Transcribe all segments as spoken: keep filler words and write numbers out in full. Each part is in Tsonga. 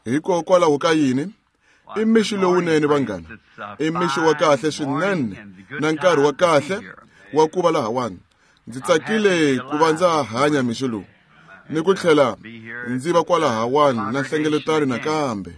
Hikokwalaho ka yini? I mixo lowunene vanghana. I mixo wa kahle swinene na nkarhi wa kahle wa ku va lahawani. Ndzi tsakile ku va ndza hanya mixo lowu ni ku tlhela ndzi va kwalahawani na nhlengeletano nakambe.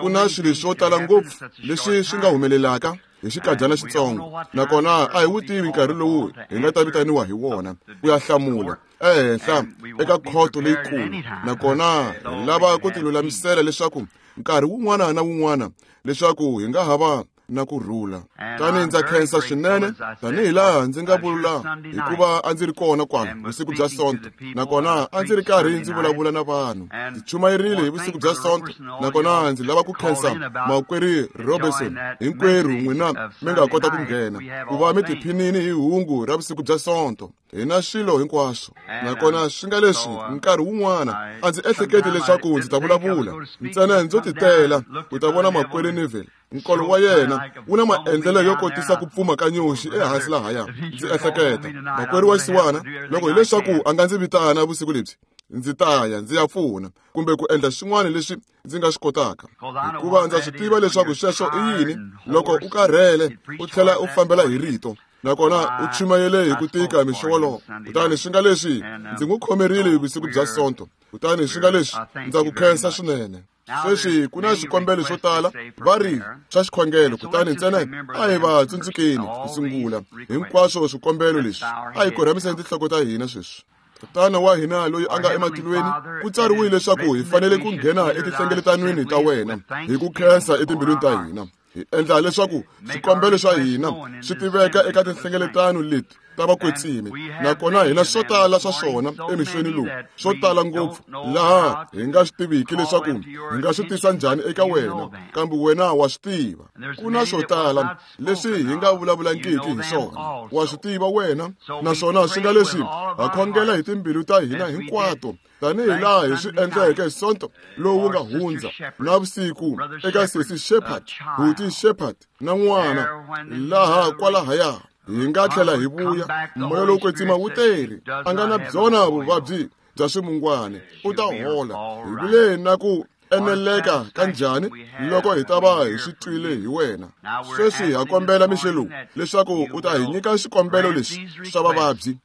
Ku na swilo swo tala ngopfu leswi swi nga humelelaka hi xikadyana xitsongo, nakona a hi wu tivi nkarhi lowu hi nga ta vitaniwa hi wona ku ya hlamula ehenhla eka khoto leyikulu, nakona hi lava ku tilulamisela leswaku nkarhi wun'wana na wun'wana leswaku hi nga ha va na ku rhula. Tani ndza khensa swinene tanihi laha ndzi nga vula hikuva a ndzi ri kona kwala vusiku bya Sonto, nakona a ndzi ri karhi ndzi vulavula na vanhu. Ndzi chumayerile hi vusiku bya Sonto, nakona ndzi lava ku khensa makwerhu Robertson hinkwerhu n'wina mi nga kota ku nghena ku va mi tiphinini hi hungu ra vusiku bya Sonto. Hi na swilo hinkwaswo, nakona swi nga leswi nkarhi wun'wana a ndzi ehleketi leswaku ndzi ta vulavula ntsena ndzo titela ku ta vona makwerhu Neville. Nkolo wa yena wu na maendlelo yo kotisa ku pfuma ka nyoxi ehansi lahaya. Ndzi ehleketa makwerhu wa xisiwana loko hileswaku a nga ndzi vitana vusiku lebyi, ndzi ta ya ndzi ya pfuna kumbe ku endla swin'wana leswi ndzi nga swi kotaka, hikuva ndza swi tiva leswaku sweswo i yini loko u karhele u tlhela u fambela hi rito, nakona u chumayele hi ku tika mixo wolowo. Kutani swi nga leswi ndzi n'wi khomerile hi vusiku bya Sonto, kutani swi nga leswi ndza ku khensa swinene. Sweswi ku na swikombelo swo tala va ri swa xikhongelo, kutani ntsena a hi va tsundzukeni ku sungula hinkwaswo swikombelo leswi. A hi korhamiseni tinhloko ta hina sweswi. Tatana wa hina loyi a nga ematilweni, ku tsariwile leswaku hi fanele ku nghena etinhlengeletanweni ta wena hi ku khensa etimbilwini ta hina. Hi endla leswaku swikombelo swa hina swi tiveka eka tinhlengeletano leti ta vakwetsimi, nakona hina swo tala swa swona emixweni lowu, swo tala ngopfu laha hi nga swi tiviki leswaku hi nga swi tisa njhani eka wena, kambe wena wa swi tiva. Ku na swo tala leswi hi nga vulavulangiki hi swona, wa swi tiva wena, naswona swi nga leswi ha khongela hi timbilu ta hina hinkwato tanihi laha hi swi endleke hi Sonto lowu nga hundza na vusiku eka sesi Shepherd, buti Shepherd na n'wana laha kwalahaya. Hi nga tlhela hi vuya, moya lowo kwetsima wu teri a nga na byona vuvabyi bya swimungwana, u ta hola. Hi vule na ku eneleka ka njhani loko hi ta va hi swi twile hi wena. Sweswi ha kombela mixo lowu leswaku u ta hi nyika xikombelo lexi swa vavabyi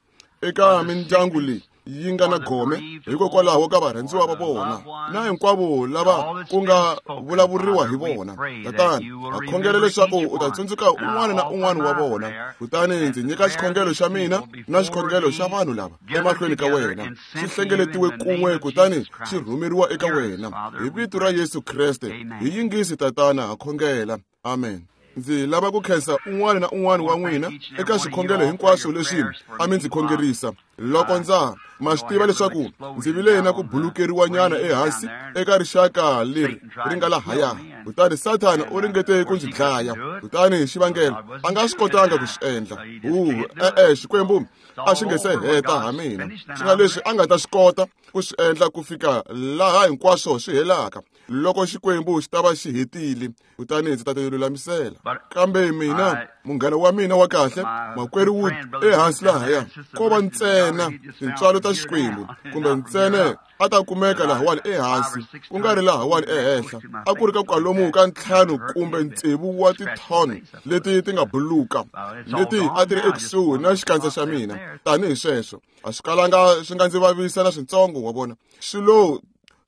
eka mindyangu leyi yi nga na gome hikokwalaho ka varhandziwa va vona na hinkwavo lava ku nga vulavuriwa hi vona. Tatana, ha khongela leswaku u ta tsundzuka un'wana na un'wana wa vona, kutani ndzi nyika xikhongelo xa mina na xikhongelo xa vanhu lava emahlweni ka wena, xi hlengeletiwe kun'we kutani xi rhumeriwa eka wena hi vito ra Yesu Kreste. Hi yingisi Tatana, ha khongela. Amen. Ndzi lava ku khensa un'wana na un'wana wa n'wina eka swikhongelo hinkwaswo leswi a mi ndzi khongerisa. Loko ndza ma swi tiva leswaku ndzi vile na ku bulukeriwanyana ehansi eka rixaka leri ri nga lahaya, kutani Sathana u ringete ku ndzi dlaya, kutani hi xivangelo a nga swi kotanga ku swi endla. Hu e-e, Xikwembu a xi nge se heta ha mina, swi nga leswi a nga ta swi kota ku swi endla ku fika laha hinkwaswo swi helaka. Loko Xikwembu xi ta va xi hetile, kutani ndzi ta ti lulamisela. Kambe mina, munghana wa mina wa kahle, makwerhu Wood, ehansi lahaya, ko va ntsena tintswalo ta Xikwembu, kumbe ntsena a ta kumeka lahawani ehansi, ku nga ri lahawani ehenhla. A ku ri ka kwalomu ka ntlhanu kumbe tsevu wa tithoni leti ti nga buluka, leti a ti ri ekusuhi na xikandza xa mina. Tanihi sweswo, a swi kalanga swi nga ndzi vavisa na switsongo, wa vona. Swi lo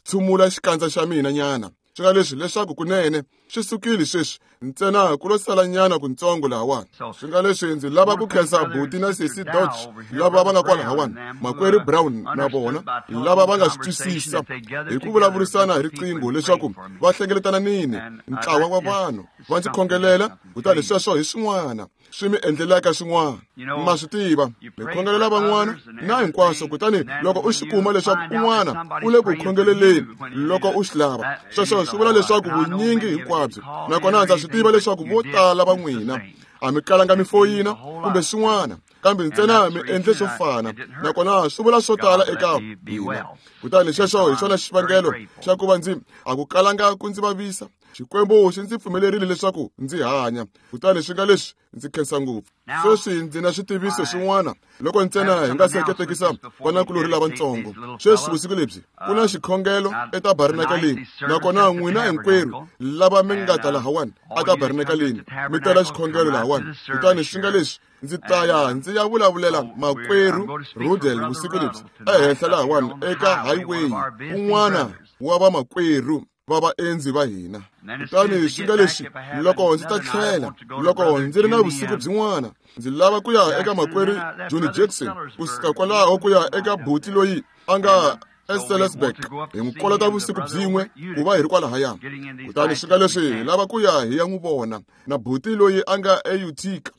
tshumula xikandza xa mina nyana. Swi nga leswi leswaku kunene swi sukile sweswi, ntsena ku lo sala nyana kuntsongo lahawani. Swi nga leswi ndzi lava ku khensa buti na sesi Dodge lava va nga kwalahawani, makwerhu Brown na vona lava va nga swi twisisa hi ku vulavurisana hi riqingho leswaku va hlengeletana nini ntlawa wa vanhu va ndzi khongelela, kutani sweswo hi swin'wana swi mi endlelaka swin'wana. Ma swi tiva, mi khongelela van'wana na hinkwaswo, kutani loko u xi kuma leswaku un'wana u le ku khongeleleni loko u xi lava, sweswo swi vula leswaku vunyingi hinkwabyo. Nakona ndza swi tiva leswaku vo tala va n'wina a mi kalanga mi foyina kumbe swin'wana, kambe ntsena mi endle swo fana, nakona swi vula swo tala eka hina. Kutani xexo hi xona xivangelo xa ku va ndzi a ku kalanga ku ndzi vavisa. Xikwembu xi ndzi pfumelerile leswaku ndzi hanya. Kutani swi nga leswi ndzi khensa ngopfu. Sweswi ndzi na xitiviso xin'wana loko ntsena hi nga seketekisa vanakulorhi lavatsongo. Sweswi vusiku lebyi ku na xikhongelo etabernakeleni, nakona n'wina hinkwerhu lava mi nga ta lahawani etabernakeleni mi tela xikhongelo lahawani. Kutani swi nga leswi ndzi ta ya ndzi ya vulavulela makwerhu Rudel vusiku lebyi ehenhla lahawani eka highway, un'wana wa vamakwerhu va vaendzi va hina. Kutani swi nga leswi loko ndzi ta tlhela, loko ndzi ri na vusiku byin'wana, ndzi lava ku ya eka makwerhu Johnny Jackson, kusuka kwalaho ku ya eka buti loyi a nga eSalisburg, hi n'wi kolota vusiku byin'we ku va hi ri kwalahaya. Kutani swi nga leswi hi lava ku ya hi ya n'wi vona na buti loyi a nga eUtica.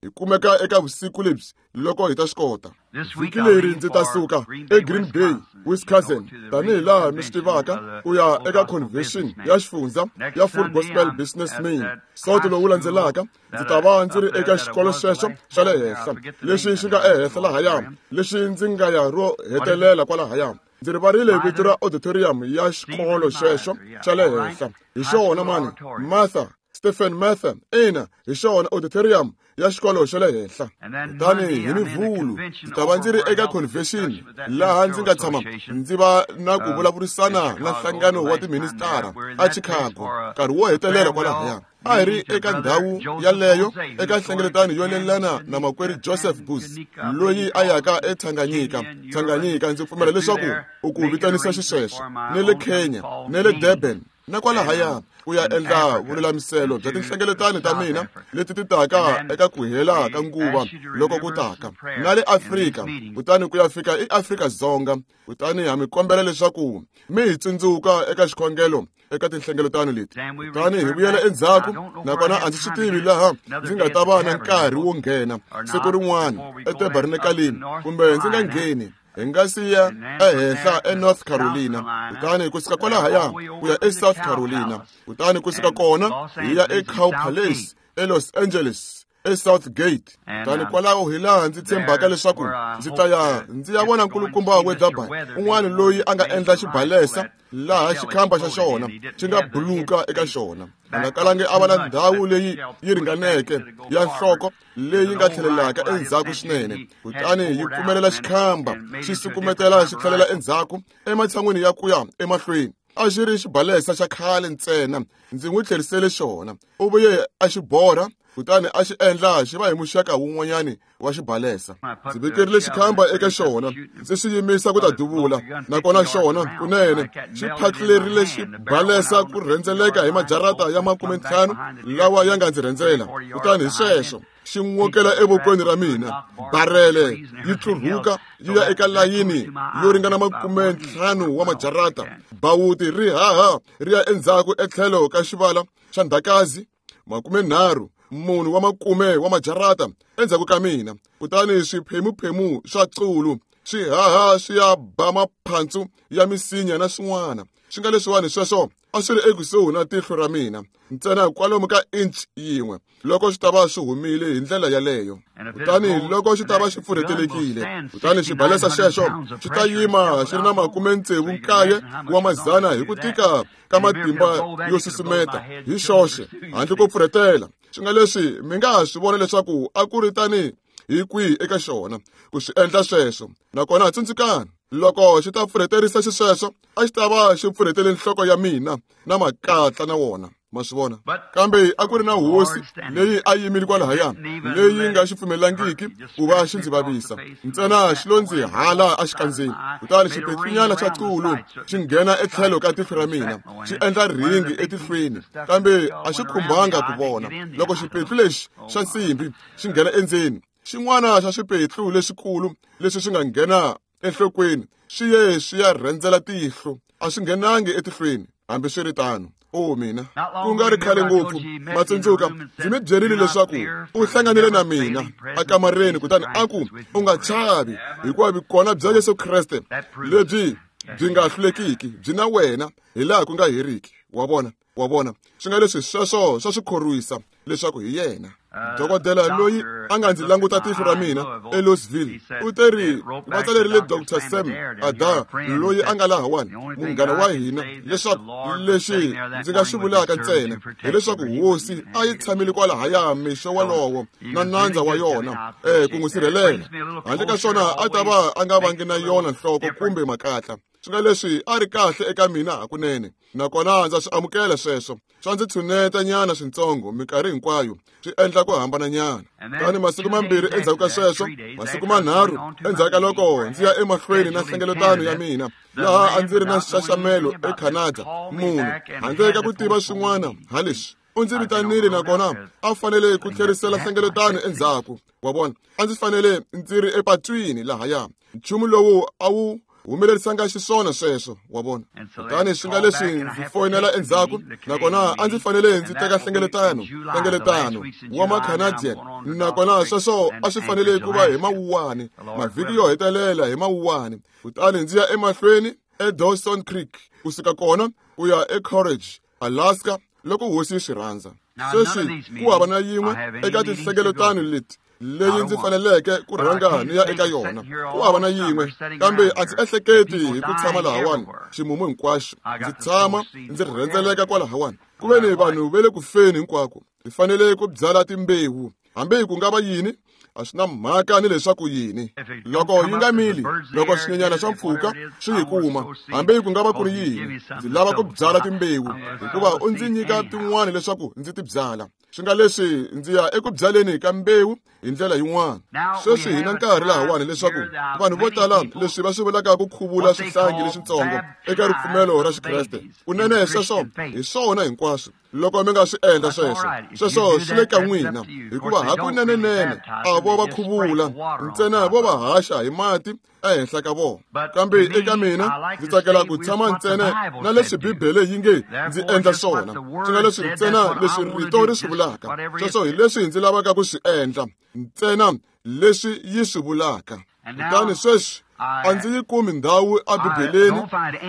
Hi kumeka eka vusiku lebyi loko hi ta swi kota. Vhiki leri ndzi ta suka eGreen Bay, Wisconsin, tanihi laha mi swi tivaka, ku ya eka convention ya xifundza ya Full Gospel Businessmen. Sonto lowu landzelaka ndzi ta va ndzi ri eka xikolo xexo xa le henhla, lexi xi nga ehenhla lahaya, lexi ndzi nga ya ro hetelela kwalahaya. Ndzi rivarile vito ra auditorium ya xikolo xexo xa le henhla. Hi xona mani, Martha Stephen Mather, ina, hi xona auditorium ya xikolo xa le henhla. Kutani hi Mivhulu ndzi ta va ndzi ri eka convention laha ndzi nga tshama ndzi va na ku vulavurisana na nhlangano wa tiministara a Chicago nkarhi wo hetelela kwalahaya. A hi ri eka ndhawu yaleyo eka nhlengeletano yo lelana na makwerhu Joseph Booth loyi a yaka eTanganyika. Tanganyika ndzi pfumela leswaku u ku vitanisa xisweswo, ne le Kenya, ne le Durban, na kwalahaya ku ya endla vululamiselo bya tinhlengeletano ta mina leti ti taka eka ku hela ka nguva loko ku taka, na le Afrika, kutani ku ya fika eAfrika-Dzonga. Kutani ha mi kombela leswaku mi hi tsundzuka eka xikhongelo eka tinhlengeletano leti. Kutani hi vuyela endzhaku, nakona a ndzi swi tivi laha ndzi nga ta va na nkarhi wo nghena siku rin'wana etabernakeleni kumbe ndzi nga ngheni. Hi nga siya ehenhla eNorth Carolina, kutani kusuka kwalahaya ku ya eSouth Carolina, kutani kusuka kona hi ya eCow Palace eLos Angeles, eSouth Gate. Kutani kwalaho hi laha ndzi tshembaka leswaku ndzi ta ya ndzi ya vona nkulukumba Weatherby, un'wana loyi a nga endla xibalesa laha xikhamba xa xona xi nga buluka eka xona. A nga kalangi a va na ndhawu leyi yi ringaneke ya nhloko leyi nga tlhelelaka endzhaku swinene, kutani yi pfumelela xikhamba xi sukumetela xi tlhelela endzhaku ematshan'wini ya ku ya emahlweni. A xi ri xibalesa xa khale ntsena, ndzi n'wi tlherisele xona. U vuye a xi borha, kutani a xi endla xi va hi muxaka wun'wanyani wa xibalesa. Ndzi vekerile xikhamba eka xona, ndzi xi yimisa ku ta duvula, nakona xona kunene xi phatlulerile xibalesa ku rhendzeleka hi majarata ya makume ntlhanu lawa ya nga ndzi rhendzela. Kutani hi sweswo xi n'wokela evokweni ra mina, barele yi tlurhuka yi ya eka layini yo ringana makume ntlhanu wa majarata. Bawuti ri haha ri ya endzhaku etlhelo ka xivala xa ndhakazi makume nharhu munhu wa makume wa majarata endzhaku ka mina. Kutani swiphemuphemu swa qulu swi haha swi ya ba maphantsu ya misinya na swin'wana. Swi nga leswiwani sweswo a swi ri ekusuhi na tihlo ra mina ntsena kwalomu ka inch yin'we loko swi ta va swi humile hi ndlela yaleyo. Kutani loko xi ta va xi pfurhetelekile, kutani xibalesa xexo xi ta yima xi ri na makume tsevu nkaye wa mazana hi ku tika ka matimba yo susumeta hi xoxe handle ko pfurhetela. Swi nga leswi mi nga ha swi vona leswaku a ku ri tani hi kwihi eka xona ku swi endla sweswo. Nakona tsundzukani, loko xi ta pfurheterisa xisweswo, a xi ta va xi pfurhetele nhloko ya mina na makatla na wona. Ma swi vona? Kambe a ku ri na hosi leyi a yimile kwalahaya, leyi nga xi pfumelangiki ku va xi ndzi vavisa. Ntsena xi lo ndzi hala exikandzeni, kutani xipetlunyana xa qulu xi nghena etlhelo ka tihlo ra mina, xi endla ringi etihlweni, kambe a xi khumbanga ku vona. Loko xipetlu lexi xa nsimbi xi nghena endzeni, xin'wana xa swipetlu leswikulu leswi swi nga nghena enhlokweni swi ye swi ya rhendzela tihlo, a swi nghenangi etihlweni. Hambiswiritano, o mina, ku nga ri khale ngopfu, matsundzuka ndzi mi byerile leswaku u hlanganile na mina akamareni, kutani a ku, u nga chavi, hikuva vukona bya Yesu Kreste lebyi byi nga hlulekiki byi na wena hi laha ku nga heriki. Wa vona, wa vona, swi nga leswi sweswo swa swi khorwisa. leswaku hi yena. Dokodela loyi a nga ndzi languta tihlo ra mina eLouisville u teri va tsalerile Doctor Sam Ada loyi a nga lahawani, munghana wa hina, leswaku lexi ndzi nga swi vulaka ntsena hileswaku hosi a yi tshamile kwalahaya mixo walowo na nandza wa yona eh ku n'wi sirhelela. Handle ka swona a ta va a nga vangi na yona nhloko kumbe makatla. Swi nga leswi a ri kahle eka mina hakunene, nakona ndza swi amukela sweswo. Swa ndzi tshuneta nyana swintsongo minkarhi hinkwayo, swi endla ku hambana nyana. Kutani masiku mambirhi endzhaku ka sweswo, masiku manharhu endzhaku ka loko ndzi ya emahlweni na nhlengeletano ya mina laha a ndzi ri na nxaxamelo eCanada, munhu handle ka ku tiva swin'wana ha leswi u ndzi vitanile, nakona a fanele ku tlherisela nhlengeletano endzhaku. Wa vona, a ndzi fanele ndzi ri epatwini lahaya. Nchumu lowu a wu humelerisanga xiswona sweswo, wa vona. Kutani swi nga leswi ndzi foyinela endzhaku, nakona a ndzi fanele ndzi teka nhlengeletano nhlengeletano wa ma-Canadian, nakona sweswo a swi fanele ku va hi Mawuwani, mavhiki yo hetelela hi Mawuwani. Kutani ndzi ya emahlweni eDawson Creek, kusuka kona ku ya eCourage, Alaska, loko hosi yi swi rhandza. Sweswi ku hava na yin'we eka tinhlengeletano leti leyi ndzi faneleke ku rhanga ni ya eka yona, ku hava na yin'we. Kambe a ndzi ehleketi hi ku tshama lahawani ximumu hinkwaxo, ndzi tshama ndzi rhendzeleka kwalahawani. Ku ve ni vanhu va le ku feni hinkwako, hi fanele ku byala timbewu, hambi ku nga va yini, a swi na mhaka ni leswaku yini. Loko yi nga mili, loko swinyenyana swa mpfhuka swi yi kuma, hambi ku nga va ku ri yini, ndzi lava ku byala timbewu, hikuva u ndzi nyika tin'wana leswaku ndzi ti byala. Swi nga leswi ndzi ya eku byaleni ka mbewu hi ndlela yin'wana. Sweswi hi na nkarhi lahawani leswaku vanhu vo tala leswi va swi vulaka ku khuvula swihlangi leswitsongo eka ripfumelo ra Xikreste, kunene sweswo hi swona hinkwaswo. Loko mi nga swi endla sweswo, sweswo swi le ka n'wina, hikuva hakunenenene a vo va khuvula ntsena, vo va haxa hi mati ehenhla ka vona. Kambe eka mina ndzi tsakela ku tshama ntsena na leswi Bibele yi nge ndzi endla swona, swi nga leswi ntsena leswi rito ri swi vulaka. Sweswo hi leswi ndzi lavaka ku swi endla, ntsena leswi yi swi vulaka. Kutani sweswi a ndzi yi kumi ndhawu eBibeleni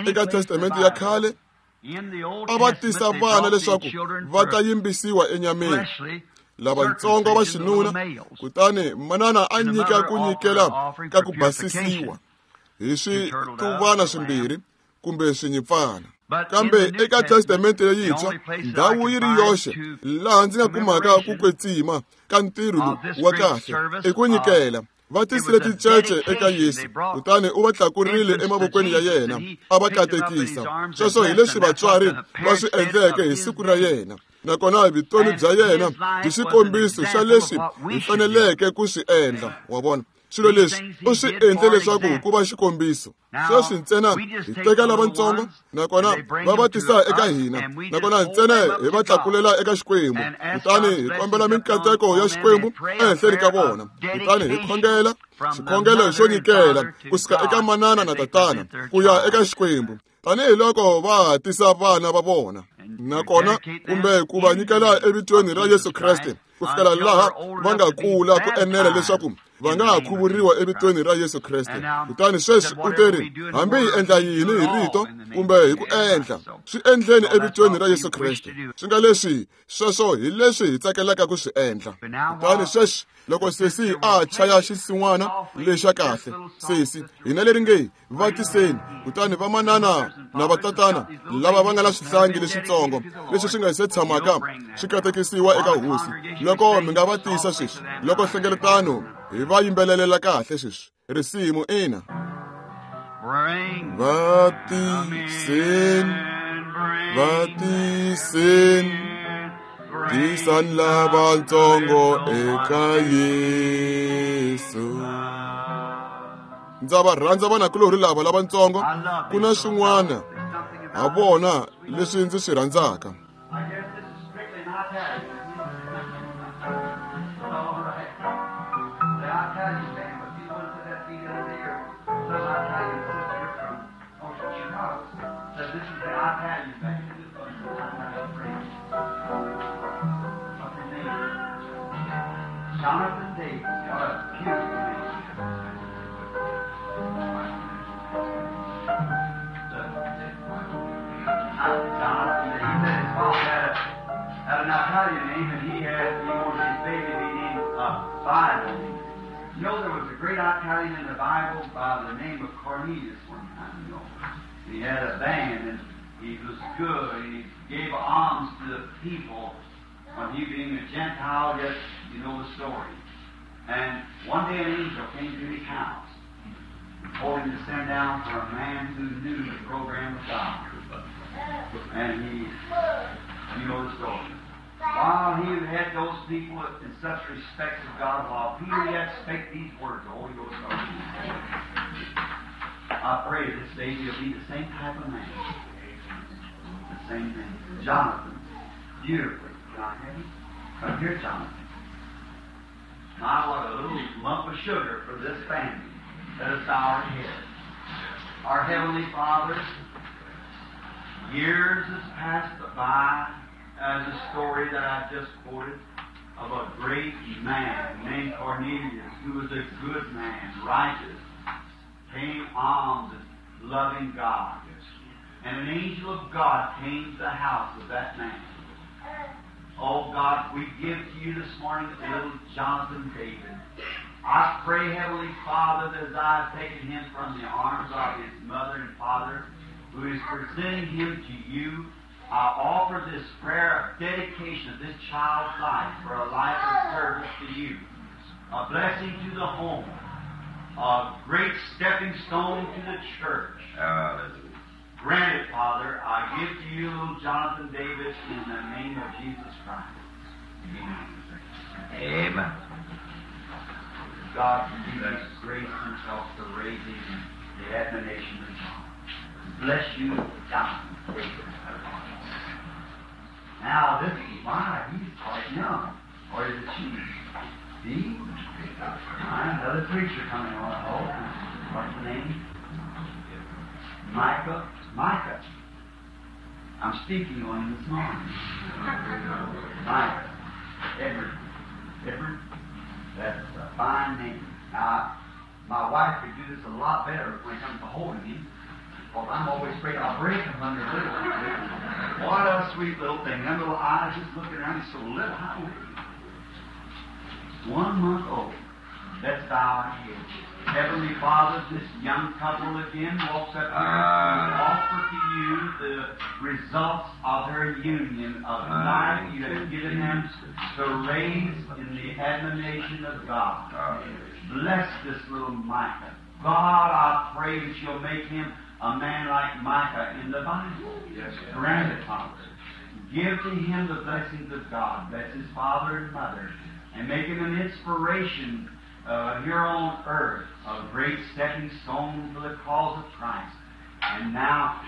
eka Testamente ya khale a va tisa vana leswaku va ta yimbisiwa enyameni, lavatsongo va xinuna, kutani manana a nyika ku nyikela ka ku basisiwa hi swituvana swimbirhi kumbe swinyimpfana. Kambe eka Testamente leyintshwa, ndhawu yi ri yoxe laha ndzi nga kumaka ku kwetsima ka ntirho lowu wa kahle i ku nyikela. Va tisile tincece eka Yesu, kutani u va tlakurile emavokweni ya yena a va katekisa. Sweswo hi leswi vatswari va swi endleke hi siku ra yena, nakona vutomi bya yena byi xikombiso xa leswi hi faneleke ku swi endla. Wa vona, swilo leswi u swi endle leswaku ku va xikombiso. Sweswi ntsena hi teka lavatsongo, nakona va va tisa eka hina, nakona ntsena hi va tlakulela eka Xikwembu, kutani hi kombela minkateko ya Xikwembu ehenhleni ka vona, kutani hi khongela xikhongelo xo nyikela kusuka eka manana na tatana ku ya eka Xikwembu, tanihiloko va tisa vana va vona, nakona kumbe ku va nyikela evitweni ra Yesu Kreste ku fikela laha va nga kula ku enela leswaku va nga ha khuvuriwa evitweni ra Yesu Kreste. Kutani sweswi u teri, hambi hi endla yini hi rito kumbe hi ku endla, swi endleni evitweni ra Yesu Kreste. Swi nga leswi sweswo hi leswi hi tsakelaka ku swi endla. Kutani sweswi loko sesi a chaya xinsin'wana lexa kahle, sesi hina leri nge va tiseni, kutani vamanana na vatatana lava va nga na swihlangi leswitsongo leswi swi nga se tshamaka swi katekisiwa eka hosi, loko mi nga va tisa sweswi, loko nhlengeletano hi va yimbelelela kahle sweswi risimu ina. Va tiseni, va tiseni, tisani lavatsongo eka Yesu. Ndza va rhandza vanakulorhi lava lavatsongo, ku na swin'wana ha vona leswi ndzi swi rhandzaka. Jonathan Davis, what a beautiful name. Jonathan Davis, he said his father had, a, had an an Italian name, and he had, he wanted his baby to be named uh, Bible. You know, there was a great Italian in the Bible by the name of Cornelius one time, you know. He had a band, and he was good, and he gave alms to the people. When he being a Gentile, yet you know the story. And one day an angel came to his house and told him to send down for a man who knew the program of God. And he, you know the story. While he had those people in such respect of God, while Peter yet spake these words, the Holy Ghost started him. I pray this baby will be the same type of man. The same thing. Jonathan, beautifully. John, come here, Jonathan. My, what a little lump of sugar for this family. Let us bow our heads. Our Heavenly Father, years has passed by as a story that I just quoted of a great man named Cornelius, who was a good man, righteous, paying alms and loving God. And an angel of God came to the house of that man. Oh God, we give to you this morning little Jonathan David. I pray, Heavenly Father, that as I have taken him from the arms of his mother and father, who is presenting him to you, I offer this prayer of dedication of this child's life for a life of service to you, a blessing to the home, a great stepping stone to the church. Hallelujah. Grant it, Father. I give to you little Jonathan David in the name of Jesus Christ. Amen. Amen. God give us grace himself to raise him in the admonition of God. Bless you, Jonathan David. Now this is why he's quite young. Or is it she? See? Another preacher coming on. Oh, what's the name? Micah. Micah. I'm speaking on him this morning. Micah. Edward. Edward. That's a fine name. Now, my wife could do this a lot better when it comes to holding him, because I'm always afraid I'll break him under little. What a sweet little thing. Them little eyes just looking around. He's so little. How old is he? One month old. Let's bow our heads. Heavenly Father, this young couple again walks up here to offer to you the results of their union of life you have given them to raise in the admonition of God. Bless this little Micah. God, I pray that you'll make him a man like Micah in the Bible. Yes, Grant it, Father. Give to him the blessings of God. Bless his father and mother. And make him an inspiration Uh, here on earth, a great stepping stone for the cause of Christ. And now,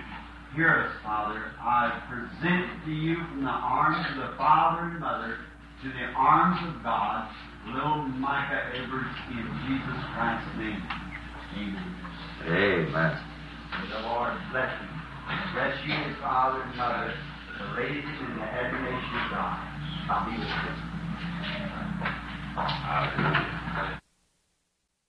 hear us, Father. I present to you from the arms of the father and mother to the arms of God, little Micah Edwards, in Jesus Christ's name. Amen. Amen. May the Lord bless you. Bless you, his father and mother, to raise him in the admiration of God. I'll be with you. Hallelujah.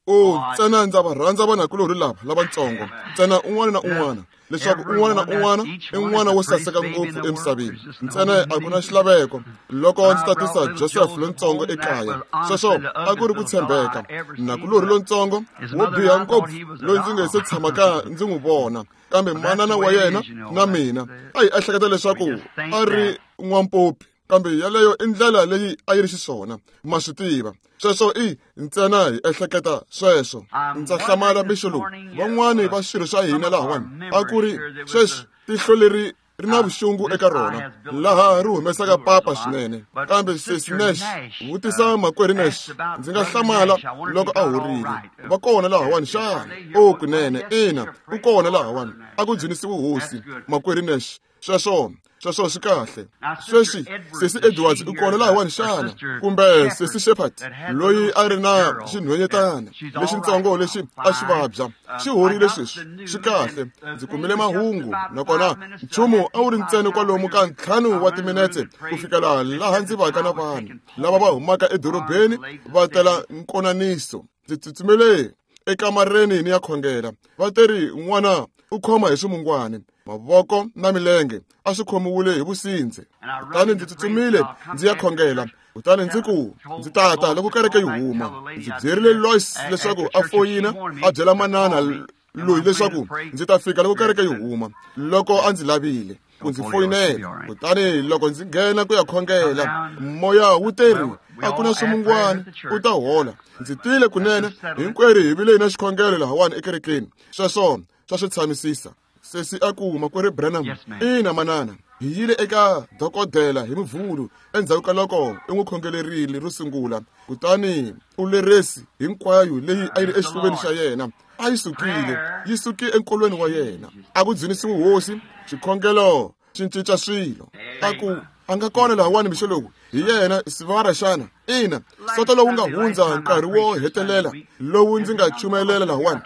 O ntsena ndza va rhandza vanakulorhi lava lavatsongo ntsena un'wana na un'wana leswaku un'wana na un'wana i n'wana wo saseka ngopfu emisaveni ntsena a ku na xilaveko loko ndzi tatisa Joseph lontsongo ekaya sweswo a ku ri ku tshembeka nakulorhi lontsongo wo biha ngopfu loyi ndzi nge se tshamaka ndzi n'wi vona kambe manana wa yena na mina a hi ehleketa leswaku a ri n'wampopi kambe yaleyo i ndlela leyi a yi ri xiswona ma swi tiva sweswo i ntsena hi ehleketa sweswo ndza hlamala mixo lowu van'wani va swirho swa hina lahawani a ku ri sweswi tihlo leri ri na vuxungu eka rona laha ri humesaka papa swinene kambe sesi Nash vutisa makwerhu Nash ndzi nga hlamala loko a horile va kona lahawani xana o kunene ina u kona lahawani a ku dzunisiwe hosi makwerhu Nash sweswo sweswo swi kahle sweswi sesi Edwards u kona lahawani xana kumbe sesi Shepherd loyi a ri na xinhwenyetana lexitsongo lexi a xi vabya xi horile sweswi swi kahle ndzi kumile mahungu nakona nchumu a wu ri ntsena kwalomu ka ntlhanu wa timinetse ku fikela laha ndzi vaka na vanhu lava va humaka edorobeni va tela nkonaniso ndzi tsutsumele ekamareni ni ya khongela va teri n'wana u khoma hi swimungwani mavoko na milenge a swi khomiwile hi vusindze kutani ndzi tsutsumile ndzi ya khongela kutani ndzi ku ndzi tata loko kereke yi huma ndzi byerile Lois leswaku a foyina a byela manana loyi leswaku ndzi ta fika loko kereke yi huma loko a ndzi lavile ku ndzi foyinela kutani loko ndzi nghena ku ya khongela moya wu teri a ku na swimungwana u ta hola ndzi tile kunene hinkwerhu hi vile hi na xikhongelo lahawani ekerekeni sweswo swa swi tshamisisa sesi a ku makwerhu Branham ina manana hi yile eka dokodela hi muvhulu endzhaku ka loko i n'wi khongelerile ro sungula kutani u leresi hinkwayo leyi a yi ri exifuveni xa yena a yi sukile yi suke enkolweni wa yena a ku dzunisiwe hosi xikhongelo xi cinca swilo a ku a nga kona lahawani mixo lowu hi yena sivara xana ina soto lowu nga hundza nkarhi wo hetelela lowu ndzi nga chumelela lahawani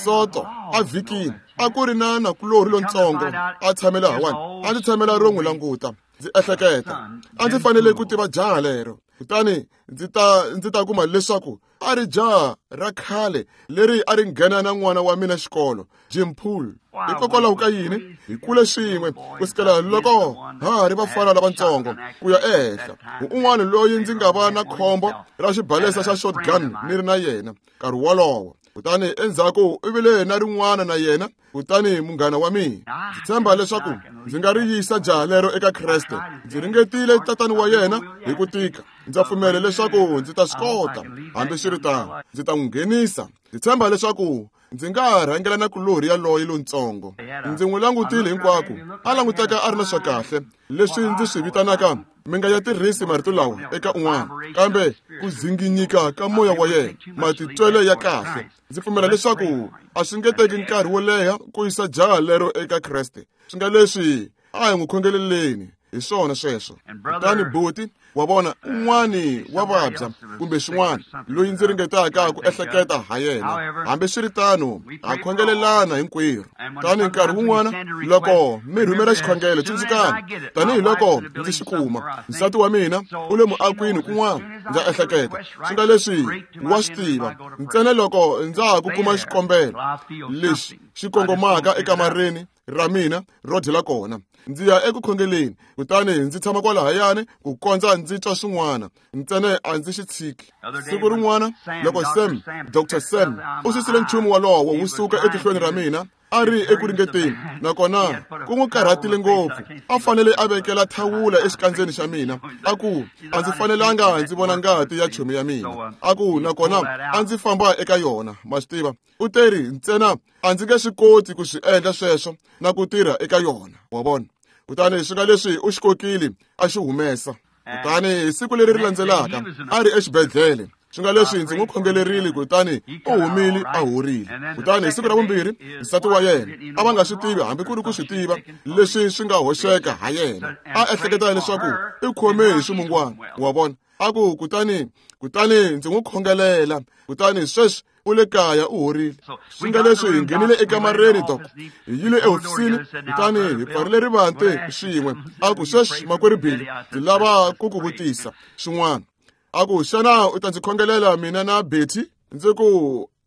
soto a vhikini a ku ri na nakulorhi lontsongo a tshame lahawani a ndzi tshamela ro n'wi languta ndzi ehleketa a ndzi fanele ku tiva jaha lero kutani ndzi ta ndzi ta kuma leswaku a ri jaha ra khale leri a ri nghena na n'wana wa mina xikolo Jim Poole hikokwalaho ka yini hi kule swin'we ku sukela loko ha ha ri vafana lavatsongo ku ya ehenhla un'wana loyi ndzi nga va na khombo ra xibalesa xa shotgun ni ri na yena nkarhi wolowo kutani endzhaku u vile na rin'wana na yena kutani munghana wa mina ndzi tshemba leswaku ndzi nga ri yisa jaha lero eka Kreste ndzi ringetile tatani wa yena hi ku tika ndza pfumela leswaku ndzi ta swi kota hambiswiritano ndzi ta n'wi nghenisa ndzi tshemba leswaku ndzi nga rhangela na kulorhi yaloye lontsongo ndzi n'wi langutile hinkwako a languteka a ri na swa kahle leswi ndzi swi vitanaka mi nga ya tirhisi marito lawa eka un'wana kambe ku zinginyika ka moya wa yena matitwelo ya kahle ndzi pfumela leswaku a swi nge teki nkarhi wo leha ku yisa jaha lero eka Kreste swi nga leswi a hi n'wi khongeleleni hi swona sweswo kutani buti wa vona un'wani wa vabya kumbe xin'wana loyi ndzi ringetaka ku ehleketa ha yena hambiswiritano ha khongelelana hinkwerhu tani nkarhi wun'wana loko mi rhumela xikhongelo tsundzukani tanihiloko ndzi xi kuma nsati wa mina u le muakwini kun'wana ndza ehleketa swi nga leswi wa swi tiva ntsena loko ndza ha ku kuma xikombelo lexi xi kongomaka ekamareni ra mina ro dyela kona ndzi ya eku khongeleni kutani ndzi tshama kwalahayani ku kondza ndzi twa swin'wana ntsena a ndzi xi tshiki siku rin'wana loko Sam Doctor Sam u susile nchumu wolowo wu suka etihlweni ra mina a ri eku ringeteni nakona ku n'wi karhatile ngopfu a fanele a vekela thawula exikandzeni xa mina a ku a ndzi fanelanga ndzi vona ngati ya chomi ya mina a ku nakona a ndzi famba eka yona ma swi tiva u teri ntsena a ndzi nge swi koti ku swi endla sweswo na ku tirha eka yona wa vona kutani swi nga leswi u xi kokile a xi humesa kutani hi siku leri ri landzelaka a ri exibedhlele swi nga leswi ndzi n'wi khongelerile kutani u humile a horile kutani hi siku ra vumbirhi nsati wa yena a va nga swi tivi hambi ku ri ku swi tiva leswi swi nga hoxeka ha yena a ehleketa leswaku i khome hi swimungwana wa vona a ku kutani kutani ndzi n'wi khongelela kutani sweswi u le kaya u horile swi nga leswi hi nghenile ekamareni dok hi yile ehofisini kutani hi pfarile rivanti swin'we a ku sweswi makwerhu Billy ndzi lava ku ku vutisa swin'wana a ku xana u ta ndzi khongelela mina na Betty ndzi ku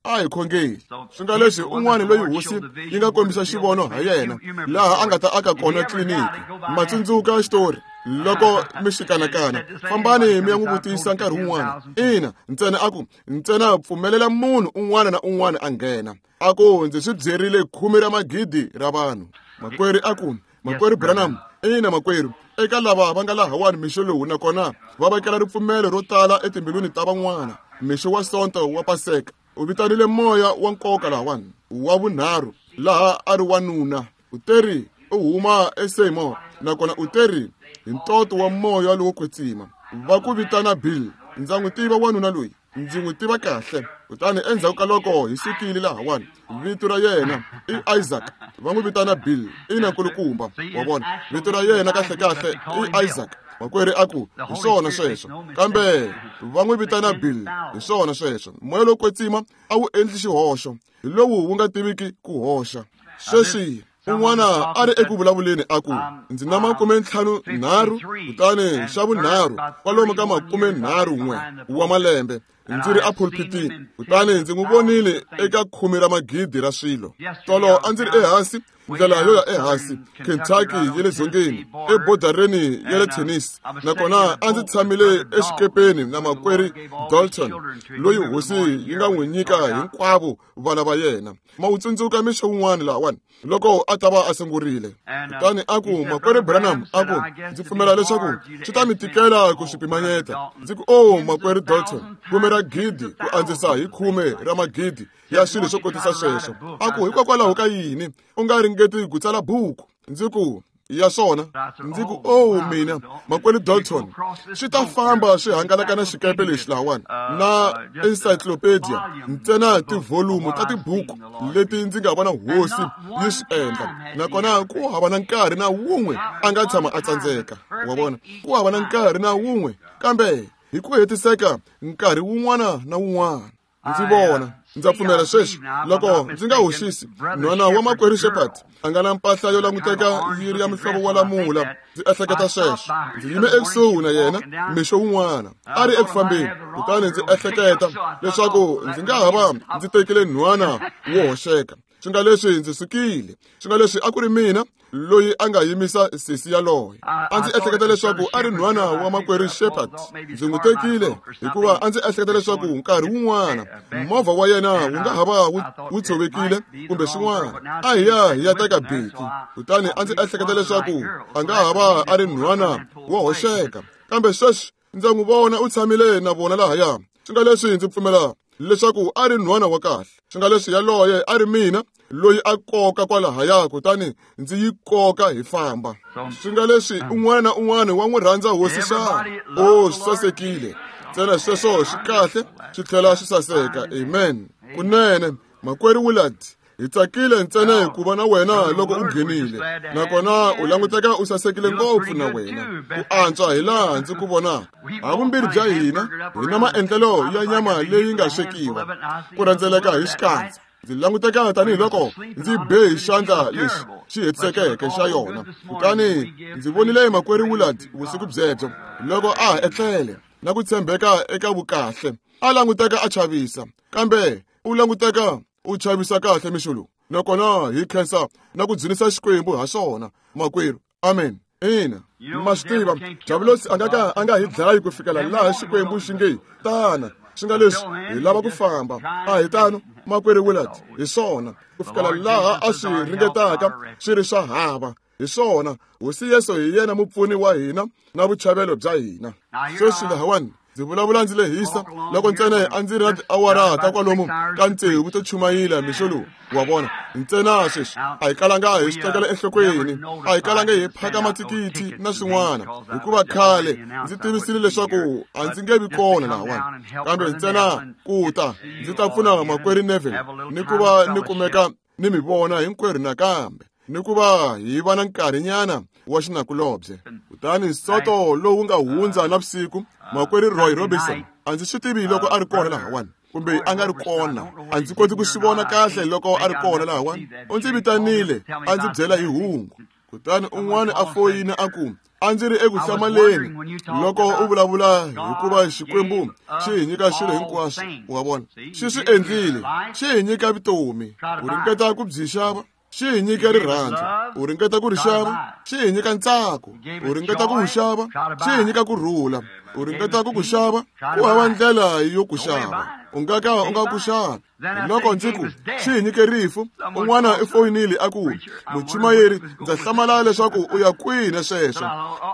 a hi khongeli swi nga leswi un'wana loyi hosi yi nga kombisa xivono ha yena laha a nga ta aka kona tliliniki ma tsundzuka xitori loko mi xi kanakana fambani mi ya n'wi vutisa nkarhi wun'wana ina ntsena a ku ntsena pfumelela munhu un'wana na un'wana a nghena a ku ndzi swi byerile khume ra magidi ra vanhu makwerhu a ku makwerhu Branham ina makwerhu eka lava va nga lahawani mixo lowu nakona va vekela ripfumelo ro tala etimbilwini ta van'wana mixo wa sonto wa paseka u vitanile moya wa nkoka lahawani wa vunharhu laha a ri wanuna u teri u huma eSeymour nakona u teri hi ntoto wa moya lowo kwetsima va ku vitana Bill ndza n'wi tiva wanuna loyi ndzi n'wi tiva kahle kutani endzhaku ka loko hi sukile lahawani vito ra yena i Isaac va n'wi vitana Bill ina nkulukumba wa vona vito ra yena kahlekahle i Isaac makwerhu a ku hi swona sweswo kambe va n'wi vitana Bill hi swona sweswo moya lowo kwetsima a wu endli xihoxo hi lowu wu nga tiviki ku hoxa sweswi un'wana a ri eku vulavuleni a ku ndzi na makume ntlhanu nharhu kutani xa vunharhu kwalomu ka makume nharhu n'we wa malembe Ndzi ri epulpitini, kutani ndzi n'wi vonile eka khume ra magidi ra swilo. Tolo a ndzi ri ehansi, ndlela yo ya ehansi, Kentucky ya le dzongeni, ebodareni ya le Tennessee. Nakona a ndzi tshamile exikepeni na makwerhu Dalton, loyi hosi yi nga n'wi nyika hinkwavo vana va yena. Ma wu tsundzuka mixo wun'wana lahawani loko a ta va a sungurile. Kutani a ku, makwerhu Branham, a ku, ndzi pfumela leswaku swi ta mi tikela ku swi pimanyeta. Ndzi ku, oh, makwerhu Dalton, khume ra gidi ku andzisa hi khume ra magidi ya swilo swo kotisa sweswo. A ku, hikokwalaho ka yini u nga ringeti ku tsala buku? Ndzi ku, ya swona. Ndzi ku, oh, mina, makwerhu Dalton, swi ta famba swi hangalaka na xikepe lexi lahawani na encyclopedia, ntsena tivholumu ta tibuku leti ndzi nga vona hosi yi swi endla. Nakona ku hava na nkarhi na wun'we a nga tshama a tsandzeka. Wa vona, ku hava na nkarhi na wun'we, kambe hi ku hetiseka nkarhi wun'wana na wun'wana. Ndzi vona, ndza pfumela sweswi, loko ndzi nga hoxisi, nhwana wa makwerhu Shepherd a nga na mpahla yo languteka yi ri ya muhlovo wa lamula. Ndzi ehleketa sweswo. Ndzi yime ekusuhi na yena mixo wun'wana, a ri eku fambeni, kutani ndzi ehleketa leswaku ndzi nga ha va ndzi tekile nhwana wo hoxeka. Swi nga leswi ndzi sukile, swi nga leswi a ku ri mina loyi a nga yimisa sesi yaloye. A ndzi ehleketa leswaku a ri nhwana wa makwerhu Shepherd. Ndzi n'wi tekile hikuva a ndzi ehleketa leswaku nkarhi wun'wana movha wa yena wu nga ha va wu tshovekile kumbe swin'wana. A hi ya hi ya teka beki, kutani a ndzi ehleketa leswaku a nga ha va a ri nhwana wo hoxeka. Kambe sweswi ndza n'wi vona u tshamile na vona lahaya. Swi nga leswi ndzi pfumela leswaku a ri nhwana wa kahle. Swi nga leswi yaloye a ri mina loyi a koka kwalahaya, kutani ndzi yi koka hi famba. Swi nga leswi un'wana na un'wana wa n'wi rhandza hosi xana? Oh, swi sasekile. Ntsena sweswo swi kahle, swi tlhela swi saseka. Amen. Kunene, makwerhu Willard, hi tsakile ntsena ku va na wena loko u nghenile. Nakona u languteka u sasekile ngopfu na wena, ku antswa hi laha ndzi ku vonaka. Havumbirhi bya hina hi na maendlelo ya nyama leyi nga swekiwa, ku rhendzeleka hi xikandza. Ndzi languteka tanihiloko ndzi be hi xandla lexi xi hetisekeke xa yona. Kutani ndzi vonile makwerhu Willard vusiku byebyo loko a ha etlele na ku tshembeka eka vukahle. A languteka a chavisa, kambe u languteka u chavisa kahle mixo lowu. Nakona hi khensa na ku dzunisa Xikwembu ha swona, makwerhu. Amen. Ina, ma swi tiva, Diavulosi a nga ka a nga hi dlayi ku fikela laha Xikwembu xi nge tana. Swi nga leswi hi lava ku famba. A hi tano, makwerhu Willard, hi swona. Ku fikela laha a swi ringetaka swi ri swa hava. Hi swona, hosi Yesu hi yena mupfuni wa hina na vuchavelo bya hina. Sweswi lahawani ndzi vulavula ndzi lehisa loko ntsena a ndzi ri na tiawara ta kwalomu ka tsevu to chumayela mixo lowu. Wa vona, ntsena sweswi a hi kalanga hi swi tekela enhlokweni, a hi kalanga hi phaka mathikithi na swin'wana, hikuva khale ndzi tivisile leswaku a ndzi nge vi kona lahawani. Kambe ntsena ku ta ndzi ta pfuna makwerhu Neville ni ku va ni kumeka ni mi vona hinkwerhu nakambe, ni ku va hi va na nkarhinyana wa xinakulobye. Kutani soto lowu nga hundza navusiku, makwerhu Roy Robinson, a ndzi swi tivi loko a ri kona lahawani kumbe a nga ri kona. A ndzi koti ku swi vona kahle loko a ri kona lahawani. U ndzi vitanile a ndzi byela hi hungu. Kutani un'wana a foyina a ku, a ndzi ri eku hlamaleni loko u vulavula hikuva Xikwembu xi hi nyika swilo hinkwaswo. Wa vona, xi swi endlile, xi hi nyika vutomi. U ringeta ku byi xava, xi hi nyika rirhandzu. U ringeta ku ri xava, xi hi nyika ntsako. U ringeta ku wu xava, xi hi nyika ku rhula. U ringeta ku ku xava, ku hava ndlela yo ku xava. U nga ka u nga ku xavi. Loko ndzi ku xi hi nyike rifu, un'wana i foyinile a ku, muchumayeri, ndza hlamala leswaku u ya kwihi na sweswo.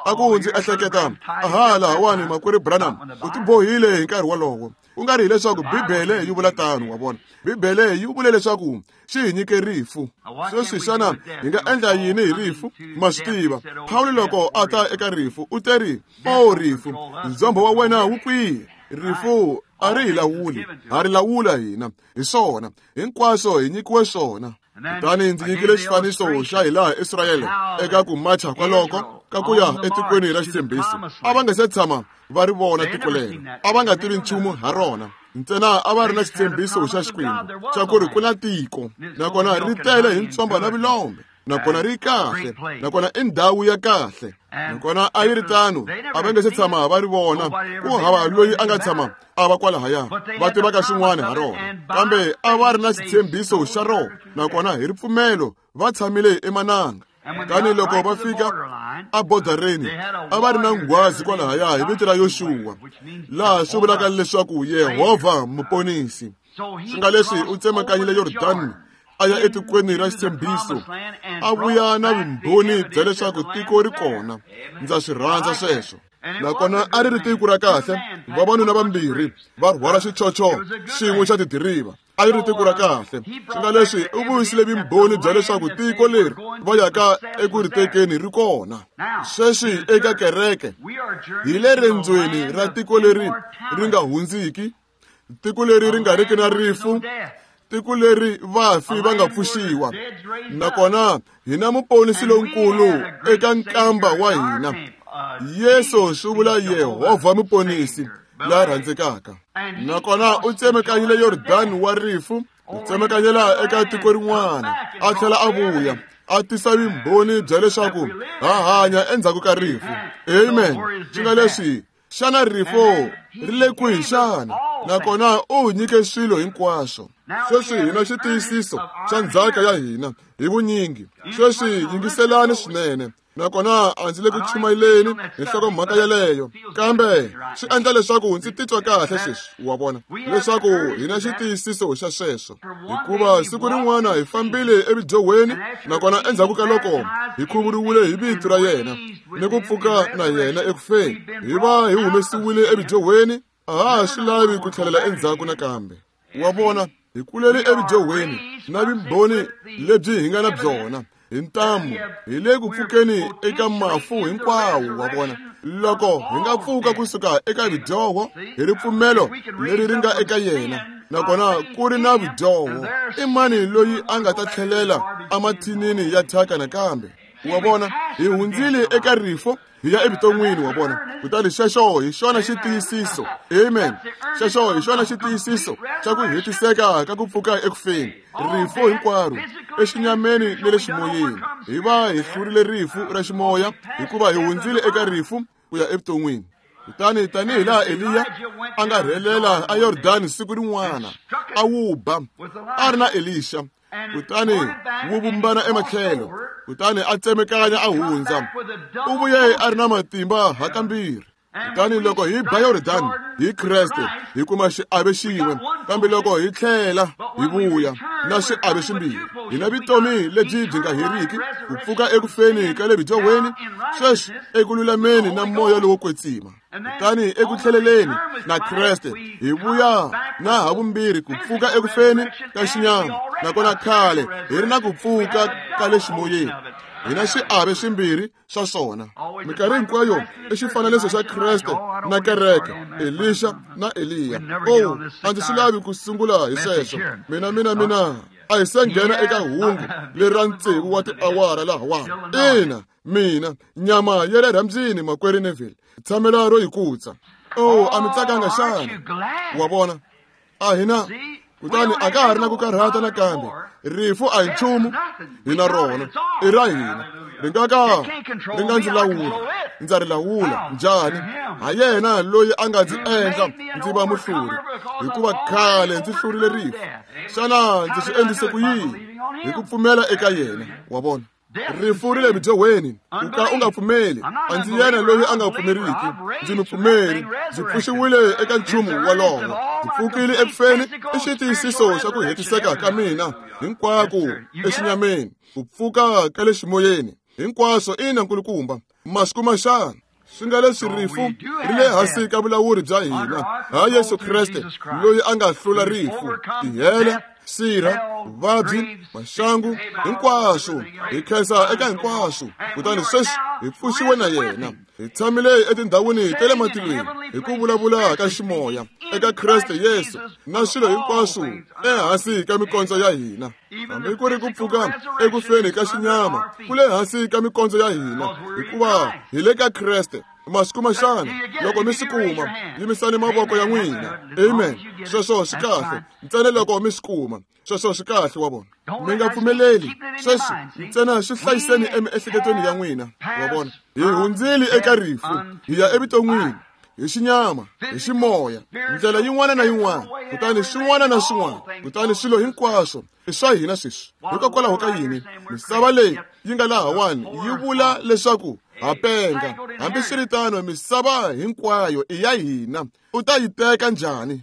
A ku ndzi ehleketa, aha, lahawani makwerhu Branham u tibohile hi nkarhi wolowo. Ku nga ri hileswaku Bibele yi vula tano, wa vona. Bibele yi vule leswaku xi hi nyike rifu. Sweswi xana hi nga endla yini hi rifu? Ma swi tiva, Pawulo loko a ta eka rifu u teri, o rifu, ndzhombo wa wena wu kwihi? Rifu a ri hi lawuli, ha ri lawula hina. Hi swona, hinkwaswo hi nyikiwe swona. Kutani ndzi nyikile xifaniso xa hilaha Israyele eka ku macha kwaloko ka ku ya etikweni ra xitshembiso. A va nga se tshama va ri vona tiko lero, a va nga tivi nchumu ha rona. Ntsena a va ri na xitshembiso xa Xikwembu xa ku ri ku na tiko, nakona ri tele hi ntswamba na vulombe. Nakona ri kahle, nakona i ndhawu ya kahle. Nakona a yi ri tano, a va nge se tshama va ri vona, ku hava loyi a nga tshama a va kwalahaya va tivaka swin'wana ha rona. Kambe a va ri na xitshembiso xa rona, nakona hi ripfumelo va tshamile emananga. Kutani loko va fika abodareni, a va ri na nghwazi kwalahaya hi vito ra Yoxuwa, laha swi vulaka leswaku Yehovha muponisi. Swi nga leswi u tsemakanyile Yordani a ya etikweni ra xitshembiso, a vuya na vumbhoni bya leswaku tiko ri kona. Ndza swi rhandza sweswo. Nakona a ri ri tiko ra kahle, vavanuna vambirhi va rhwala xichocho xin'we xa tidiriva. A yi ri tiko ra kahle. Swi nga leswi u vuyisile vumbhoni bya leswaku tiko leri va yaka eku ri tekeni ri kona. Sweswi eka kereke hi le rendzweni ra tiko leri ri nga hundziki, tiko leri ri nga riki na rifu, tiko leri vafi va nga pfuxiwa. Nakona hi na muponisi lonkulu eka nkamba wa hina. Yesu swi vula Yehovha muponisi la rhandzekaka. Nakona u tsemakanyile Yordani wa rifu, u tsemakanyela eka tiko rin'wana, a tlhela a vuya, a tisa vumbhoni bya leswaku ha hanya endzhaku ka rifu. Amen. Swi nga leswi, xana rifu ri le kwihi xana? Nakona u nyike swilo hinkwaswo. Sweswi hi na xitiyisiso xa ndzhaka ya hina hi vunyingi. Sweswi yingiselani swinene. Nakona a ndzi le ku chumayeleni hi nhlokomhaka yeleyo, kambe swi endla leswaku ndzi titwa kahle sweswi, wa vona, leswaku hi na xitiyisiso xa sweswo. Hikuva siku rin'wana hi fambile evidyohweni, nakona endzhaku ka loko hi khuvuriwile hi vito ra yena ni ku pfuka na yena ekufeni, hi va hi humesiwile evidyohweni, a ha swi lavi ku tlhelela endzhaku nakambe. Wa vona, hi kulele evidyohweni na vumbhoni lebyi hi nga na byona hi ntamu, hi le ku pfukeni eka mafu hinkwawo. Wa vona, loko hi nga pfuka kusuka eka vidyoho hi ripfumelo leri ri nga eka yena, nakona ku ri na vidyoho, i mani loyi a nga ta tlhelela emathinini ya thyaka nakambe? Wa vona, hi hundzile eka rifo hi ya evuton'wini. Wa vona, kutani xexo hi xona xitiyisiso. Amen. Xexo hi xona xitiyisiso xa ku hetiseka ka ku pfuka ekufeni. Rifu hinkwaro exinyameni ni le ximoyeni, hi va hi hlurile rifu ra ximoya, hikuva hi hundzile eka rifu ku ya evuton'wini. Kutani tanihi laha Eliya a nga rhelela a Yordani siku rin'wana, a wu ba a ri na Elisha, kutani wu vumbana ematlhelo, kutani a tsemekanya a hundza, u vuye a ri na matimba hakambirhi. Kutani loko hi ba Yordani hi Kreste, hi kuma xiave xin'we, kambe loko hi tlhela hi vuya na xiave ximbirhi, hi na vutomi lebyi byi nga heriki, ku pfuka ekufeni ka le vidyohweni, sweswi eku lulameni na moya lowo kwetsima. Kutani eku tlheleleni na Kreste hi vuya na havumbirhi ku pfuka ekufeni ka xinyama, nakona khale hi ri na ku pfuka ka le ximoyeni. Hi na xiave swimbirhi swa swona. Minkarhi hinkwayo i xifananiso xa Kreste na kereke, Elisha na Eliya. Oh, a ndzi swi lavi ku sungula hi sweswo. Mina mina mina a hi se nghena eka hungu leri ra tsevu wa tiawara lahawani. Ina, mina nyama ya le rhambyini, makwerhu Neville, tshamela ro yi kutsa. Oh, a mi tsakanga xana? Wa vona, a hina kutani a ka ha ri na ku karhata nakambe. Rifu a hi nchumu, hi na rona, i ra hina. Ri nga ka ri nga ndzi lawula, ndza ri lawula. Njhani? Ha yena loyi a nga ndzi endla ndzi va muhluri, hikuva khale ndzi hlurile rifu. Xana ndzi swi endlise ku yini? Hi ku pfumela eka yena. Wa vona, rifu ri le vidyohweni, ku ka u nga pfumeli. A ndzi yena loyi a nga pfumeriki, ndzi mupfumeri. Ndzi pfuxiwile eka nchumu wolowo, ndzi pfukile ekufeni. I xitiyisiso xa ku hetiseka ka mina hinkwako exinyameni, ku pfuka ka le ximoyeni hinkwaswo. Ina, nkulukumba, masiku ma xana? Swi nga leswi rifu ri le hansi ka vulawuri bya hina ha Yesu Kreste, loyi a nga hlula rifu, tihele, sirha, vuvabyi, maxangu, hinkwaswo. Hi khensa eka hinkwaswo. Kutani sweswi hi pfuxiwe na yena, hi tshamile etindhawini ta le matilweni hi ku vulavula ka ximoya eka Kreste Yesu, na swilo hinkwaswo ehansi ka mikondzo ya hina. Hambi ku ri ku pfuka ekufeni ka xinyama ku le hansi ka mikondzo ya hina, hikuva hi le ka Kreste. Ma swi kuma xana? Loko mi swi kuma, yimisani mavoko ya n'wina. Amen. Sweswo swi kahle. Ntsena loko mi swi kuma. Sweswo swi kahle wa vona. Mi nga pfumeleli. Sweswi ntsena swi hlayiseni emiehleketweni ya n'wina. Wa vona. Hi hundzile eka rifu, hi ya evuton'wini. Hi xinyama, hi ximoya, ndlela yin'wana na yin'wana, kutani swin'wana na swin'wana, kutani swilo hinkwaswo i swa hina sweswi. Hikokwalaho ka yini misava leyi yi nga lahawani yi vula leswaku ha penga? Hambiswiritano, misava hinkwayo i ya hina. U ta yi teka njhani?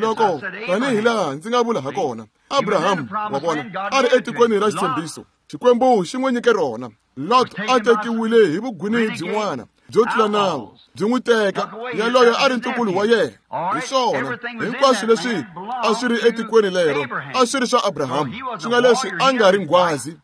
Loko tanihi laha ndzi nga vula hakona, Abraham wa vona a ri etikweni ra xitshembiso, Xikwembu xi n'wi nyike rona. Lot a tekiwile hi vugwinehi byin'wana byo tlula nawu, byi n'wi teka yaloye a ri ntukulu wa yena. Hi swona hinkwaswo leswi a swi ri etikweni lero a swi ri swa Abraham, swi nga leswi a nga ri nghwazi,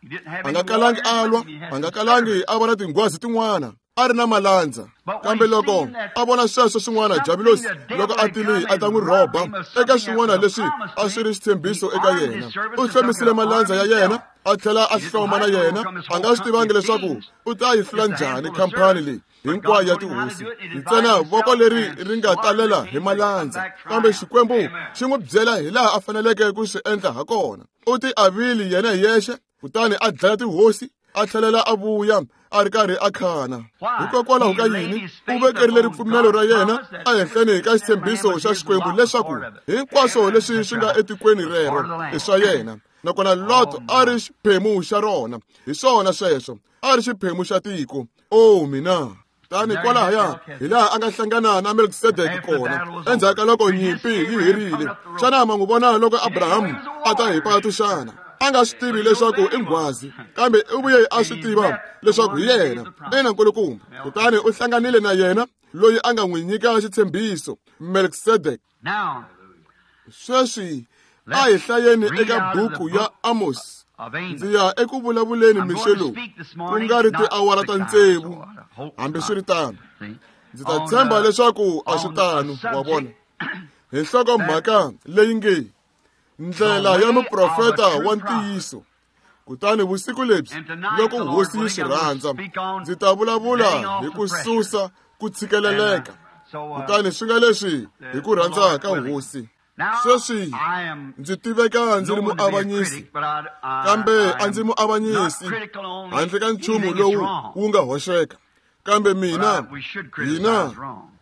a nga kalangi a lwa, a nga kalangi a vona tinghwazi tin'wana, a ri na malandza. Kambe loko a vona sweswo swin'wana, Javulosi loko a tile a ta n'wi rhoba eka swin'wana leswi a swi ri xitshembiso eka yena, u hlomisile malandza ya yena, a tlhela a hloma na yena. A nga swi tivangi leswaku u ta yi hlula njhani khampani leyi hinkwayo ya tihosi, ntsena voko leri ri nga talela hi malandza. Kambe Xikwembu xi n'wi byela hi laha a faneleke ku swi endla ha kona. U ti avile yena hi yexe, kutani a dlaya tihosi, a tlhelela a vuya a ri karhi a khana. Hikokwalaho ka yini? U vekerile ripfumelo ra yena ehenhleni ka xitshembiso xa Xikwembu leswaku hinkwaswo leswi swi nga etikweni rero i swa yena. Nakona Lot a ri xiphemu xa rona. Hi swona sweswo, a ri xiphemu xa tiko. O mina! Tani kwalahaya hi laha a nga hlangana na Melkisedeke kona endzhaku ka loko nyimpi yi herile. Xana ma n'wi vona loko Abraham a ta hi patu xana? A nga swi tivi leswaku i nghwazi, kambe u vuye a swi tiva leswaku hi yena. Ina nkulukumba. Kutani u hlanganile na yena loyi a nga n'wi nyika xitshembiso, Melkisedeke. Sweswi a hi hlayeni eka buku ya Amos. Ndzi ya eku vulavuleni mixo lowu, ku nga ri tiawara ta tsevu. Hambiswiritano, ndzi ta tshemba leswaku a swi tano, wa vona. Hi nhlokomhaka leyi nge ndlela ya muprofeta wa ntiyiso. Kutani vusiku lebyi, loko hosi yi swi rhandza, ndzi ta vulavula hi ku susa ku tshikeleleka. Kutani swi nga leswi hi ku rhandza ka hosi. Sweswi ndzi tiveka ndzi ri muavanyisi, kambe a ndzi muavanyisi handle ka nchumu lowu wu nga hoxeka. Kambe mina, hina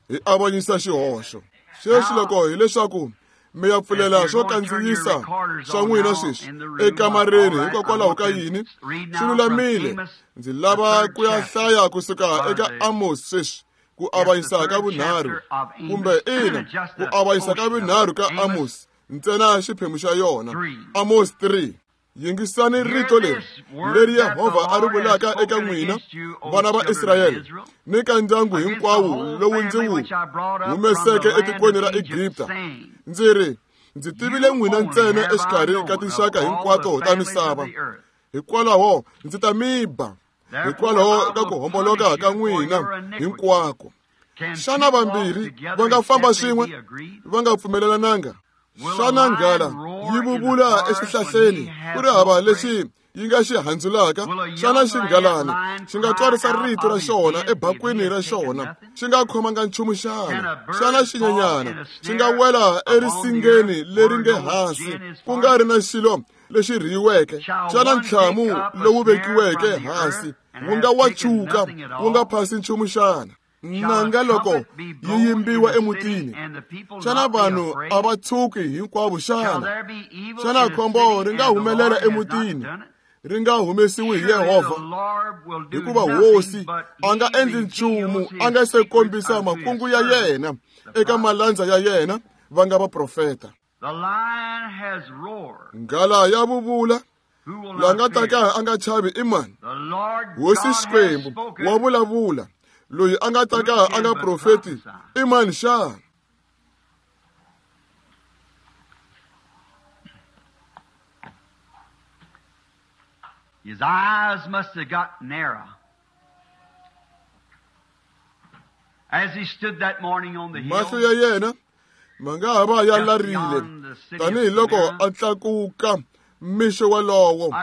hi avanyisa xihoxo. Sweswi loko hileswaku mi ya pfulela swo kandziyisa swa n'wina sweswi ekamareni, hikokwalaho ka yini swi lulamile. Ndzi lava ku ya hlaya kusuka eka Amos sweswi, ku avanyisa ka vunharhu, kumbe ina, ku avanyisa ka vunharhu ka Amos, ntsena xiphemu xa yona. Amos three. Yingisani rito leri leri Yehovha a ri vulaka eka n'wina vana va Israyele ni ka ndyangu hinkwawo lowu ndzi wu humeseke etikweni ra Egipta. Ndzi ri, ndzi tivile n'wina ntsena exikarhi ka tinxaka hinkwato ta misava. Hikwalaho ndzi ta mi ba hikwalaho ka ku homboloka ka n'wina hinkwako. Xana vambirhi va nga famba swin'we va nga pfumelelananga? Xana nghala yi vuvula exihlahleni ku ri hava lexi yi nga xi handzulaka? Xana xinghalana xi nga twarisa rito ra xona ebakwini ra xona xi nga khomanga nchumu xana? Xana xinyenyana xi nga wela erisingeni leri nge hansi ku nga ri na xilo lexi rhiyiweke? Xana ntlhamu lowu vekiweke hansi wu nga wachuka wu nga phasi nchumu xana? Nanga loko yi yimbiwa emutini, xana vanhu a va tshuki hinkwavo xana? Xana khombo ri nga humelela emutini ri nga humesiwi hi Yehovha? Hikuva hosi a nga endli nchumu a nga se kombisa makungu ya yena eka malandza ya yena va nga vaprofeta. Nghala ya vuvula, la nga ta ka a nga chavi i mani? Hosi Xikwembu wa vulavula, loyi a nga ta ka a nga profeti i mani xana? His eyes must have got narrow as he stood that morning on the hill. Mahlo ya yena ma nga ha va ya larile tanihiloko a tlakuka mixo walowo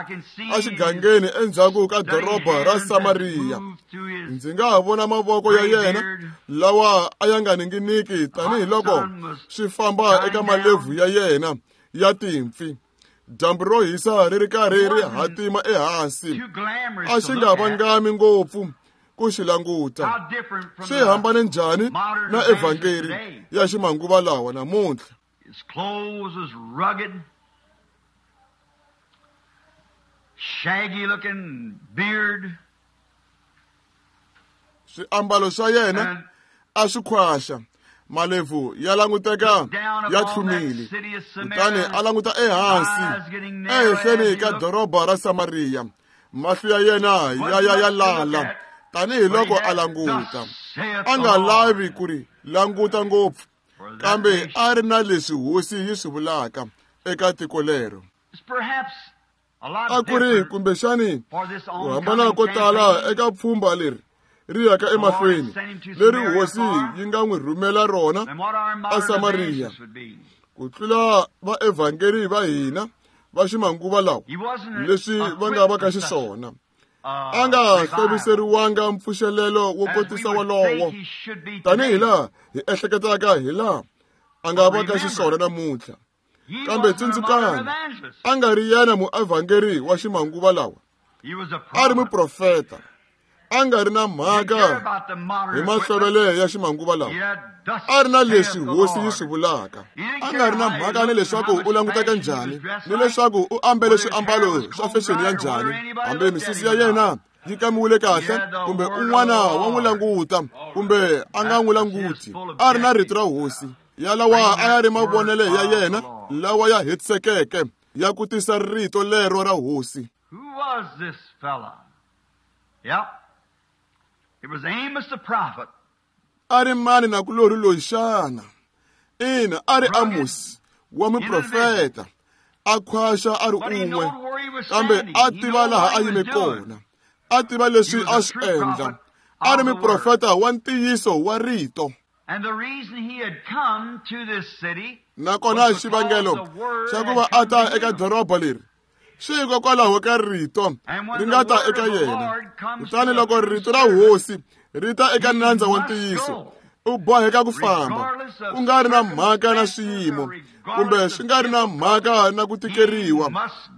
exigangeni endzhaku ka doroba ra Samariya. Ndzi nga ha vona mavoko ya yena lawa a ya nga ninginiki tanihiloko swi famba eka malebvu ya yena ya timpfi. Dyambu ro hisa ri ri karhi ri hatima ehansi, a xi nga vangami ngopfu ku xi languta. Swi hambane njhani na evhangeli ya ximanguva lawa namuntlha? His clothes was rugged, shaggy looking beard. Swiambalo swa yena a swi khwaxa, malebvu ya languteka ya tlhumile. Kutani a languta ehansi ehenhleni ka doroba ra Samariya, mahlo ya yena ya ya ya lala tanihiloko a languta. A nga lavi ku ri languta ngopfu, kambe a ri na leswi hosi yi swi vulaka eka tiko lero. A ku ri kumbexani ku hambana ko tala eka pfhumba leri ri yaka emahlweni leri hosi yi nga n'wi rhumela rona eSamariya ku tlula vaevhangeli va hina va ximanguva lawa leswi va nga va ka xiswona. A nga hloviseriwanga mpfuxelelo wo kotisa wolowo tanihi laha hi ehleketaka hi laha a nga va ka xiswona namuntlha. Kambe tsundzukani, a nga ri yena muevhangeli wa ximanguva lawa, a ri muprofeta. A nga ri na mhaka hi mahlovele ya ximanguva lawa, a ri na leswi hosi yi swi vulaka. A nga ri na mhaka ni leswaku u languteka njhani, ni leswaku u ambele swiambalo swa fexeni ya njhani, hambi misisi ya yena yi kamiwile kahle kumbe un'wana wa n'wi languta kumbe a nga n'wi languti. A ri na rito ra hosi yalawa a ya ri mavonele ya yena lawa ya hetisekeke ya ku tisa rito lero ra hosi. Who was this fella? Yep. It was Amos the prophet. A ri mani nakulorhi loyi xana? Ina, a ri Amos wa muprofeta, a khwaxa a ri un'we, kambe a tiva laha a yime kona, a tiva leswi a swi endla. A ri muprofeta wa ntiyiso wa rito. And the reason he had come to this city nakona xivangelo xa ku va a ta eka doroba leri swi hikokwalaho ka rito ri nga ta eka yena. Kutani loko rito ra hosi ri ta eka nandza wa ntiyiso, u boheka ku famba, ku nga ri na mhaka na swiyimo kumbe swi nga ri na mhaka na ku tikeriwa,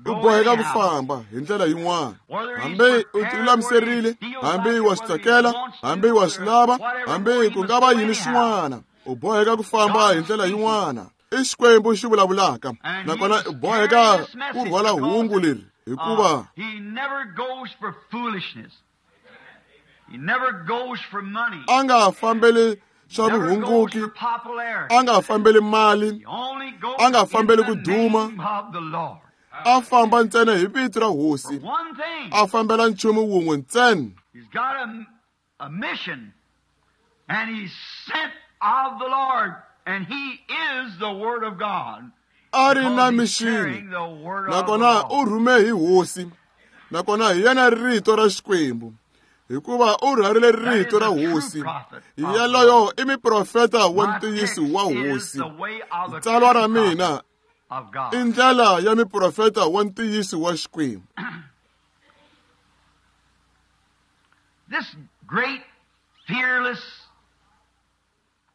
u boheka ku famba hi ndlela yin'wana. Hambi u tilulamiserile, hambi wa swi tsakela, hambi wa swi lava, hambi ku nga va yini swin'wana, u boheka ku famba hi ndlela yin'wana. I Xikwembu xi vulavulaka, nakona u boheka ku rhwala hungu leri hikuva a nga fambeli swa vuhunguki, a nga fambeli mali, a nga fambeli ku duma, a famba ntsena hi vito ra hosi, a fambela nchumu wun'we ntsena. He's got a, a mission, and he's sent of the Lord, and he is the Word of God. A ri na mixini, nakona u rhume hi hosi, nakona hi yena rito ra Xikwembu, hikuva u rhwarile rito ra hosi. Yaloyo i muprofeta wa ntiyiso wa hosi. Tsalwa ra mina i ndlela ya muprofeta wa ntiyiso wa Xikwembu. This great, fearless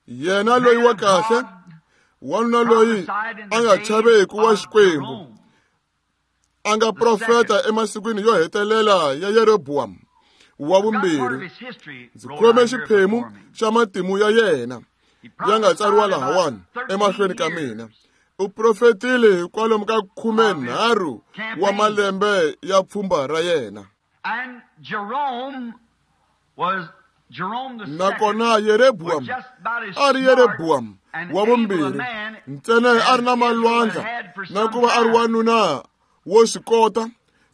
yena loyi wa kahle, wanuna loyi a nga chaveki wa Xikwembu, a nga profeta emasikwini yo hetelela ya Yeroboam wa vumbirhi. Ndzi khome xiphemu xa matimu ya yena ya nga tsariwa lahawani emahlweni ka mina. U profetile kwalomu ka khume nharhu wa malembe ya pfhumba ra yena. And Jerome was Jerome the Nakona Yeroboam a ri Yeroboam wa vumbirhi ntsena a ri na malwandla na ku va a ri wanuna wo swi kota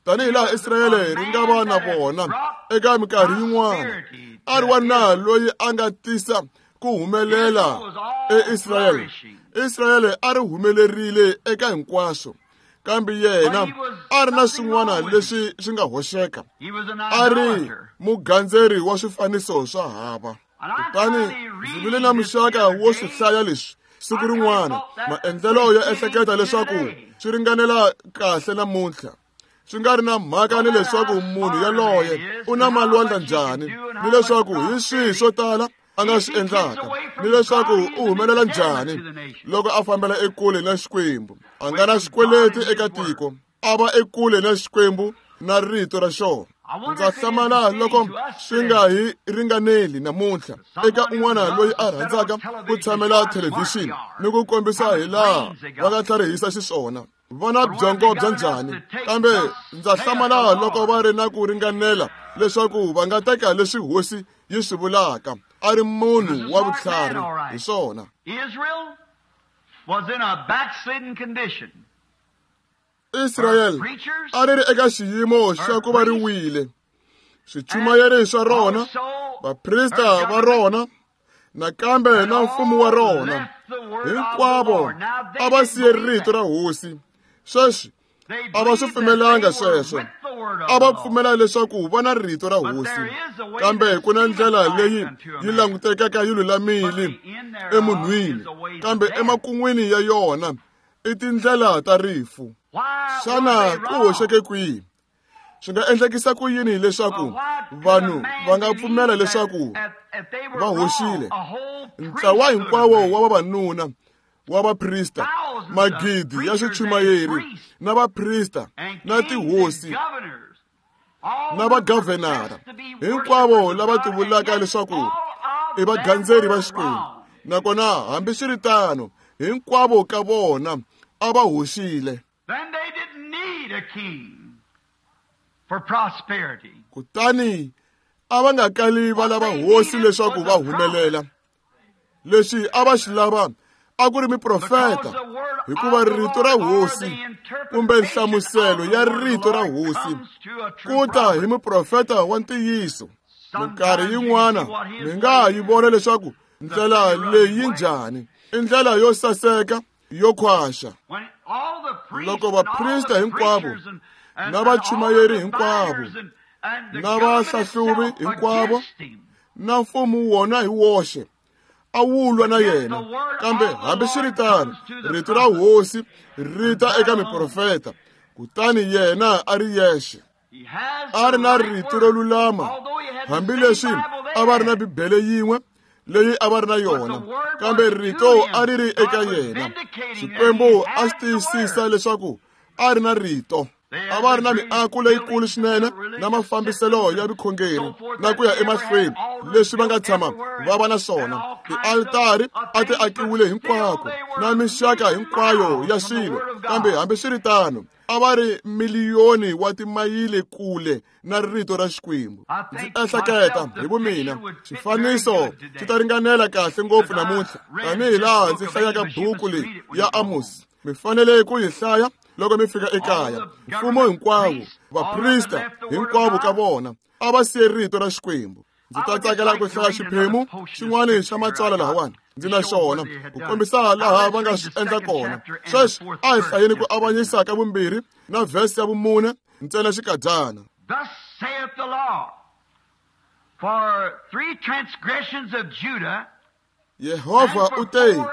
tanihi laha Israyele ri nga va na vona eka minkarhi yin'wana. A ri wanuna loyi a nga tisa ku humelela eIsrayele. Israyele a ri humelerile eka hinkwaswo, kambe yena a ri na swin'wana leswi swi nga hoxeka. A ri mugandzeri wa swifaniso swa hava. Kutani ndzi vile na muxaka wo swi hlaya leswi Siku rin'wana maendlelo yo ehleketa leswaku swi ringanela kahle namuntlha. Swi nga ri na mhaka ni leswaku munhu yaloye u na malwandla njhani, ni leswaku hi swihi swo tala a nga swi endlaka, ni leswaku u humelela njhani loko a fambela ekule na Xikwembu. A nga na xikweleti eka tiko, a va ekule na Xikwembu na rito ra xona. Ndza hlamala loko swi nga hi ringaneli namuntlha eka un'wana loyi a rhandzaka ku tshamela thelevhixini ni ku kombisa hi laha va nga tlharihisa xiswona. Va na byongo bya njhani, kambe ndza hlamala loko va ri na ku ringanela leswaku va nga teka leswi hosi yi swi vulaka a ri munhu wa vutlhari hi swona. Israel was in a backslidden condition. Israel a ri ri eka xiyimo xa ku va ri wile. Swichumayeri swa rona, vaprista va rona, nakambe na mfumo wa rona, hinkwavo a va siye rito ra hosi. Sweswi a va swi pfumelanga sweswo. A va pfumela leswaku va na rito ra hosi, kambe ku na ndlela leyi yi langutekaka yi lulamile emunhwini, kambe emakun'wini ya yona i tindlela ta rifu. Xana ku hoxeke kwihi? Swi nga endlekisa ku yini leswaku vanhu va nga pfumela leswaku va hoxile? Ntlawa hinkwawo wa vavanuna wa vaprista, magidi ya swichumayeri na vaprista na tihosi na vagavhenara, hinkwavo lava tivulaka leswaku i vagandzeri va Xikwembu, nakona hambiswiritano hinkwavo ka vona a va hoxile. Then they didn't need a king for prosperity. Kutani a va nga kali va lava hosi leswaku va humelela. Leswi a va xi lava a ku ri miprofeta, hikuva rito ra hosi kumbe nhlamuselo ya rito ra hosi ku ta hi muprofeta wa ntiyiso. Minkarhi yin'wana mi nga yi vona leswaku ndlela leyi yi njhani, i ndlela yo saseka yo khwaxa. Loko vaprista hinkwavo na vachumayeri hinkwavo na vahlahluvi hinkwavo na mfumo wona hi woxe a wu lwa na yena, kambe hambiswiritano rito ra hosi ri ta eka miprofeta, kutani yena a ri yexe a ri na rito ro lulama, hambileswi a va ri na Bibele yin'we leyi a va ri na yona, kambe rito a ri ri eka yena. Xikwembu a xi tiyisisa leswaku a ri na rito. A va ri na miako leyikulu swinene na mafambiselo ya vukhongeri na ku ya emahlweni leswi va nga tshama va va na swona. Tialitari a ti akiwile hinkwako na mixaka hinkwayo ya swilo, kambe hambiswiritano a va ri miliyoni wa timayili kule na rito ra Xikwembu. Ndzi ehleketa hi vumina xifaniso xi ta ringanela kahle ngopfu namuntlha, tanihi laha ndzi hlayaka buku leyi ya Amos. Mi fanele ku yi hlaya loko mi fika ekaya. Mfumo hinkwawo, vaprista hinkwavo ka vona a va siye rito ra Xikwembu. Ndzi ta tsakela ku hlaya xiphemu xin'wana xa matsalwa lahawani ndzi na xona ku kombisa laha va nga swi endla kona. Sweswi a hi hlayeni ku avanyisa ka vumbirhi na vhesi ya vumune ntsena xikadyana. Thus saith the Lord, for three transgressions of Judah, Yehovha u te,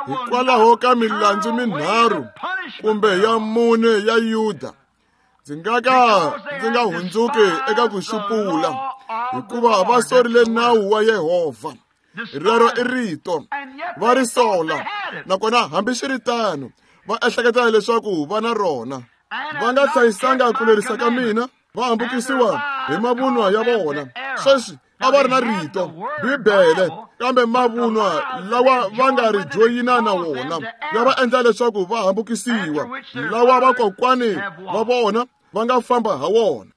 hikwalaho ka milandzu minharhu kumbe ya mune ya Yuda, ndzi nga ka ndzi nga hundzuki eka ku xupula, hikuva va sorile nawu wa Yehovha. Rero i rito va ri sola, nakona hambiswiritano va ehleketa leswaku va na rona. Va nga hlayisanga ku lerisa ka mina, va hambukisiwa hi mavunwa ya vona. Sweswi a va ri na rito Bibele, kambe mavunwa lawa va nga ri joyina na wona ya va endla leswaku va hambukisiwa, lawa vakokwani va vona va nga famba ha wona.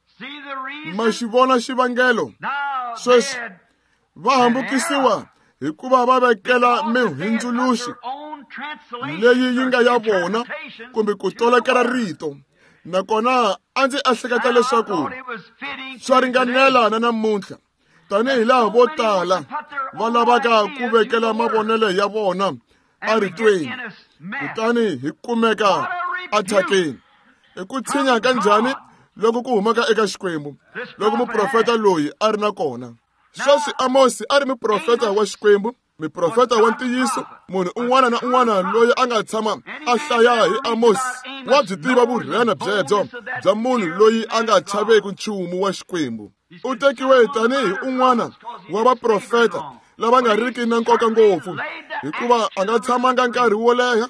Ma xi vona xivangelo? Sweswi va hambukisiwa hikuva va vekela mihundzuluxi leyi yi nga ya vona kumbe ku tolokela rito. Nakona a ndzi ehleketa leswaku swa ringanela na namuntlha, tanihi laha vo tala va lavaka ku vekela mavonelo ya vona eritweni, kutani hi kumeka athyakeni. I ku tshinya ka njhani loko ku humaka eka Xikwembu, loko muprofeta loyi a ri na kona. Sweswi Amosi a ri muprofeta wa Xikwembu Muprofeta wa ntiyiso, munhu un'wana na un'wana loyi a nga tshama a hlaya hi Amos wa byi tiva vurhena byebyo bya munhu loyi a nga chaveki nchumu wa Xikwembu. U tekiwe tanihi un'wana wa vaprofeta lava nga riki na nkoka ngopfu, hikuva a nga tshamanga nkarhi wo leha,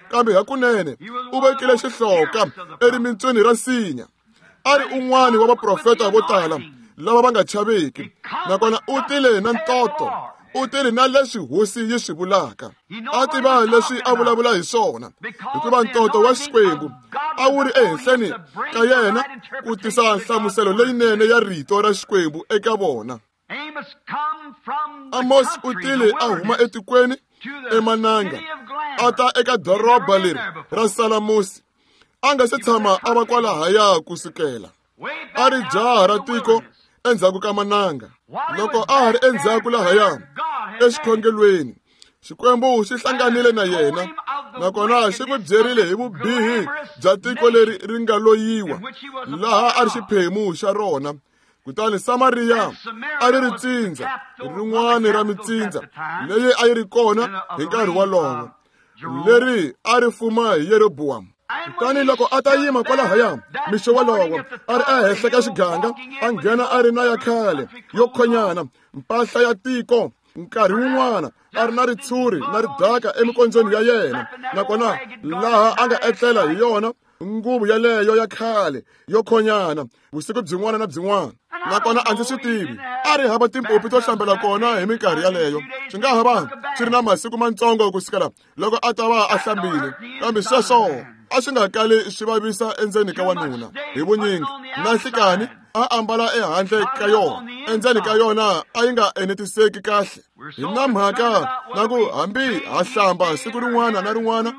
kambe hakunene u vekile xihloka erimintswini ra nsinya. A ri un'wana wa vaprofeta vo tala lava va nga chaveki, nakona u tile na ntoto, u tile na leswi hosi yi swi vulaka. A tiva leswi a vulavula hi swona, hikuva ntoto wa Xikwembu a wu ri ehenhleni ka yena ku tisa nhlamuselo leyinene ya rito ra Xikwembu eka vona. Amos u tile a huma etikweni emananga, a ta eka doroba leri ra Salamusi. A nga se tshama a va kwalahaya ku sukela. A ri jaha ra tiko endzhaku ka mananga. Loko a ha ri endzhaku lahaya exikhongelweni, Xikwembu xi hlanganile na yena, nakona xi n'wi byerile hi vubihi bya tiko leri ri nga loyiwa, laha a ri xiphemu xa rona. Kutani Samariya a ri ri tsindza rin'wana ra mitsindza leyi a yi ri kona hi nkarhi wolowo, leri a ri fuma hi Yerobowamu. Kutani loko a ta yima kwalahaya mixo wolowo, a ri ehenhla ka xiganga, a nghena a ri na ya khale yo khonyana, mpahla ya tiko, nkarhi wun'wana a ri na ritshuri na ridaka emikondzweni ya yena, nakona laha a nga etlela hi yona nguvu yaleyo ya khale yo khonyana vusiku byin'wana na byin'wana. Nakona a ndzi swi tivi, a ri hava timpopi to hlambela kona hi minkarhi yaleyo. Swi nga ha va swi ri na masiku mantsongo ku sukela loko a ta va a hlambile, kambe sweswo a swi nga kali swi vavisa endzeni ka wanuna hi vunyingi. Na nhlikani a ambala ehandle ka yona, endzeni ka yona a yi nga enetiseki kahle. Hi na mhaka na ku hambi ha hlamba siku rin'wana na rin'wana,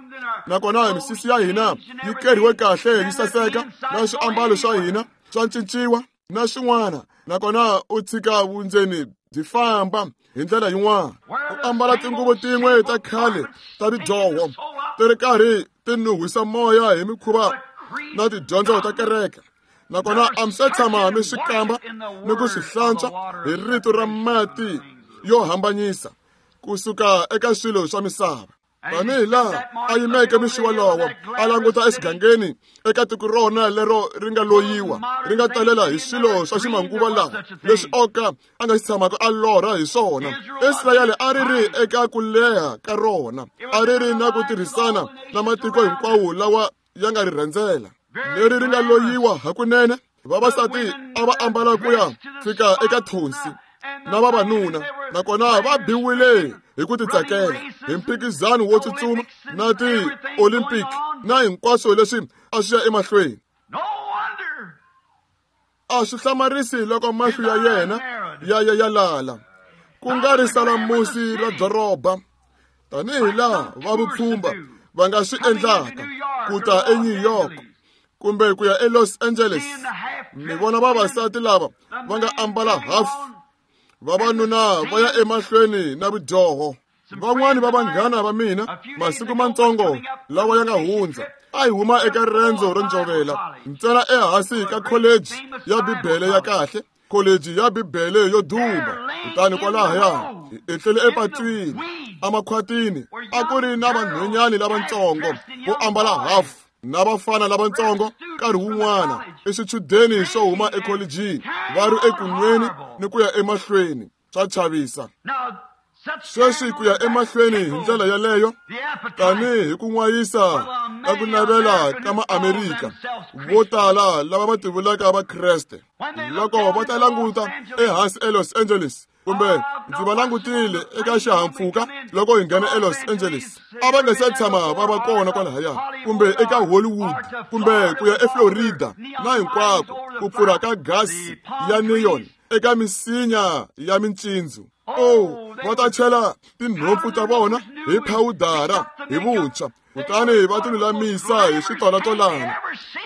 nakona misisi ya hina yi keriwe kahle yi saseka, na swiambalo swa hina swa cinciwa na swin'wana, nakona u tshika vundzeni byi famba hi ndlela yin'wana. U ambala tinguvu tin'we ta khale ta ridyoho ti ri karhi ti nuhwisa moya hi mikhuva na tidyondzo ta kereke, nakona a mi se tshama mi swi kamba ni ku swi hlantswa hi rito ra mati yo hambanyisa kusuka eka swilo swa misava. Tanihi laha a yimeke mixo wolowo, a languta exigangeni eka tiko rona lero ri nga loyiwa, ri nga talela hi swilo swa ximanguva lawa leswi oka a nga xi tshamaka a lorha hi swona. Israyele a ri ri eka ku leha ka rona, a ri ri na ku tirhisana na matiko hinkwawo lawa ya nga ri rhendzela, leri ri nga loyiwa hakunene. Vavasati a va ambala ku ya fika eka thonsi na vavanuna, nakona va biwile hi ku titsakela hi mphikizano wo tsutsuma na ti-Olympic na hinkwaswo leswi a swi ya emahlweni. A swi hlamarisi loko mahlo ya yena ya ya ya lala, ku nga ri salamusi ra doroba, tanihi laha va vupfhumba va nga swi endlaka ku ta eNew York kumbe ku ya eLos Angeles. Mi vona vavasati lava va nga ambala half, vavanuna va ya emahlweni na vudyoho. Van'wani va vanghana va mina masiku mantsongo lawa ya nga hundza a hi huma eka riendzo ro ndzovela ntsena ehansi ka kholeji ya Bibele ya kahle, kholeji ya Bibele yo duma. Kutani kwalahaya hi etlele epatwini emakhwatini, a ku ri na vanhwanyana lavatsongo vo ambala half na vafana lavatsongo nkarhi wun'wana i swichudeni swo huma ekholejini va ri ekunweni ni ku ya emahlweni. Swa chavisa sweswi ku ya emahlweni hi ndlela yaleyo, tanihi hi ku n'wayisa ka ku navela ka Maamerika vo tala lava va tivulaka Vakreste. Loko va ta languta ehansi eLos Angeles, kumbe ndzi va langutile eka xihahampfhuka loko hi nghena eLos Angeles, a va nga se tshama va va kona kwalahaya, kumbe eka Hollywood, kumbe ku ya eFlorida na hinkwako ku pfurha ka gasi ya neon eka misinya ya mincindzu. Oh, va ta chela tinhompfu ta vona hi phawudara hi vuntshwa, kutani va ti lulamisa hi switolatolana.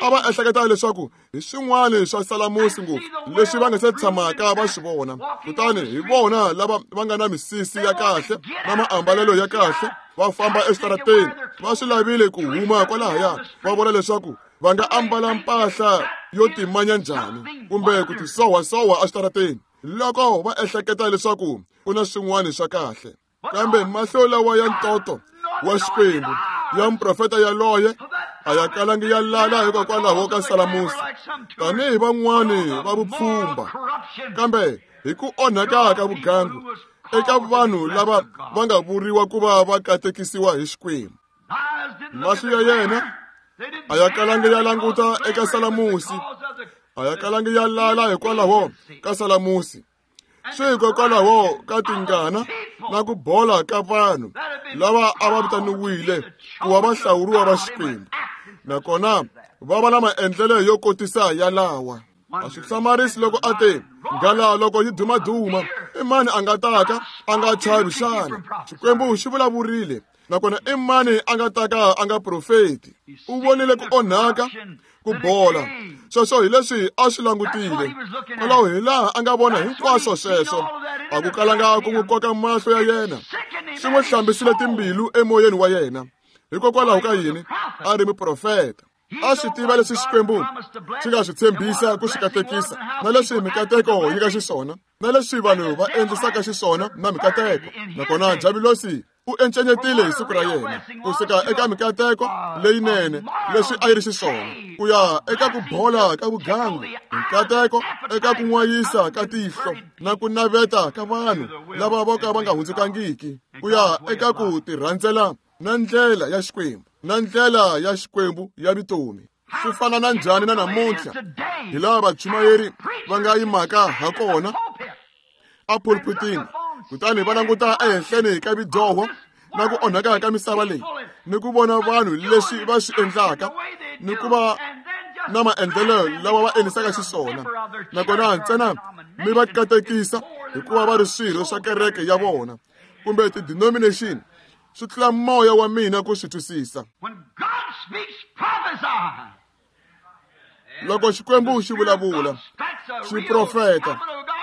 A va ehleketa leswaku hi swin'wana swa salamusi ngopfu leswi va nga se tshamaka va swi vona. Kutani hi vona lava va nga na misisi ya kahle na maambalelo ya kahle va famba eswitarateni, va swi lavile ku huma kwalahaya va vona leswaku va nga ambala mpahla yo timanya njhani kumbe ku tisowasowa eswitarateni loko va ehleketa leswaku ku na swin'wana swa kahle. Kambe mahlo lawa ya ntoto wa Xikwembu ya muprofeta yaloye a ya kalangi ya lala hikokwalaho ka salamusi tanihi van'wani va vupfhumba, kambe hi ku onhaka ka vugangu eka vanhu lava va nga vuriwa ku va va katekisiwa hi Xikwembu. Mahlo ya yena a ya kalangi ya languta eka salamusi, a ya kalangi ya lala hikwalaho ka salamusi, swi hikokwalaho ka tingana na ku bola ka vanhu lava a va vitaniwile ku va vahlawuriwa va Xikwembu, nakona va va na maendlelo yo kotisa yalawa. A swi hlamarisi loko a te nghala loko yi dumaduma, i mani a nga taka a nga chavi xana? Xikwembu xi vulavurile, nakona i mani a nga taka a nga profeti? U vonile ku onhaka, ku bola. Sweswo hi leswi a swi langutile. Kwalaho hi laha a nga vona hinkwaswo sweswo. A ku kalanga ku n'wi koka mahlo ya yena, swi n'wi hlambisile timbilu emoyeni wa yena. Hikokwalaho ka yini? A ri muprofeta. A swi tiva leswi Xikwembu xi nga swi tshembisa ku swi katekisa, na leswi mikateko yi nga xiswona, na leswi vanhu va endlisaka xiswona na mikateko. Nakona Javulosi u encenyetile hi siku ra yena kusuka eka mikateko leyinene leswi a yi ri xiswona ku ya eka ku bola ka vugangu, mikateko eka ku n'wayisa ka tihlo na ku naveta ka vanhu lava vo ka va nga hundzukangiki, ku ya eka ku tirhandzela na ndlela ya Xikwembu, na ndlela ya Xikwembu ya vutomi. Swi fana na njhani na namuntlha hi laha vachumayeri va nga yimaka ha kona a pulpitini, kutani va languta ehenhleni ka vidyoho na ku onhaka ka misava leyi, ni ku vona vanhu leswi va swi endlaka, ni ku va na maendlelo lawa va endlisaka xiswona, nakona ntsena mi va katekisa hikuva va ri swirho swa kereke ya vona kumbe ti-denomination. Swi tlula moya wa mina ku swi twisisa. Loko Xikwembu xi vulavula, xi profeta.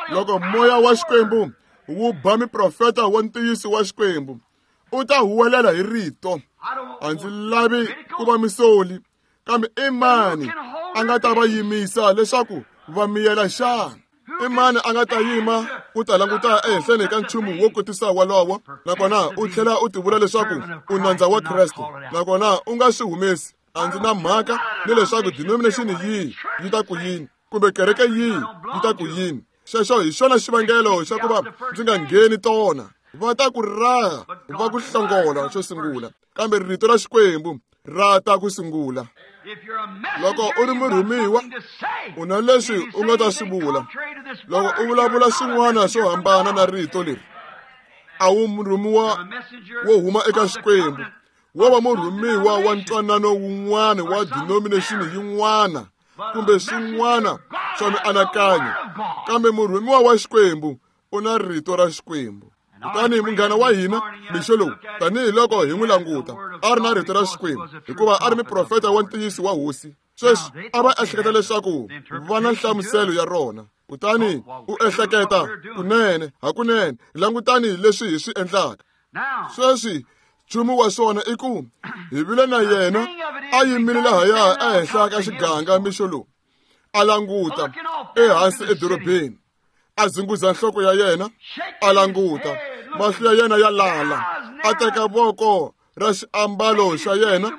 Loko moya wa Xikwembu wu ba muprofeta wa ntiyiso wa Xikwembu, u ta huwelela hi rito. A ndzi lavi ku va misoli, kambe i mani a nga ta va yimisa leswaku va miyela xana? I mani a nga ta yima ku ta languta ehenhleni ka nchumu wo kotisa walowo, nakona u tlhela u tivula leswaku u nandza wa Kreste, nakona u nga swi humesi? A ndzi na mhaka ni leswaku denomination yihi yi ta ku yini, kumbe kereke yihi yi ta ku yini. Xexo hi xona xivangelo xa ku va ndzi nga ngheni tona. Va ta ku raha, va ku hlongola xo sungula, kambe rito ra Xikwembu ra ta ku sungula. Loko u ri murhumiwa, u na leswi u nga ta swi vula. Loko u vulavula swin'wana swo hambana na rito leri, a wu murhumiwa wo huma eka Xikwembu, wo va murhumiwa wa ntwanano wun'wana wa denomination yin'wana kumbe swin'wana swa mianakanyo, kambe murhumiwa wa Xikwembu u na rito ra Xikwembu. Kutani munghana wa hina mixo lowu, tanihiloko hi n'wi languta, a ri na rito ra Xikwembu hikuva a ri muprofeta wa ntiyiso wa Hosi. Sweswi a va ehleketa leswaku va na nhlamuselo ya rona, kutani u ehleketa kunene hakunene langutani leswi hi swi endlaka. Sweswi nchumu wa swona i ku hi vile na yena a yimile lahaya ehenhla ka xiganga mixo lowu, a languta ehansi edorobeni, a zunguza nhloko ya yena, a languta, mahlo ya yena ya lala, a teka voko ra xiambalo xa yena,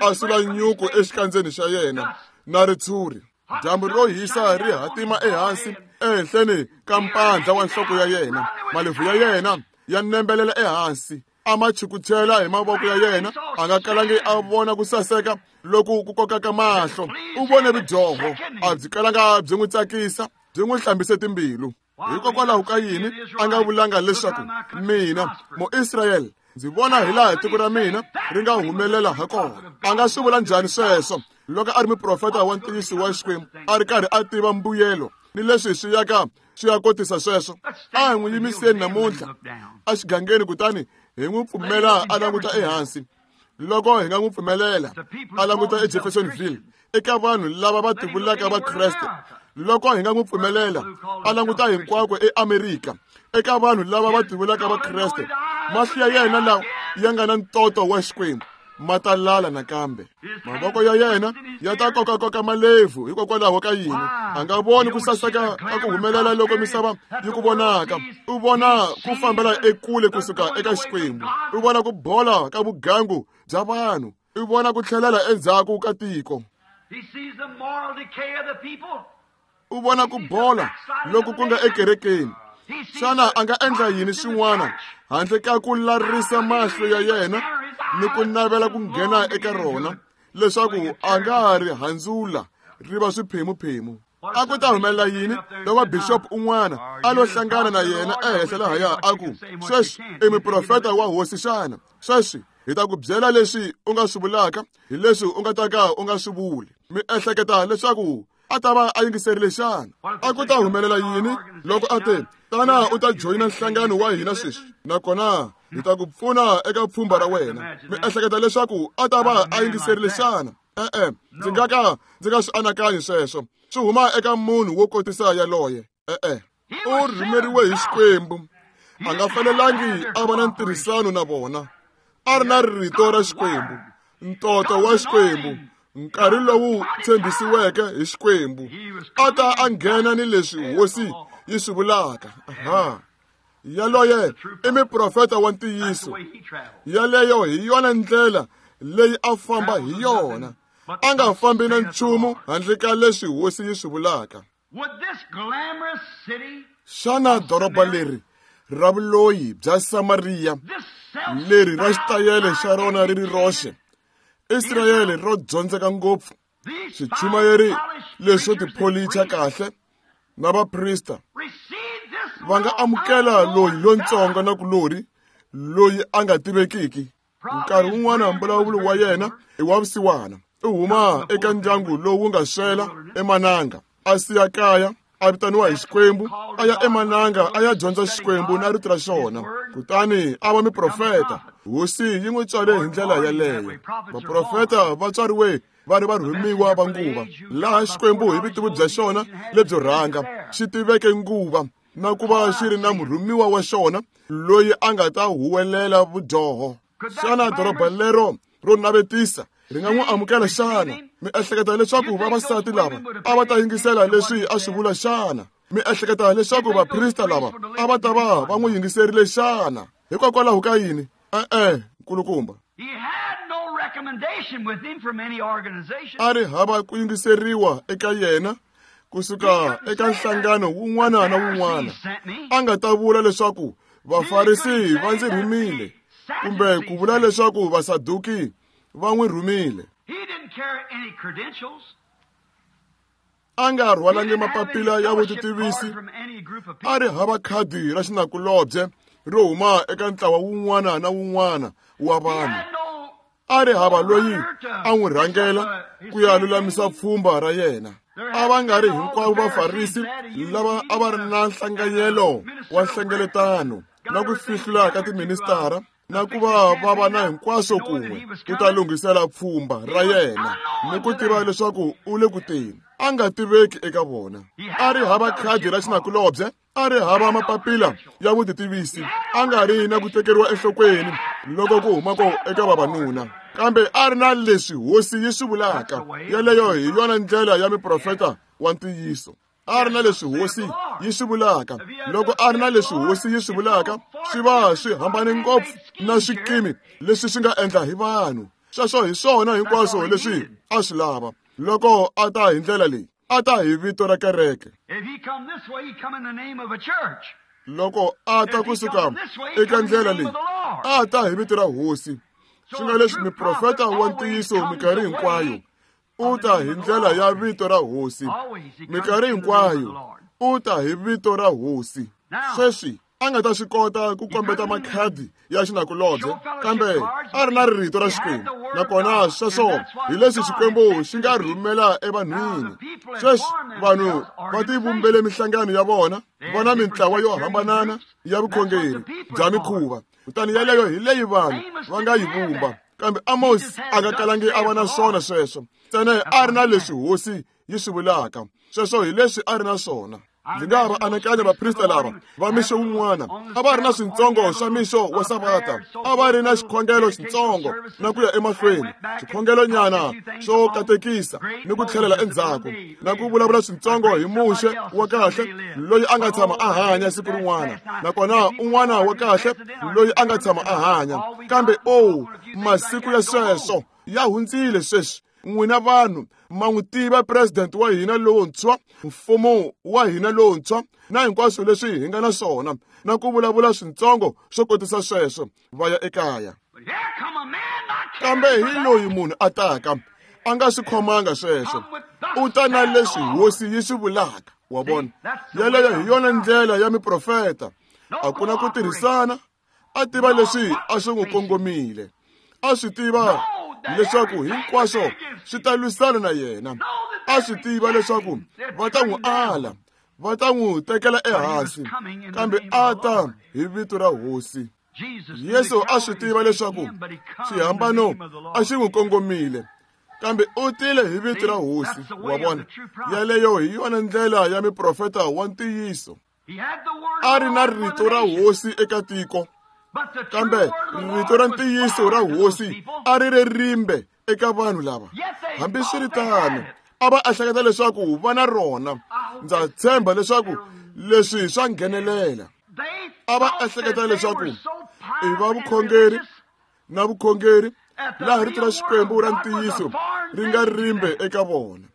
a sula nyuku exikandzeni xa yena na ritshuri. Dyambu ro hisa ri hatima ehansi ehenhleni ka mpandla wa nhloko ya yena, malebvu ya yena ya nembelela ehansi, a ma chukuchela hi mavoko ya yena. A nga kalangi a vona ku saseka loku ku kokaka mahlo. U vone vudyoho, a byi kalanga byi n'wi tsakisa, byi n'wi hlambise timbilu. Hikokwalaho ka yini a nga vulanga leswaku mina Muisrayele ndzi vona hi laha tiko ra mina ri nga humelela ha kona? A nga swi vula njhani sweswo loko a ri muprofeta wa ntiyiso wa Xikwembu, a ri karhi a tiva mbuyelo ni leswi swi yaka swi ya kotisa sweswo? A hi n'wi yimiseni namuntlha exigangeni, kutani hi n'wi pfumela a languta ehansi. Loko hi nga n'wi pfumelela a languta eJeffersonville eka vanhu lava va tivulaka va Kreste, loko hi nga n'wi pfumelela a languta hinkwako eAmerika eka vanhu lava va tivulaka va Kreste, mahlo ya yena lawa ya nga na ntoto wa Xikwembu ma ta lala nakambe. Mavoko ya yena ya ta kokakoka malebvu hikokwalaho ka yini? A nga voni ku saseka ka ku humelela loko misava yi ku vonaka. U vona ku fambela ekule kusuka eka Xikwembu. U vona ku bola ka vugangu bya vanhu. U vona ku tlhelela endzhaku ka tiko. U vona ku bola loko ku nga ekerekeni. Xana a nga endla yini xin'wana handle ka ku larisa mahlo ya yena ni ku navela ku nghena eka rona leswaku a nga ri handzula ri va swiphemuphemu? A ku ta humelela yini loko bishop un'wana a lo hlangana na yena ehenhla lahaya a ku, sweswi i muprofeta wa hosi xana? Sweswi hi ta ku byela leswi u nga swi vulaka hi leswi u nga ta ka u nga swi vuli. Mi ehleketa leswaku a ta va a yingiserile xana? A ku ta humelela yini loko a te, tana u ta joyina nhlangano wa hina sweswi, nakona hi ta ku pfuna eka pfhumba ra wena? Mi ehleketa leswaku a ta va a yingiserile xana? E-e, ndzi nga ka ndzi nga swi anakanyi sweswo. Swi huma eka munhu wo kotisa yaloye. E-e, u rhumeriwe hi Xikwembu. A nga fanelangi a va na ntirhisano na vona. A ri na rito ra Xikwembu, ntoto wa Xikwembu, nkarhi lowu tshembisiweke hi Xikwembu. A ta a nghena ni leswi hosi yi swi vulaka. Aha. Yaloye i muprofeta wa ntiyiso. Yaleyo hi yona ndlela leyi a famba hi yona. A nga fambi na nchumu handle ka leswi hosi yi swi vulaka. Xana doroba leri ra vuloyi bya Samariya leri ra xitayele xa rona ri ri roxe, Israyele ro dyondzeka ngopfu, swichumayeri leswo tipholicha kahle na vaprista va nga amukela loyi lontsongo na kulori loyi a nga tivekiki? Nkarhi wun'wana mbulavulo wa yena i wa vusiwana. U huma eka ndyangu lowu nga swela emananga, a siya kaya, a vitaniwa hi Xikwembu, a ya emananga a ya dyondza Xikwembu na rito ra xona, kutani a va muprofeta. Hosi yi n'wi tswale hi ndlela yaleyo. Vaprofeta va tswariwe va ri varhumiwa va nguva, laha Xikwembu hi vutivi bya xona lebyo rhanga xi tiveke nguva na ku va xi ri na murhumiwa wa xona loyi a nga ta huwelela vudyoho. Xana doroba lero ro navetisa ri nga n'wi amukela xana? Mi ehleketa leswaku vavasati lava a va ta yingisela leswi a swi vula xana? Mi ehleketa leswaku vaprista lava a va ta va va n'wi yingiserile xana? Hikokwalaho ka yini? E-e, nkulukumba. A ri hava ku yingiseriwa eka yena kusuka eka nhlangano wun'wana na wun'wana. A nga ta vula leswaku Vafarisi va ndzi rhumile, kumbe ku vula leswaku Vasaduki va n'wi rhumile. A nga rhwalangi mapapila ya vutitivisi. A ri hava khadi ra xinakulobye ro huma eka ntlawa wun'wana na wun'wana wa vanhu. A ri hava loyi a n'wi rhangela ku ya lulamisa pfhumba ra yena. A va nga ri hinkwavo Vafarisi lava a va ri na nhlanganyelo wa nhlengeletano na ku fihlula ka tiministara na ku va va va na hinkwaswo kun'we ku ta lunghisela pfhumba ra yena ni ku tiva leswaku u le ku teni. A nga tiveki eka vona. A ri hava khadi ra xinakulobye, a ri hava mapapila ya vutitivisi, a nga ri na ku tekeriwa enhlokweni loko ku humako eka vavanuna, kambe a ri na leswi hosi yi swi vulaka. Yaleyo hi yona ndlela ya muprofeta wa ntiyiso. A ri na leswi hosi yi swi vulaka. Loko a ri na leswi hosi yi swi vulaka, swi va swi hambane ngopfu na swikimi leswi swi nga endla hi vanhu. Sweswo hi swona hinkwaswo leswi a swi lava. Loko a ta hi ndlela leyi, a ta hi vito ra kereke. Loko a ta kusuka eka ndlela leyi, a ta hi vito ra hosi. Swi nga leswi muprofeta wa ntiyiso minkarhi hinkwayo u ta hi ndlela ya vito ra hosi. Minkarhi hinkwayo u ta hi vito ra hosi. Sweswi a nga ta swi kota ku kombeta makhadi ya xinakulobye, kambe a ri na rito ra Xikwembu, nakona sweswo hi leswi Xikwembu xi nga rhumela evanhwini. Sweswi vanhu va tivumbele minhlangano ya vona, va na mintlawa yo hambanana ya vukhongeri bya mikhuva, kutani yaleyo hi leyi vanhu va nga yi vumba. Kambe Amos a nga kalangi a va na swona sweswo, ntsena a ri na leswi hosi yi swi vulaka. Sweswo hi leswi a ri na swona. Ndzi nga va anakanya vaprista lava va mixo wun'wana a va ri na swintsongo swa mixo wa savata, a va ri na xikhongelo xitsongo na ku ya emahlweni, xikhongelonyana xo katekisa ni ku tlhelela endzhaku na ku vulavula swintsongo hi Muxe wa kahle loyi a nga tshama a hanya siku rin'wana, nakona un'wana wa kahle loyi a nga tshama a hanya. Kambe o masiku ya sweswo ya hundzile sweswi. N'wina vanhu ma n'wi tiva president wa hina lowuntshwa, mfumo wa hina lowuntshwa na hinkwaswo leswi hi nga na swona, na ku vulavula swintsongo swo kotisa sweswo, va ya ekaya. Kambe hi loyi munhu a taka a nga swi khomanga sweswo, u ta na leswi hosi yi swi vulaka. Wa vona, yeleyo hi yona ndlela ya miprofeta. A ku na ku tirhisana, a tiva leswi a swi n'wi kongomile, a swi tiva leswaku hinkwaswo swi ta lwisana na yena, a swi tiva leswaku va ta n'wi ala, va ta n'wi tekela ehansi, kambe a ta hi vito ra hosi. Yesu a swi tiva leswaku xihambano a xi n'wi kongomile, kambe u tile hi vito ra hosi. Wa vona, yeleyo hi yona ndlela ya miprofeta wa ntiyiso. A ri na rito ra hosi eka tiko, kambe rito ra ntiyiso ra hosi a ri ri rimbe eka vanhu lava. Hambiswiritano a va ehleketa leswaku va na rona. Ndza tshemba leswaku leswi swa nghenelela. A va ehleketa leswaku i va vukhongeri na vukhongeri laha rito ra Xikwembu ra ntiyiso ri nga rimbe eka vona.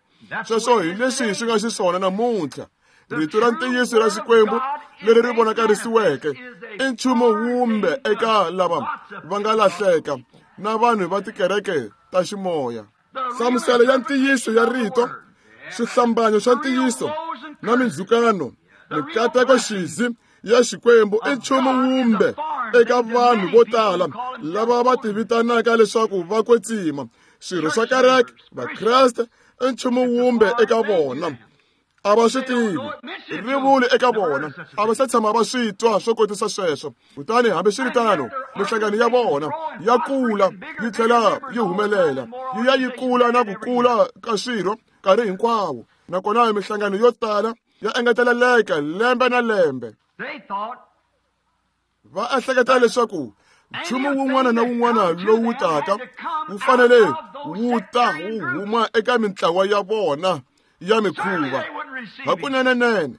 Sweswo hi leswi swi nga xiswona namuntlha. Rito ra ntiyiso ra Xikwembu leri ri vonakarisiweke i nchumu wumbe eka lava va nga lahleka na vanhu va tikereke ta ximoya. Hlamuselo ya ntiyiso ya rito, swihlambanyo swa ntiyiso na mindzhukano, mikateko xizi ya Xikwembu i nchumu wumbe eka vanhu vo tala lava va tivitanaka leswaku va kwetsima. Swirho swa kereke, Vakreste, i nchumu wumbe eka vona. A va swi tivi, ri vuli eka vona, a va se tshama va swi twa swo kotisa sweswo. Kutani hambiswiritano mihlangano ya vona ya kula yi tlhela yi humelela, yi ya yi kula na ku kula ka swirho nkarhi hinkwawo, nakona mihlangano yo tala ya engeteleleka lembe na lembe. Va ehleketa leswaku nchumu wun'wana na wun'wana lowu taka wu fanele wu ta wu huma eka mintlawa ya vona ya mikhuva. Hakunenenene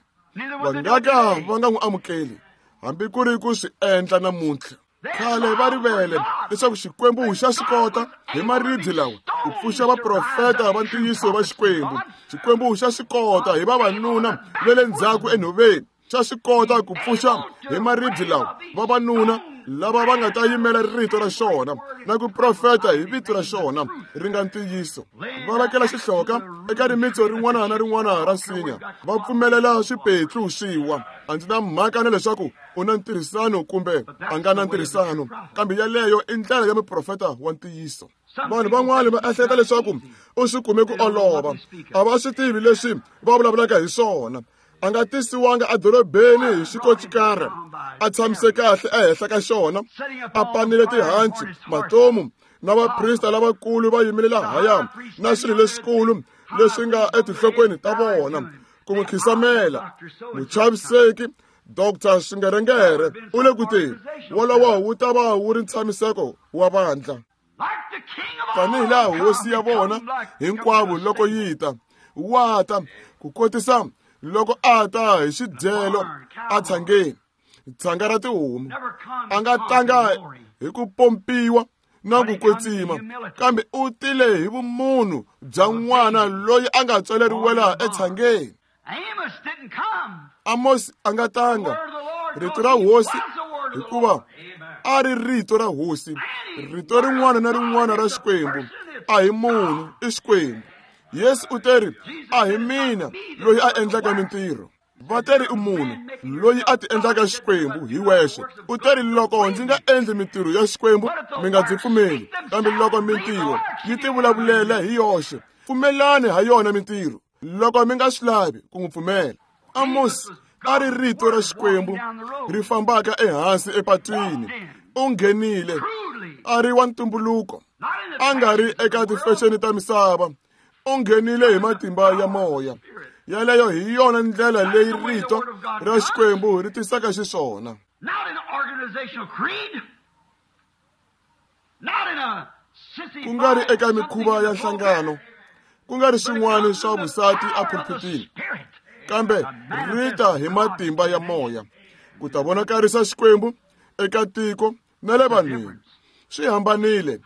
va nga ka va nga n'wi amukeli hambi ku ri ku swi endla namuntlha. Khale va rivele leswaku Xikwembu xa swi kota hi maribye lawa ku pfuxa vaprofeta va ntiyiso va Xikwembu. Xikwembu xa swi kota hi vavanuna va le ndzhaku enhoveni, xa swi kota ku pfuxa hi maribye lawa vavanuna lava va nga ta yimela rito ra xona na ku profeta hi vito ra xona ri nga ntiyiso. Va vekela xihloka eka rimitso rin'wana na rin'wana ra nsinya, va pfumelela swipetlu swi wa. A ndzi na mhaka na leswaku u na ntirhisano kumbe a nga na ntirhisano, kambe yeleyo i ndlela ya muprofeta wa ntiyiso. Vanhu van'wana va ehleketa leswaku u swi kume ku olova, a va swi tivi leswi va vulavulaka hi swona. A nga tisiwanga edorobeni hi xikocikara, a tshamise kahle ehenhla ka xona, a panile tihanci, matomu na vaprista lavakulu va yimile lahaya na swilo leswikulu leswi nga etinhlokweni ta vona ku n'wi khisamela. Muchaviseki Doctor Swingerengere u le ku teni, wolowo wu ta va wu ri ntshamiseko wa vandla. Tanihi laha hosi ya vona hinkwavo loko yi ta, wa ta ku kotisa loko a ta hi xidyelo a tshangeni, tshanga ra tihomu. A nga tanga hi ku pompiwa na ku kwetsima, kambe u tile hi vumunhu bya n'wana loyi a nga tswaleriwela etshangeni. Amos a nga tanga rito ra hosi, hikuva a ri rito ra hosi. Rito rin'wana na rin'wana ra Xikwembu a hi munhu, i Xikwembu. Yesu u teri, a hi mina loyi a endlaka mintirho. Va teri i munhu loyi a ti endlaka Xikwembu hi wexe. U teri loko ndzi nga endli mintirho ya Xikwembu mi nga ndzi pfumeli, kambe loko mintirho yi ti vulavulela hi yoxe, pfumelani ha yona mintirho loko mi nga swi lavi ku n'wi pfumela. Amos a ri rito ra Xikwembu ri fambaka ehansi epatwini. U nghenile a ri wa ntumbuluko, a nga ri eka tifexeni ta misava. U nghenile hi matimba ya moya. Yaleyo hi yona ndlela leyi rito ra Xikwembu ri tisaka xiswona. Ku nga ri eka mikhuva ya nhlangano, ku nga ri swin'wana swa vusati epulpitini, kambe rita hi matimba ya moya ku ta vonakarisa Xikwembu eka tiko na le vanhwini. Swi hambanile.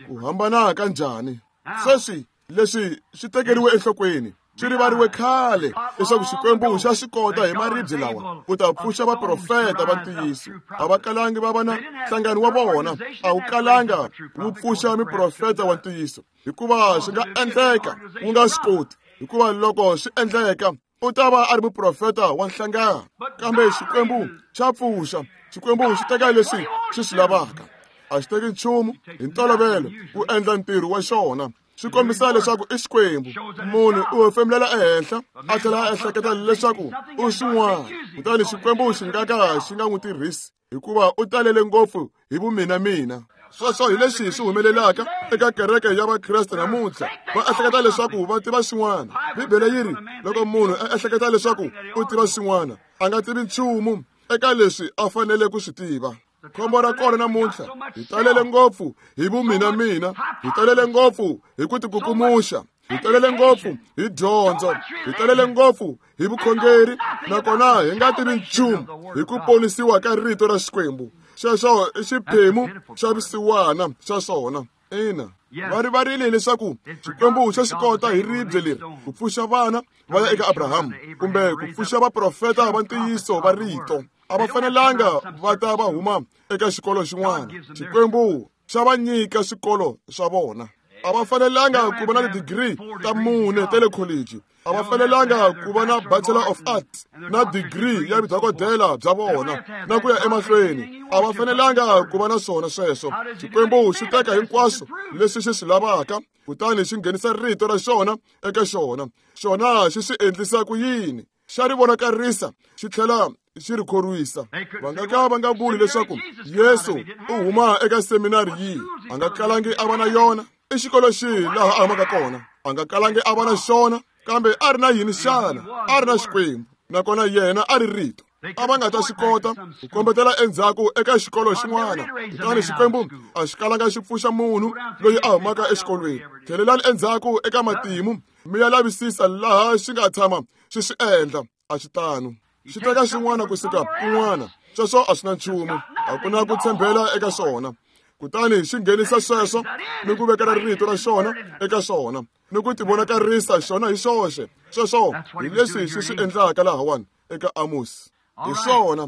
Ku hambana ka njhani? Sweswi leswi swi tekeriwe enhlokweni, swi rivariwe khale leswaku Xikwembu xa swi kota hi maribye lawa ku ta pfuxa vaprofeta va ntiyiso. A va kalangi va va na nhlangano wa vona, a wu kalanga wu pfuxa miprofeta wa ntiyiso, hikuva swi nga endleka wu nga swi koti, hikuva loko swi endleka u ta va a ri muprofeta wa nhlangano. Kambe Xikwembu xa pfuxa, Xikwembu xi teka leswi xi swi lavaka. A xi teki nchumu hi ntolovelo ku endla ntirho wa xona. Swi kombisa leswaku i Xikwembu. Munhu u hefemulela ehenhla a tlhela a ehleketa leswaku u xin'wana, kutani Xikwembu xi nga ka xi nga n'wi tirhisi hikuva u talele ngopfu hi vumina mina. Sweswo hi leswi swi humelelaka eka kereke ya Vakreste namuntlha. Va ehleketa leswaku va tiva xin'wana. Bibele yi ri loko munhu a ehleketa leswaku u tiva xin'wana, a nga tivi nchumu eka leswi a fanele ku swi tiva. Khombo ra kona namuntlha, hi talele ngopfu hi vumina mina, hi talele ngopfu hi ku tikukumuxa, hi talele ngopfu hi dyondzo, hi talele ngopfu hi vukhongeri, nakona hi nga tivi nchumu hi ku ponisiwa ka rito ra Xikwembu. Xexo i xiphemu xa vusiwana xa swona. Ina, va rivarile leswaku Xikwembu xa xi kota hi ribye leri ku pfuxa vana va ya eka Abrahamu, kumbe ku pfuxa vaprofeta va ntiyiso va rito. A va fanelanga va ta va huma eka xikolo xin'wana. Xikwembu xa va nyika swikolo swa vona. A va fanelanga ku va na ti-degree ta mune ta le college. A va fanelanga ku va na Bachelor of Arts na degree ya vudokodela bya vona na ku ya emahlweni. A va fanelanga ku va na swona sweswo. Xikwembu xi teka hinkwaswo leswi xi swi lavaka, kutani xi nghenisa rito ra xona eka xona. Xona xi swi endlisa ku yini? Xa ri vonakarisa xi tlhela xi ri khorwisa. Va nga ka va nga vuli leswaku Yesu u huma eka seminari yihi, a nga kalangi a va na yona. I xikolo xihi laha a humaka kona? A nga kalangi a va na xona, kambe a ri na yini xana? A ri na Xikwembu, nakona yena a ri rito. A va nga ta swi kota ku kombetela endzhaku eka xikolo xin'wana, kutani Xikwembu a xi kalanga xi pfuxa munhu loyi a humaka exikolweni. Tlhelelani endzhaku eka matimu mi ya lavisisa laha xi nga tshama xi swi endla. A xi tano. Xi teka xin'wana kusuka kun'wana, sweswo a swi na nchumu, a ku na ku tshembela eka swona. Kutani xi nghenisa sweswo ni ku vekela rito ra xona eka xona ni ku tivonakarisa xona hi xoxe. Sweswo hi leswi xi swi endlaka lahawani eka Amos. Hi swona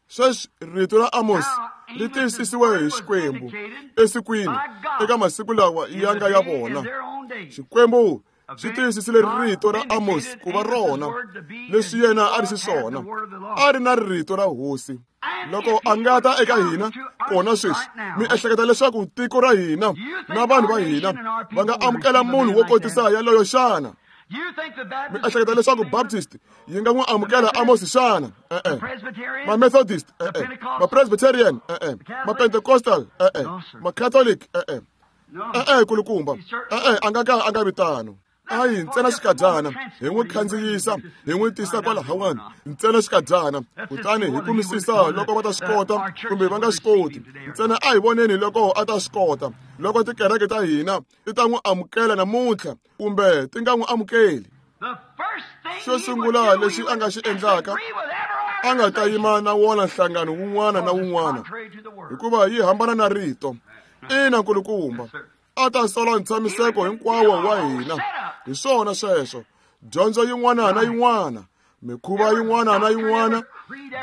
sweswi rito ra Amos ri tiyisisiwe hi Xikwembu esikwini eka masiku lawa ya nga ya vona. Xikwembu xi tiyisisile rito ra Amos ku va rona leswi yena a ri xiswona. A ri na rito ra hosi. Loko a nga ta eka hina kona sweswi, mi ehleketa leswaku tiko ra hina na vanhu va hina va nga amukela munhu wo kotisa yaloyo xana? Mi ehleketa leswaku Baptist yi nga n'wi amukela Amos xana? E-e. Ma-Methodist? E-e. Ma-Presbyterian? E-e. Ma-Pentecostal? E-e. Ma-Catholic? E-e. E-e kulukumba. E-e, a nga ka a nga vi tano. Ayi ntsena xikadyana hi n'wi khandziyisa hi n'wi tisa kwalahawani ntsena xikadyana, kutani hi kumisisa loko va ta swi kota kumbe va nga swi koti. Ntsena a hi voneni loko a ta swi kota, loko tikereke ta hina ti ta n'wi amukela namuntlha kumbe ti nga n'wi amukeli. Xo sungula lexi a nga xi endlaka, a nga ta yima na wona nhlangano wun'wana na wun'wana, hikuva yi hambana na rito. Ina nkulukumba, a ta sola ntshamiseko hinkwawo wa hina. Hi swona sweswo. Dyondzo yin'wana na yin'wana, mikhuva yin'wana na yin'wana,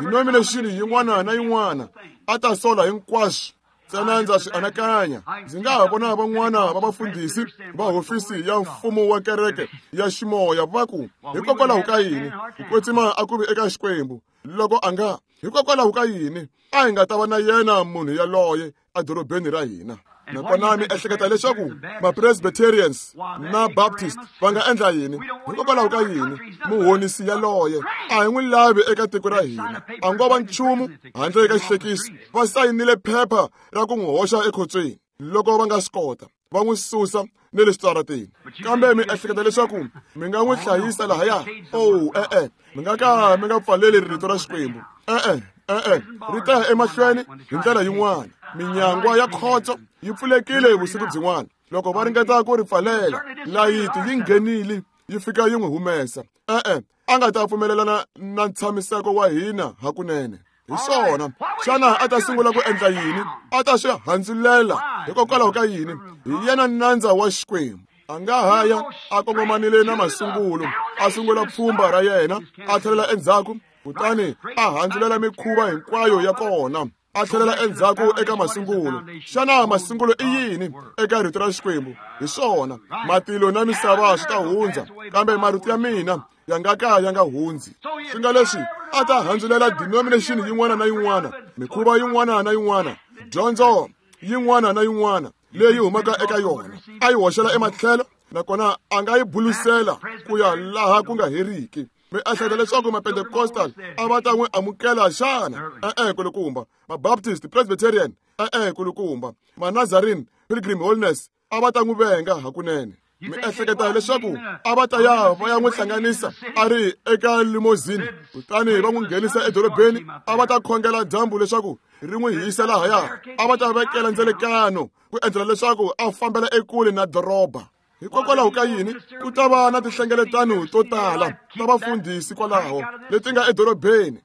denomination yin'wana na yin'wana, a ta sola hinkwaswo. Ntsena ndza swi anakanya, ndzi nga ha vona van'wana va vafundhisi va hofisi ya mfumo wa kereke ya ximoya va ku, hikokwalaho ka yini ku kwetsima a ku vi eka Xikwembu loko a nga, hikokwalaho ka yini a hi nga ta va na yena munhu yaloye edorobeni ra hina? Nakona mi ehleketa leswaku ma-Presbyterians na Baptist va nga endla yini? Hikokwalaho ka yini muhonisi yaloye a hi n'wi lavi eka tiko ra hina? A ngo va nchumu handle ka xihlekisi. Va sayinile phepha ra ku n'wi hoxa ekhotsweni. loko va nga swi kota va n'wi susa ni le switarateni. Kambe mi ehleketa leswaku mi nga n'wi hlayisa lahaya? Oh, e-e, mi nga ka mi nga pfaleli rito ra Xikwembu. E-e, e-e, ri ta ya emahlweni hi ndlela yin'wana. Minyangwa ya khotso yi pfulekile vusiku byin'wana. Loko va ringeta ku ri pfalela, layiti yi nghenile yi fika yi n'wi humesa. E-e, a nga ta pfumelelana na ntshamiseko wa hina hakunene. Hi swona, xana a ta sungula ku endla yini? A ta swi handzulela hikokwalaho ka yini? Hi yena nandza wa Xikwembu. A nga ha ya a kongomanile na masungulo, a sungula pfhumba ra yena, a tlhelela endzhaku, kutani a handzulela mikhuva hinkwayo ya kona, a tlhelela endzhaku eka masungulo. Xana masungulo i yini eka rito ra Xikwembu? Hi swona, matilo na misava swi ta hundza, kambe marito ya mina ya nga ka ya nga hundzi. Swi nga leswi a ta handzulela denomination yin'wana na yin'wana, mikhuva yin'wana na yin'wana, dyondzo yin'wana na yin'wana leyi humaka eka yona, a yi hoxela ematlhelo, nakona a nga yi bulusela ku ya laha ku nga heriki. Mi ehleketa leswaku Mapentecostal a va ta n'wi amukela xana? E-e, kulukumba. Mabaptist, Presbyterian, e-e, kulukumba. Manazarene, Pilgrim Holiness a va ta n'wi venga hakunene. Mi ehleketa leswaku a va ta ya va ya n'wi hlanganisa a ri eka limousine, kutani va n'wi nghenisa edorobeni, a va ta khongela dyambu leswaku ri n'wi hisa lahaya, a va ta vekela ndzelekano ku endlela leswaku a fambela ekule na doroba. Hikokwalaho ka yini? Ku ta va na tinhlengeletano to tala ta vafundhisi kwalaho leti nga edorobeni.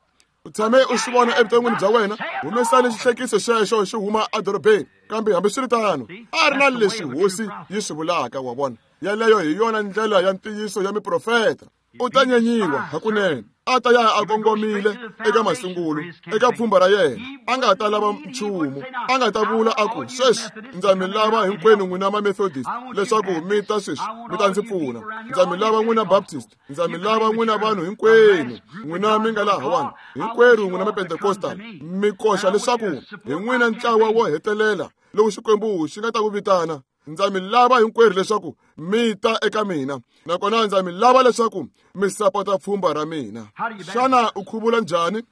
U tshame u swi vona evuton'wini bya wena, humesani xihlekiso xexo xi huma edorobeni. Kambe hambiswiritano, a ri na leswi hosi yi swi vulaka, wa vona. Yaleyo hi yona ndlela ya ntiyiso ya miprofeta. U ta nyenyiwa hakunene. A ta ya a kongomile eka masungulo, eka pfhumba ra yena. A nga ta lava nchumu. A nga ta vula a ku, sweswi ndza mi lava hinkwenu n'wina ma-Methodist leswaku mi ta sweswi mi ta ndzi pfuna. Ndza mi lava n'wina Baptist, ndza mi lava n'wina vanhu hinkwenu, n'wina mi nga lahawani, hinkwerhu n'wina ma-Pentecostal, mi koxa leswaku hi n'wina ntlawa wo hetelela lowu Xikwembu xi nga ta ku vitana. Ndza mi lava hinkwerhu leswaku mi ta eka mina, nakona ndza mi lava leswaku mi sapota pfhumba ra mina. Xana u khuvula njhani?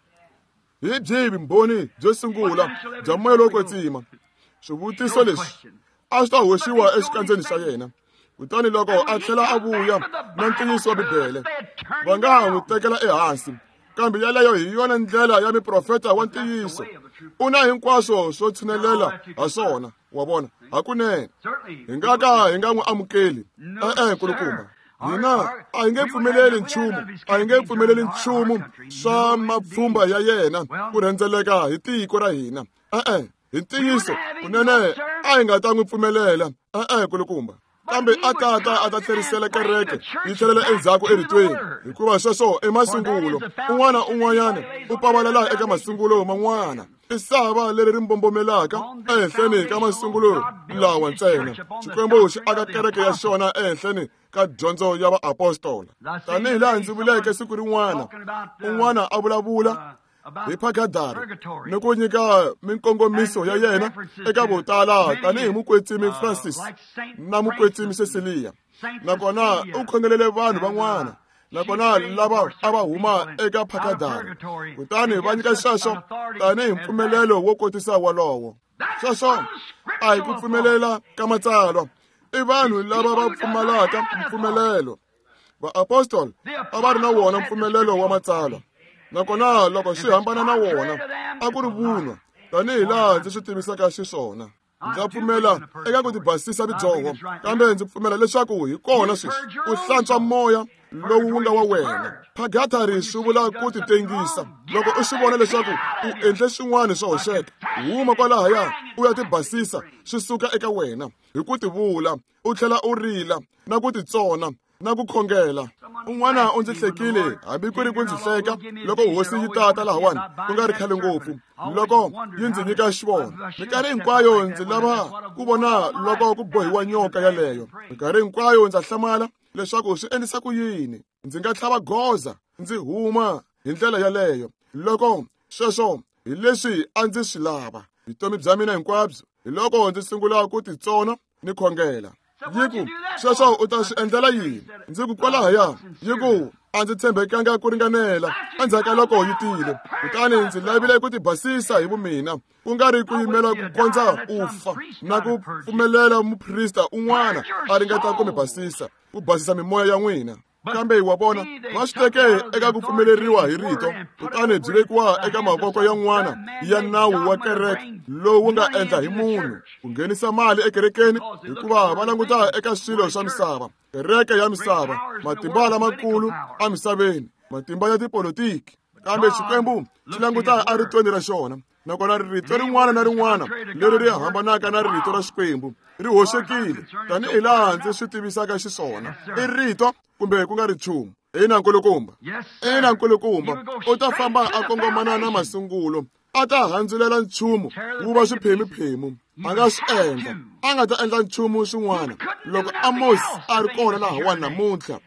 Hi byihi vumbhoni byo sungula bya moya lowo kwetsima? Swivutiso leswi a swi ta hoxiwa exikandzeni xa yena. Kutani loko a tlhela a vuya na ntiyiso wa Bibele, va nga ha n'wi tekela ehansi. Kambe yaleyo hi yona ndlela ya miprofeta wa ntiyiso. U na hinkwaswo swo tshinelela ha swona, wa vona, hakunene. Hi nga ka hi nga n'wi amukeli. E-e, kulukumba. Hina a hi nge pfumeleli nchumu, a hi nge pfumeleli nchumu swa mapfhumba ya yena ku rhendzeleka hi tiko ra hina. E-e, hi ntiyiso, kunene a hi nga ta n'wi pfumelela. E-e, kulukumba. Kambe a ta ta a ta tlherisela kereke yi tlhelela endzhaku eritweni, hikuva sweswo i masungulo. Un'wana un'wanyana u pavalela eka masungulo man'wana. I sava leri ri mbombomelaka ehenhleni ka masungulo lawa ntsena. Xikwembu xi aka kereke ya xona ehenhleni ka dyondzo ya vaapostola. Tanihi laha ndzi vuleke siku rin'wana, un'wana a vulavula hi Purgatory ni ku nyika minkongomiso ya yena eka vo tala tanihi mukwetsimi Francis na mukwetsimi Cecilia. Nakona u khongelele vanhu van'wana, nakona lava a va huma eka Purgatory, kutani va nyika sweswo tanihi mpfumelelo wo kotisa wolowo. Sweswo a hi ku pfumelela ka matsalwa. I vanhu lava va pfumalaka mpfumelelo. Vaapostoli a va ri na wona mpfumelelo wa matsalwa, nakona loko swi hambana na wona a ku ri vunwa, tanihi laha ndzi swi tivisaka xiswona. Ndza pfumela eka ku tibasisa vudyoho, kambe ndzi pfumela leswaku hi kona sweswi u hlantswa moya lowu wu nga wa wena. Purgatory swi vula ku titengisa. Loko u swi vona leswaku u endle swin'wana swo hoxeka, huma kwalahaya u ya tibasisa swi suka eka wena hi ku tivula, u tlhela u rila na ku titsona na ku khongela. Un'wana u ndzi hlekile, hambi ku ri ku ndzi hleka loko hosi yi tata lahawani ku nga ri khale ngopfu, loko yi ndzi nyika xivono. Minkarhi hinkwayo ndzi lava ku vona loko ku bohiwa nyoka yaleyo. Minkarhi hinkwayo ndza hlamala leswaku swi endlisa ku yini ndzi nga tlhava goza ndzi huma hi ndlela yaleyo, loko sweswo hi leswi a ndzi swi lava vutomi bya mina hinkwabyo. Hi loko ndzi sungula ku titsona ni khongela. Yi ku, sweswo u ta swi endlela yini? Ndzi ku, kwalahaya. Yi ku, a ndzi tshembekanga ku ringanela endzhaku ka loko yi tile. Kutani ndzi lavile ku tibasisa hi vumina, ku nga ri ku yimela ku kondza u fa na ku pfumelela muprista un'wana a ringeta ku mi basisa, ku basisa mimoya ya n'wina. Kambe wa vona, va swi teke eka ku pfumeleriwa hi rito, kutani byi vekiwa eka mavoko yan'wana ya nawu wa kereke lowu nga endla hi munhu ku nghenisa mali ekerekeni, hikuva va languta eka swilo swa misava, kereke ya misava, matimba lamakulu emisaveni, matimba ya tipolotiki. Kambe Xikwembu xi languta eritweni ra xona, nakona rito rin'wana na rin'wana leri ri hambanaka na rito ra Xikwembu ri hoxekile, tanihi laha ndzi swi tivisaka xiswona. I rito kumbe ku nga ri nchumu. Ina nkulukumba, ina nkulukumba, u ta famba a kongomana na masungulo, a ta handzulela nchumu wu va swiphemu-phemu. A nga swi endla, a nga ta endla nchumu swin'wana. Loko Amos a ri kona lahawani namuntlha,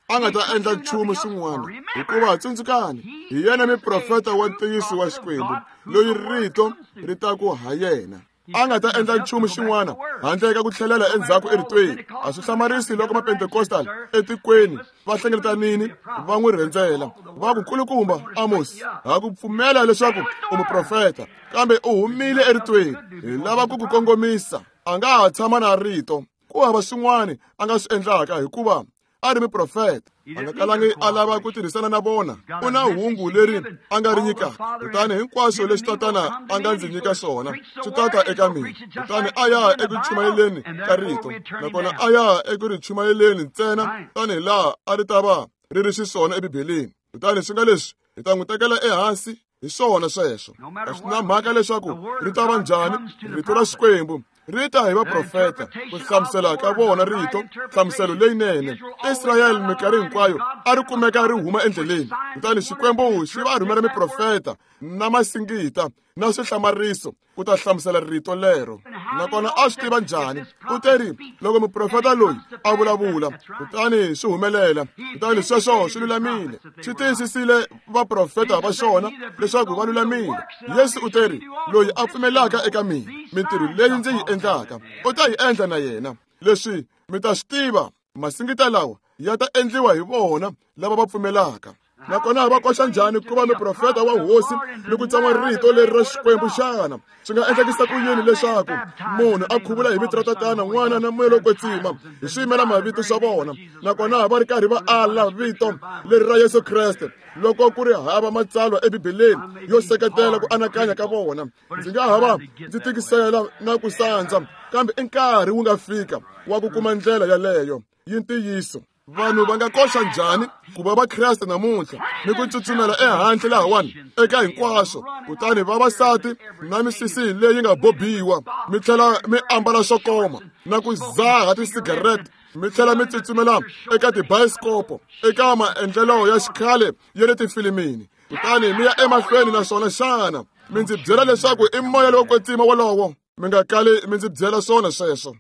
a nga ta endla nchumu swin'wana, hikuva tsundzukani, hi yena muprofeta wa ntiyiso wa Xikwembu loyi rito ri ta ku ha yena. A nga ta endla nchumu xin'wana handle ka ku tlhelela endzhaku eritweni. A swi hlamarisi loko mapentekostal etikweni va hlengeletanini va n'wi rhendzela, va ku, nkulukumba Amos, ha ku pfumela leswaku u muprofeta, kambe u humile eritweni. Hi lava ku ku kongomisa. A nga ha tshama na rito. Ku hava swin'wana a nga swi endlaka, hikuva a ri muprofeta. A nga kalangi a lava ku tirhisana na vona. U na hungu leri a nga ri nyikaka, kutani hinkwaswo leswi tatana a nga ndzi nyika swona swi tata eka mina. Kutani a ya eku chumayeleni ka rito, nakona a ya eku ri chumayeleni ntsena tanihi laha a ri ta va ri ri xiswona eBibeleni. Kutani swi nga leswi hi ta n'wi tekela ehansi hi swona sweswo. A swi na mhaka leswaku ri ta va njhani, rito ra Xikwembu ri ta hi vaprofeta ku hlamusela ka vona rito, nhlamuselo leyinene. Israyele minkarhi hinkwayo a ri kumeka ri huma endleleni, kutani Xikwembu xi va rhumela miprofeta na masingita na swihlamariso ku ta hlamusela rito lero. Nakona a swi tiva njhani? U teri loko muprofeta loyi a vulavula, kutani swi humelela, kutani sweswo swi lulamile. Swi tiyisisile vaprofeta va xona leswaku va lulamile. Yesu u teri, loyi a pfumelaka eka mina, mintirho leyi ndzi yi endlaka u ta yi endla na yena. Leswi mi ta swi tiva, masingita lawa ya ta endliwa hi vona lava va pfumelaka. Nakona va koxa njhani ku va muprofeta wa hosi ni ku tsan'wa rito leri ra Xikwembu xana? Swi nga endlekisa ku yini leswaku munhu a khuvula hi vito ra Tatana, N'wana na Moya lowo Kwetsima hi swiyimela mavito swa vona, nakona va ri karhi va ala vito leri ra Yesu Kreste loko ku ri hava matsalwa eBibeleni yo seketela ku anakanya ka vona? Ndzi nga hava ndzi tikisela na ku sandza, kambe i nkarhi wu nga fika wa ku kuma ndlela yaleyo yi ntiyiso. Vanhu va nga koxa njhani ku va vakreste namuntlha ni ku tsutsumela ehandle lahawani eka hinkwaswo, kutani vavasati na misisi leyi nga bobiwa, mi tlhela mi ambala swo koma na ku zaha tisigarete, mi tlhela mi tsutsumela eka tibayiskopo, eka maendlelo ya xikhale ya le tifilimini, kutani mi ya emahlweni naswona xana mi ndzi byela leswaku i moya lowo kwetsima wolowo? Mi nga kali mi ndzi byela swona sweswo.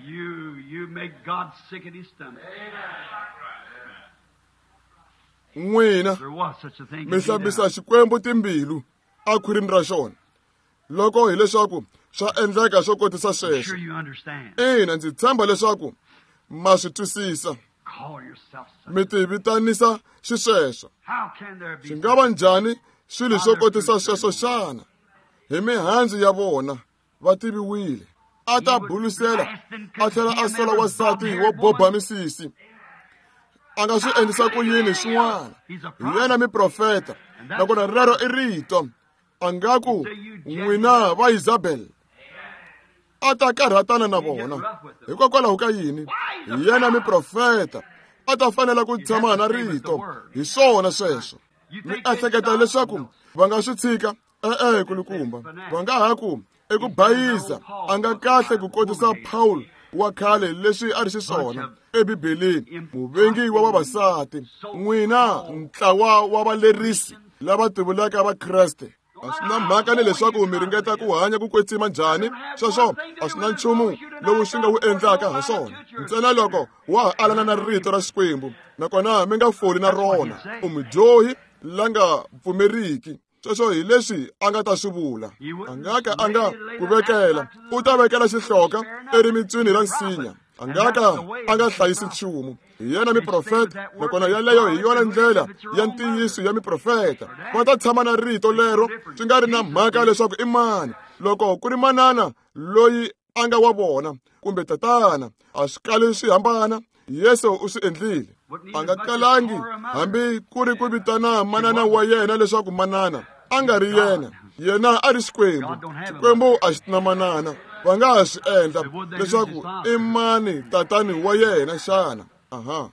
You, you make God sick at his stomach. N'wina mi hlambisa Xikwembu timbilu ekhwirini ra xona, loko hileswaku swa endleka swo kotisa sweswo. Ina, ndzi tshemba leswaku ma swi twisisa. Mi tivitanisa xisweswo. Swi nga va njhani swilo swo kotisa sweswo xana? Hi mihandzu ya vona va tiviwile. A ta bulusela a tlhela a sola wansati wo boba misisi. A nga swi endlisa ku yini swin'wana? Hi yena miprofeta, nakona rero i rito. A nga ku, n'wina va Isabel, a ta karhatana na vona. Hikokwalaho ka yini? Hi yena miprofeta, a ta fanela ku tshama na rito. Hi swona sweswo. Mi ehleketa leswaku va nga swi tshika? E-e, kulukumba. Va nga ha ku, eku bayiza, a nga kahle ku kotisa Paul wa khale leswi a ri xiswona eBibeleni, muvengi wa vavasati. N'wina ntlawa wa valerisi lava tivulaka Vakreste, a swi na mhaka ni leswaku mi ringeta ku hanya ku kwetsima njhani, sweswo a swi na nchumu lowu swi nga wu endlaka ha swona, ntsena loko wa ha alana na rito ra Xikwembu, nakona mi nga foli na rona. U mudyohi la nga pfumeriki. Sweswo hi leswi a nga ta swi vula. A nga ka a nga ku vekela, u ta vekela xihloka erimitswini ra nsinya. A nga ka a nga hlayisi nchumu. Hi yena miprofeta, nakona yaleyo hi yona ndlela ya ntiyiso ya miprofeta. Va ta tshama na rito lero swi nga ri na mhaka leswaku i mani. Loko ku ri manana loyi a nga wa vona kumbe tatana, a swi kali swi hambana. Yesu u swi endlile. A nga kalangi hambi ku ri ku vitana manana wa yena leswaku manana. A nga ri yena. Yena a ri Xikwembu. Xikwembu a xi na manana. Va nga ha swi endla leswaku i mani tatani wa yena xana? Aha.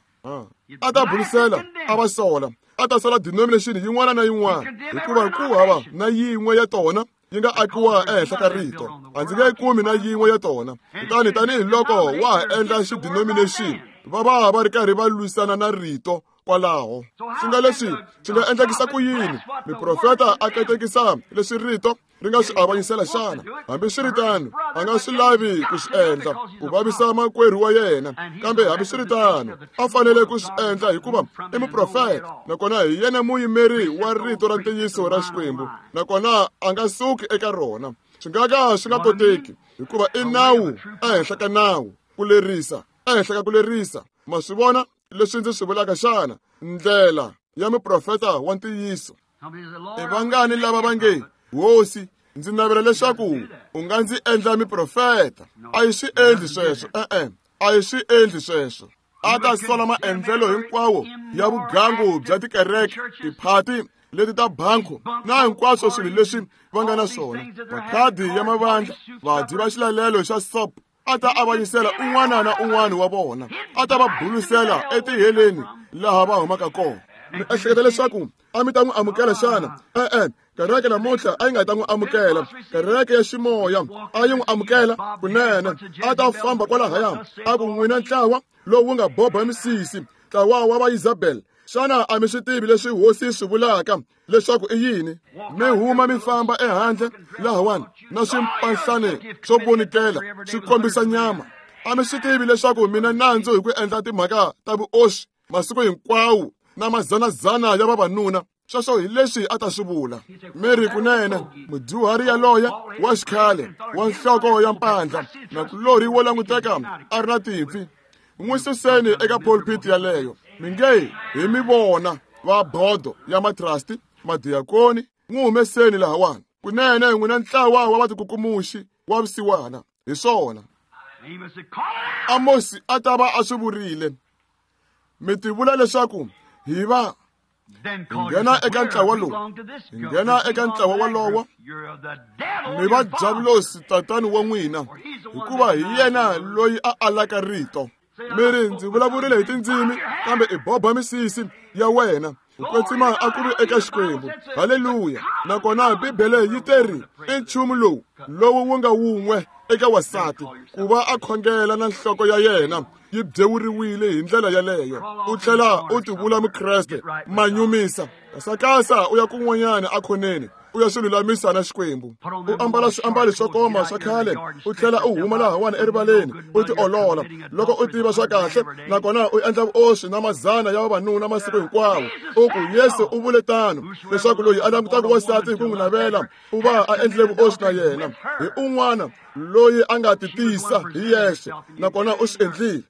A ta burisela, a va sola. A ta sola denomination yin'wana na yin'wana, hikuva ku hava na yin'we ya tona yi nga akiwa ehenhla ka rito. A ndzi nge kumi na yin'we ya tona. Kutani tanihiloko wa ha endla xidenomination, va va va ri karhi va lwisana na rito kwalaho. Swi nga leswi swi nga endlekisa ku yini miprofeta a katekisa leswi rito ri nga swi avanyisela xana? Hambiswiritano, a nga swi lavi ku swi endla ku vavisa makwerhu wa yena, kambe hambiswiritano a fanele ku swi endla hikuva i muprofeta, nakona hi yena muyimeri wa rito ra ntiyiso ra Xikwembu, nakona a nga suki eka rona. Swi nga ka swi nga koteki hikuva i nawu ehenhla ka nawu, ku lerisa ehenhla ka ku lerisa. Ma swi vona leswi ndzi swi vulaka xana? Ndlela ya muprofeta wa ntiyiso. I vangani lava va nge, Hosi, ndzi navela leswaku u nga ndzi endla miprofeta? A yi swi endli sweswo. E-e, a yi swi endli sweswo. A ta sola maendlelo hinkwawo ya vugangu bya tikereke, tiphati leti ta banku na hinkwaswo swilo leswi va nga na swona, makhadi ya mavandla, vadyi va xilalelo xa sop. A ta avanyisela un'wana na un'wana wa vona. A ta va bulusela etiheleni laha va humaka kona. Mi ehleketa leswaku a mi ta n'wi amukela xana? E-e, kereke namuntlha a yi nga ta n'wi amukela. Kereke ya ximoya a yi n'wi amukela kunene. A ta famba kwalahaya a ku, n'wina ntlawa lowu nga boba misisi, ntlawa wa va Isabel, xana a mi swi tivi leswi hosi swi vulaka leswaku i yini? Mi huma mi famba ehandle lahawani na swimpahlani swo vonikela swi kombisa nyama. A mi swi tivi leswaku mina nandzu hi ku endla timhaka ta vuoswi masiku hinkwawo na mazanazana ya vavanuna? Sweswo hi leswi a ta swi vula. Mi ri kunene mudyuhari yaloye wa xikhale wa nhloko ya mpandla nakulorhi wo languteka a ri na timpfi, n'wi suseni eka pulpit yaleyo. Mi nge hi mi vona va bodo ya matrasti, madiakoni, n'wi humeseni lahawani. Kunene n'wina ntlawa wa vatikukumuxi wa vusiwana. Hi swona Amosi a ta va a swi vurile. Mi tivula leswaku hi va nghena eka ntlawa lowu, hi nghena eka ntlawa walowo, mi va Diavulosi tatani wa n'wina, hikuva hi yena loyi a alaka rito. Mi ri, ndzi vulavurile hi tindzimi, kambe i boba misisi ya wena. Ku kwetsima a ku ri eka Xikwembu. Haleluya. Nakona Bibele yi teri i nchumu lowu lowu wu nga wun'we eka wasati ku va a khongela na nhloko ya yena yi byewuriwile hi ndlela yaleyo. U tlhela u tivula Mukreste, manyumisa, kasakasa u ya kun'wanyana akhoneni, u ya swi lulamisa na Xikwembu. U ambala swiambalo swo koma swa khale, u tlhela u huma lahawani erivaleni u tiolola loko u tiva swa kahle, nakona u endla vuoswi na mazana ya vavanuna masiku hinkwawo. U ku Yesu u vule tano leswaku loyi a langutaka wasati hi ku n'wi navela u va a endlile vuoswi na yena. Hi un'wana loyi a nga titisa hi yexe, nakona u swi endlile.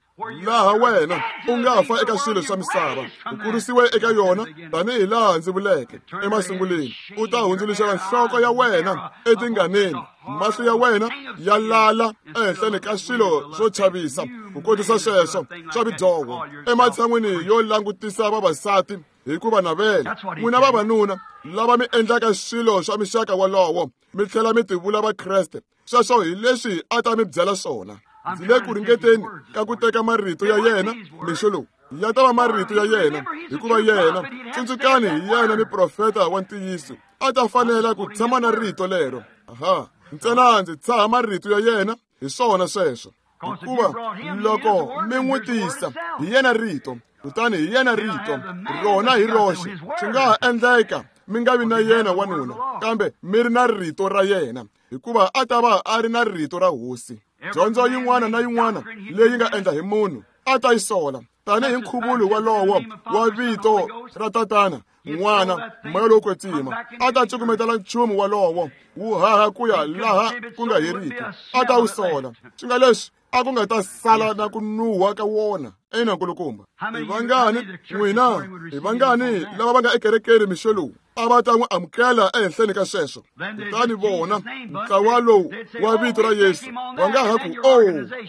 Laha wena u nga fa eka swilo swa misava, u kurisiwe eka yona tanihi laha ndzi vuleke emasunguleni. U ta hundzuluxela nhloko ya wena etinganeni, mahlo ya wena ya lala ehenhleni ka swilo swo chavisa, ku kotisa sweswo swa vidyoho, ematshan'wini yo langutisa vavasati hi ku va navela. N'wina vavanuna lava mi endlaka swilo swa mixaka walowo, mi tlhela mi tivula Vakreste, sweswo hi leswi a ta mi byela swona. Ndzi le ku ringeteni ka ku teka marito ya yena mixo lowu. Ya ta va marito ya yena, hikuva yena, tsundzukani, hi yena miprofeta wa ntiyiso. A ta fanela ku tshama na rito lero. Aha, ntsena ndzi tshaha marito ya yena, hi swona sweswo. Hikuva loko mi n'wi tisa, hi yena rito, kutani hi yena rito rona hi roxe. Swi nga ha endleka mi nga vi na yena wanuna, kambe mi ri na rito ra yena, hikuva a ta va a ri na rito ra Hosi. Dyondzo yin'wana na yin'wana leyi nga endla hi munhu a ta yi sola, tanihi nkhuvulo walowo wa vito ra Tatana, N'wana, Moya lowo Kwetsima. A ta cukumetela nchumu walowo wu haha ku ya laha ku nga heriki. A ta wu sola. Swi nga leswi A ku nga ta sala na ku nuha ka wona. Ina nkulukumba. I vangani n'wina, i vangani lava va nga ekerekeni mixo lowu a va ta n'wi amukela ehenhleni ka sweswo? Kutani vona ntlawa lowu wa vito ra Yesu va nga ha ku, o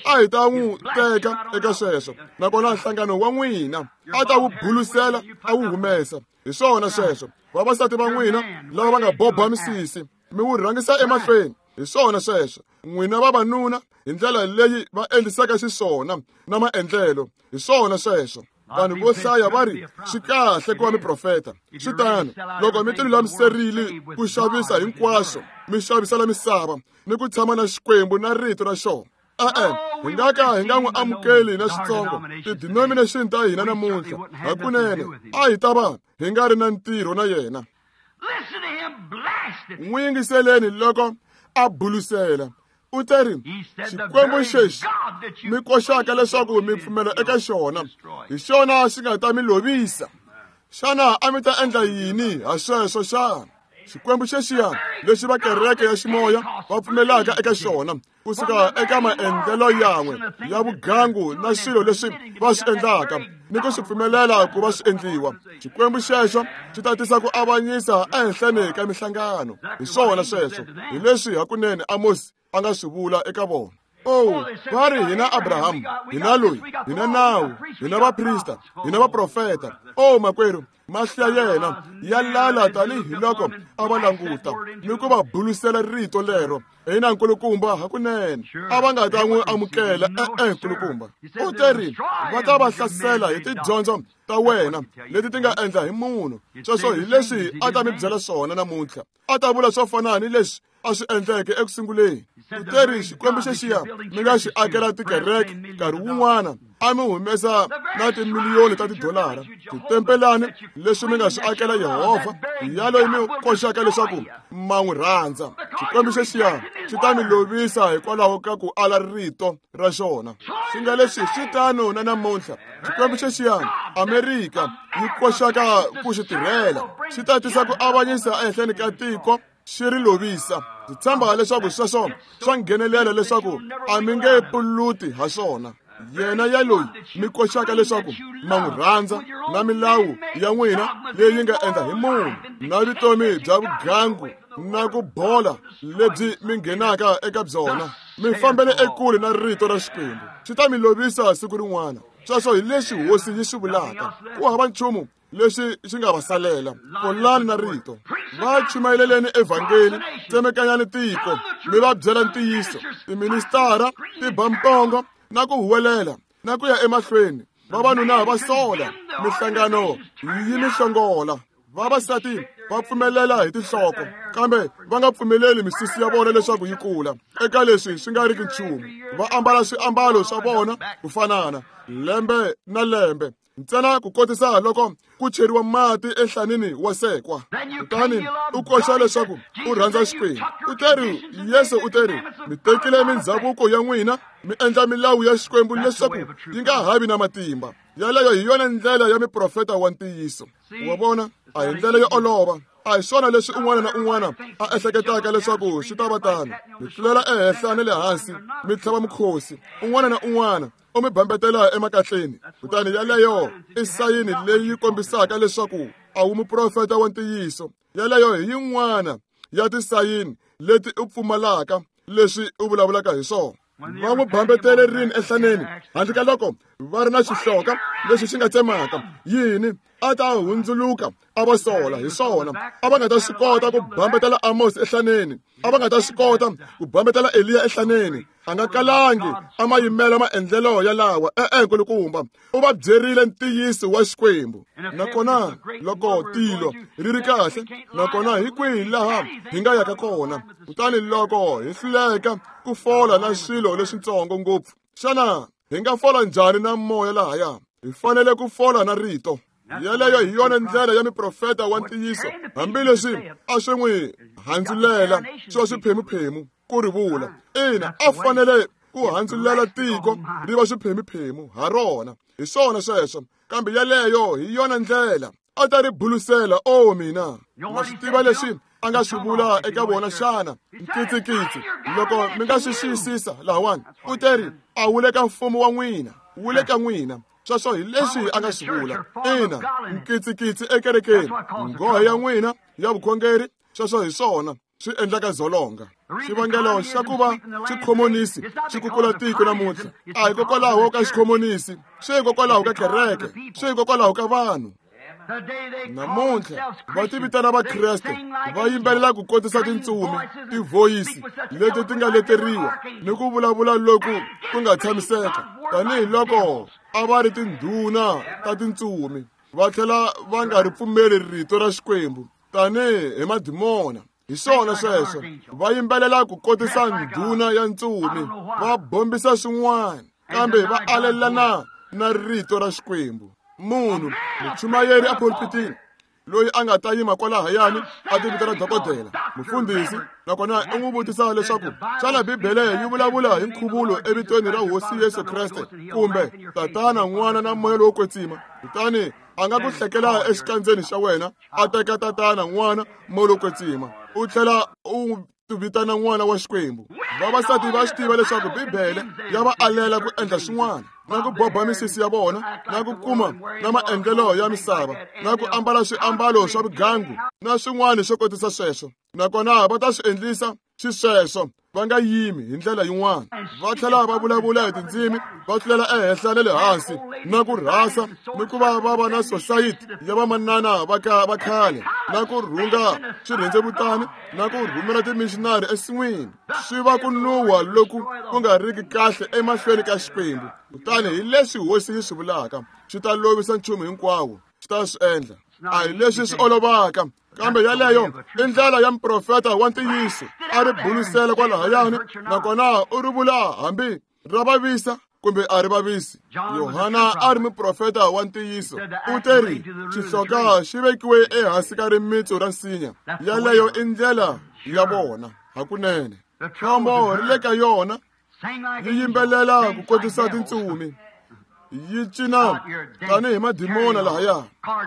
a hi ta n'wi teka eka sweswo, nakona nhlangano wa n'wina a ta wu bulusela a wu humesa. Hi swona sweswo. Vavasati va n'wina lava va nga boba misisi mi wu rhangisa emahlweni. Hi swona sweswo. N'wina vavanuna hi ndlela leyi va endlisaka xiswona na maendlelo. Hi swona sweswo. Vanhu vo hlaya va ri swi kahle ku va miprofeta. Swi tano loko mi tilulamiserile ku xavisa hinkwaswo, mi xavisela misava ni ku tshama na Xikwembu na rito ra xona. E-e, hi nga ka hi nga n'wi amukeli na xitsongo ti-denomination ta hina namuntlha. Hakunene a hi ta va hi nga ri na ntirho na yena. N'wi yingiseleni loko a bulusela. U te ri, Xikwembu xexi mi koxaka leswaku mi pfumela eka xona, hi xona xi nga ta mi lovisa. Xana a mi ta endla yini ha sweswo xana? Xikwembu xexiya lexi va kereke ya ximoya va pfumelaka eka xona kusuka eka maendlelo yan'we ya vugangu na swilo leswi va swi endlaka ni ku swi pfumelela ku va swi endliwa. Xikwembu xexo xi ta tisa ku avanyisa ehenhleni ka mihlangano. Hi swona sweswo. Hi leswi hakunene Amos a nga swi vula eka vona. Oh, va ri hina Abraham, hina loyi, hina nawu, hina vaprista, hina vaprofeta. Oh, makwerhu, mahlo ya yena ya lala tanihiloko a va languta ni ku va bulusela rito lero. Hina nkulukumba hakunene a va nga ta n'wi amukela. E-e nkulukumba. U te ri va ta va hlasela hi tidyondzo ta wena leti ti nga endla hi munhu. Sweswo hi leswi a ta mi byela swona namuntlha. A ta vula swo fana ni leswi a swi endleke eku sunguleni. U te ri Xikwembu xexiya mi nga xi akela tikereke nkarhi wun'wana a mi humesa na timiliyoni ta tidolara titempelani leswi mi nga swi akela Yehovha yaloyi mi koxaka leswaku ma n'wi rhandza. Xikwembu xexiya xi ta mi lovisa hikwalaho ka ku ala rito ra xona. Swi nga leswi swi tano na namuntlha. Xikwembu xexiya Amerika yi koxaka ku xi tirhela xi ta tisa ku avanyisa ehenhleni ka tiko xi ri lovisa. Ndzi tshemba leswaku sweswo swa nghenelela leswaku a mi nge puluti ha swona. Yena yaloyi mi koxaka leswaku ma n'wi rhandza na milawu ya n'wina leyi nga endla hi munhu na vutomi bya vugangu na ku bola lebyi mi nghenaka eka byona, mi fambele ekule na rito ra Xikwembu. Xi ta mi lovisa siku rin'wana. Sweswo hi leswi hosi yi swi vulaka. Ku hava nchumu leswi xi nga va salela. Kolani na rito. Va chumayeleleni evhangeli, tsemekanyani tiko, mi va byela ntiyiso. Tiministara ti ba mpongo na ku huwelela na ku ya emahlweni. Vavanuna va sola, mihlangano yi mi hlongola. Vavasati va pfumelela hi tinhloko, kambe va nga pfumeleli misisi ya vona leswaku yi kula. Eka leswi swi nga riki nchumu, va ambala swiambalo swa vona ku fanana lembe na lembe, ntsena ku kotisa loko ku cheriwa mati enhlanini wa sekwa. Kutani u koxa leswaku u rhandza Xikwembu. U te ri, Yesu u te ri, mi tekile mindzhavuko ya n'wina mi endla milawu ya Xikwembu leswaku yi nga havi na matimba. Yaleyo hi yona ndlela ya miprofeta wa ntiyiso. Wa vona, a hi ndlela yo olova. A hi swona leswi un'wana na un'wana a ehleketaka leswaku swi ta va tano. Mi tlulela ehenhla na le hansi, mi tlhava mukhosi. Un'wana na un'wana u mi bambetela emakatleni. Kutani yaleyo i sayini leyi kombisaka leswaku a wu muprofeta wa ntiyiso. Yaleyo hi yin'wana ya tisayini leti u pfumalaka leswi u vulavulaka hi swona. Va n'wi bambetele rini enhlaneni handle ka loko va ri na xihloka lexi xi nga tsemaka yini? A ta hundzuluka a va sola. Hi swona, a va nga ta swi kota ku bambetela Amos ehlaneni, a va nga ta swi kota ku bambetela Eliya ehlaneni. A nga kalangi a ma yimela maendlelo yalawa. E-e nkulukumba, u va byerile ntiyiso wa Xikwembu. Nakona loko tilo ri ri kahle, nakona hi kwihi laha hi nga yaka kona? Kutani loko hi hluleka ku fola na swilo leswitsongo ngopfu, xana hi nga fola njhani na moya lahaya? Hi fanele ku fola na rito. Yaleyo hi yona ndlela ya miprofeta wa ntiyiso, hambileswi a swi n'wi handzulela swa swiphemuphemu ku ri vula. Ina, a fanele ku handzulela tiko ri va swiphemuphemu ha rona. Hi swona sweswo, kambe yaleyo hi yona ndlela a ta ri bulusela. O mina, ma swi tiva leswi a nga swi vula eka vona xana? Nkitsikitsi loko mi nga swi xiyisisa lahawani, u teri a wu le ka mfumo wa n'wina, wu le ka n'wina. Sweswo hi leswi a nga swi vula. Ina, nkitsikitsi ekerekeni, nghohe ya n'wina ya vukhongeri, sweswo hi swona swi endlaka dzolonga. Xivangelo xa ku va xikhomonisi xi kukula tiko namuntlha a hikokwalaho ka xikhomonisi, swi hikokwalaho ka kereke, swi hikokwalaho ka vanhu. Namuntlha va tivitana Vakreste, va yimbelela ku kotisa tintsumi, tivhoyisi leti ti nga leteriwa ni ku vulavula loku ku nga tshamiseka tanihiloko a va ri tindhuna ta tintsumi, va tlhela va nga ri pfumeli rito ra Xikwembu tanihi madimona. Hi swona sweswo, va yimbelela ku kotisa ndhuna ya ntsumi, va bombisa swin'wana, kambe va alelana na rito ra Xikwembu. Munhu muchumayeri a pulpitini loyi a nga ta yima kwalahayani a tivitana dokodela, mufundhisi, nakona u n'wi vutisa leswaku xana Bibele yi vulavula hi nkhuvulo evitweni ra Hosi Yesu Kreste kumbe Tatana, N'wana na Moya lowo Kwetsima? Kutani a nga ku hlekela exikandzeni xa wena, a teka Tatana, N'wana, Moya lowo Kwetsima, u tlhela u vitana n'wana wa Xikwembu. Vavasati va swi tiva leswaku Bibele ya va alela ku endla swin'wana, na ku boba misisi ya vona, na ku kuma na maendlelo ya misava, na ku ambala swiambalo swa vugangu na swin'wana swo kotisa sweswo. Nakona va ta swi endlisa xisweswo, va nga yimi hi ndlela yin'wana. Va tlhela va vulavula hi tindzimi, va tlulela ehenhla na le hansi, na ku rhasa, ni ku va va va na sosayiti ya vamanana va ka va khale, na ku rhunga swirhendzevutani, na ku rhumela timishinari ensin'wini. Swi va ku nuwa loku ku nga riki kahle emahlweni ka Xikwembu. Kutani hi leswi Hosi yi swi vulaka, swi ta lovisa nchumu hinkwawo, swi ta swi endla. A hi leswi swi olovaka, kambe yaleyo i ndlela ya muprofeta wa ntiyiso. A ri bulusela kwalahayani, nakona u ri vula hambi ra vavisa kumbe a ri vavisi. Yohana a ri muprofeta wa ntiyiso. U teri xihloka xi vekiwe ehansi ka rimitsu ra nsinya. Yaleyo i ndlela ya vona hakunene. Khombo ri le ka yona, yi yimbelela ku kotisa tintsumi, yi cina tanihi madimona lahaya,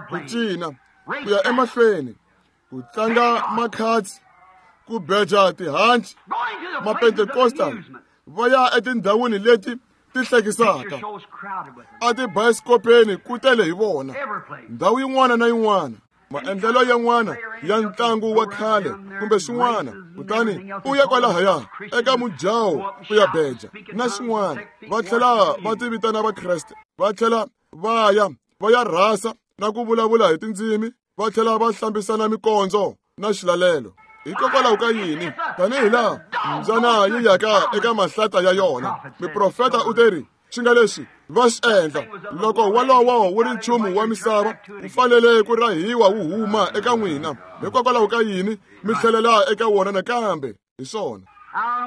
ku cina ku ya emahlweni, ku tlanga makhatsi, ku beja tihanci. Mapentekostal va ya etindhawini leti ti hlekisaka, a tibayisikopeni ku tele hi vona, ndhawu yin'wana na yin'wana, maendlelo yan'wana ya ntlangu wa khale kumbe swin'wana. Kutani u ya kwalahaya eka mujaho ku ya beja na swin'wana. Va tlhela va tivitana Vakreste, va tlhela va ya va ya rhasa na ku vulavula hi tindzimi, va tlhela va hlambisana mikondzo na xilalelo. Hikokwalaho ka yini? Tanihi laha mbyana yi yaka eka mahlata ya yona, muprofeta u teri swi nga leswi va swi endla. Loko wolowo wu ri nchumu wa misava, wu fanele ku rahiwa wu huma eka n'wina. Hikokwalaho ka yini mi tlhelela eka wona nakambe? Hi swona.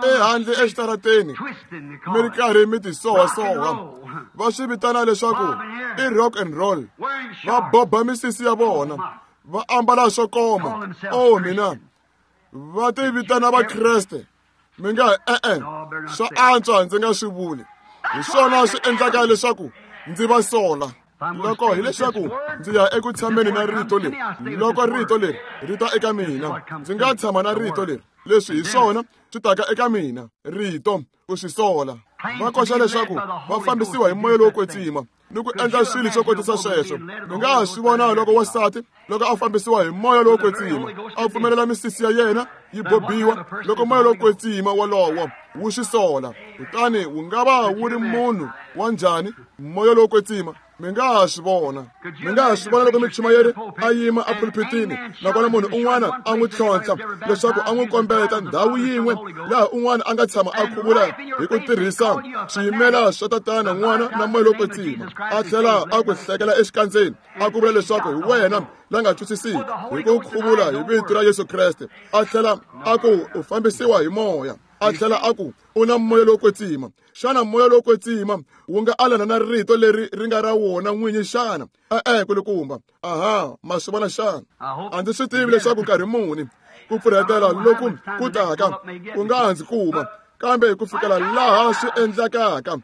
Ehandle exitarateni mi ri karhi mi tisohasoha, va swi vitana leswaku i rock and roll. Va boba misisi ya vona, va ambala swo koma. Oh mina, va ti vitana Vakreste. Mi nga e-e, swa antswa ndzi nga swi vuli. Hi swona swi endlaka leswaku ndzi va sola. Loko hileswaku ndzi ya eku tshameni na rito leri, loko rito leri ri ta eka mina, ndzi nga tshama na rito leri. Leswi hi swona swi taka eka mina, rito ku swi sola. Va koxa leswaku va fambisiwa hi Moya lowo Kwetsima ni ku endla swilo swo kotisa sweswo. Mi nga ha swi vona loko wansati loko a fambisiwa hi Moya lowo Kwetsima, a pfumelela misisi ya yena yi bobiwa, loko Moya lowo Kwetsima wolowo wu swi sola, kutani wu nga va wu ri munhu wa njhani Moya lowo Kwetsima? Mi nga ha swi vona. Mi nga ha swi vona loko muchumayeri a yima epulpitini, nakona munhu un'wana a n'wi tlhontlha leswaku a n'wi kombeta ndhawu yin'we laha un'wana a nga tshama a khuvula hi ku tirhisa swiyimela swa Tatana, N'wana na Moya lowo Kwetsima, a tlhela a ku hlekela exikandzeni, a ku vula leswaku hi wena la nga twisisiki hi ku khuvula hi vito ra Yesu Kreste, a tlhela a ku u fambisiwa hi Moya, a tlhela a ku u na Moya lowo Kwetsima. Xana Moya lowo Kwetsima wu nga alana na rito leri ri nga ra wona n'winyi xana? E-e, kulukumba. Aha, ma swi vona xana? A ndzi swi tivi leswaku nkarhi muni ku pfurhetela loku ku taka ku nga ha ndzi kuma, kambe ku fikela laha swi endlekaka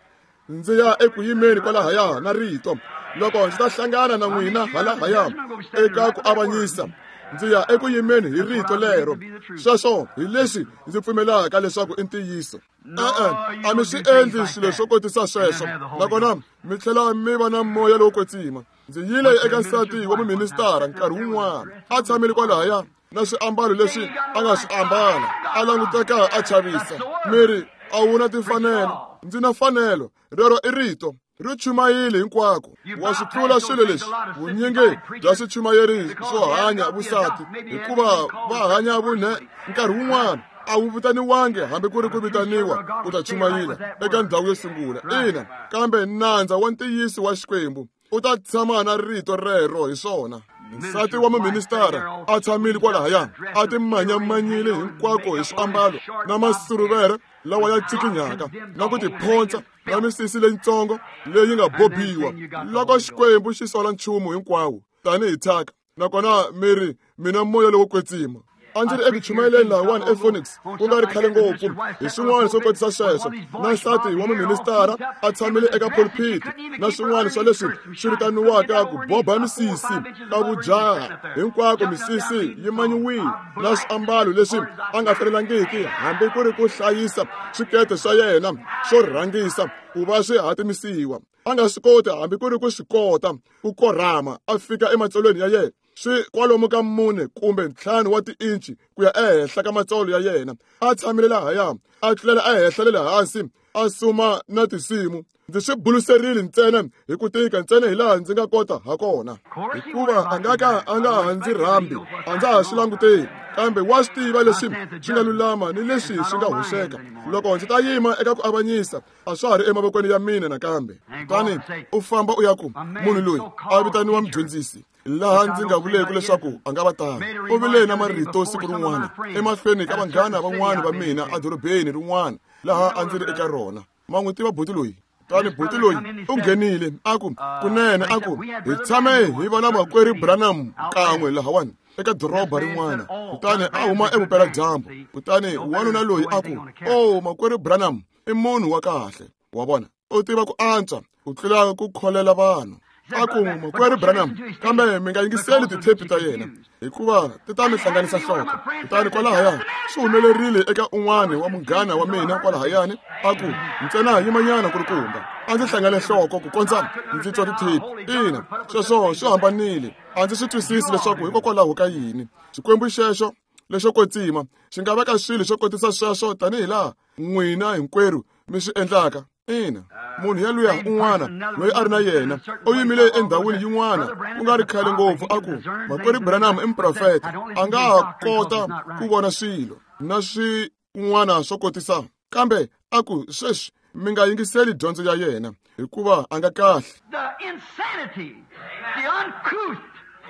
ndzi ya eku yimeni kwalahaya na rito. Loko ndzi ta hlangana na n'wina halahaya eka ku avanyisa, Ndzi ya eku yimeni hi rito lero. Sweswo hi leswi ndzi pfumelaka leswaku i ntiyiso. E-e, a mi swi endli swilo swo kotisa sweswo, nakona mi tlhela mi va na moya lowo kwetsima. Ndzi yile eka nsati wa muministara nkarhi wun'wana, a tshamile kwalahaya na swiambalo leswi a nga swi ambala, a languteka a chavisa. Mi ri a wu na timfanelo. Ndzi na fanelo. Rero i rito. Ri chumayile hinkwako. Wa swi tlula swilo leswi vunyingi bya swichumayeri swo hanya vusati, hikuva va hanya vunhe nkarhi wun'wana a wu vitaniwangi hambi ku ri ku vitaniwa ku ta chumayila eka ndhawu yo sungula. Ina, kambe nandza wa ntiyiso wa Xikwembu u ta tshama na rito rero hi swona. Nsati wa muministara a tshamile kwalahaya, a timanyamanyile hinkwako hi swiambalo na masuruvere lawa ya tsikinyaka na ku tiphonsa na misisi leyitsongo leyi nga bobiwa. Loko Xikwembu xi sola nchumu hinkwawo tanihi thyaka, nakona mi ri mina moya lowo kwetsima. A ndzi ri eku chumayeleni lahawani ePhoenix ku nga ri khale ngopfu hi swin'wana swo kotisa sweswo, na nsati wa muministara a tshamile eka pulpit na swin'wana swa leswi swi vitaniwaka ku boba misisi ka vujaha hinkwako, misisi yi manyiwile na swiambalo leswi a nga fanelangiki hambi ku ri ku hlayisa swikete swa yena swo rhangisa ku va swi hatimisiwa. A nga swi koti hambi ku ri ku swi kota ku korhama a fika ematsolweni ya yena, swi kwalomu ka mune kumbe ntlhanu wa tiinci ku ya ehenhla ka matsolo ya yena. A tshamile lahaya, a tlulela ehenhla le le hansi, a suma na tinsimu. Ndzi swi buluserile ntsena hi ku tika ntsena hi laha ndzi nga kota ha kona, hikuva a nga ka a nga ha ndzi rhambi, a ndza ha swi languteli. Kambe wa swi tiva leswi swi nga lulama ni leswi swi nga hoxeka. Loko ndzi ta yima eka ku avanyisa, a swa ha ri emavokweni ya mina nakambe. Kutani u famba u ya ku munhu loyi a vitaniwa mudyondzisi, laha ndzi nga vuleki leswaku a nga va tano. U vile na marito siku rin'wana emahlweni ka vanghana van'wana va mina edorobeni rin'wana laha a ndzi ri eka rona. Ma n'wi tiva buti loyi? Kutani buti loyi u nghenile a ku, kunene a ku, hi tshame hi va na makwerhu Branham kan'we lahawani eka doroba rin'wana. Kutani a huma evupeladyambu. Kutani wanuna loyi a ku, o makwerhu Branham i munhu wa kahle. Wa vona, u tiva ku antswa ku tlula ku kholela vanhu. A ku, makwerhu Branham, kambe mi nga yingiseli tithepi ta yena, hikuva ti ta mi hlanganisa nhloko. Kutani kwalahaya swi humelerile eka un'wana wa munghana wa mina kwalahayani, a ku, ntsena yimanyana kulukumba, a ndzi hlangane nhloko ku kondza ndzi twa tithepi. Ina, sweswo swi hambanile. A ndzi swi twisisi leswaku hikokwalaho ka yini Xikwembu xexo lexo kwetsima xi nga veka swilo swo kotisa sweswo tanihi laha n'wina hinkwerhu mi swi endlaka. Ina, munhu yaluya un'wana loyi a ri na yena u yimile endhawini yin'wana ku nga ri khale ngopfu, a ku, makwerhu Branham i muprofeta, a nga ha kota ku vona swilo na swin'wana swo kotisa, kambe a ku, sweswi mi nga yingiseli dyondzo ya yena hikuva a nga kahle.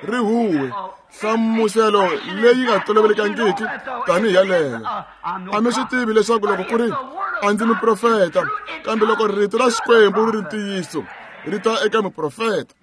Rihuwe nhlamuselo leyi nga tolovelekangiki tanihi yaleyo. A mi swi tivi leswaku loko ku ri a ndzi muprofeta, kambe loko rito ra Xikwembu ri ri ntiyiso, ri ta eka muprofeta.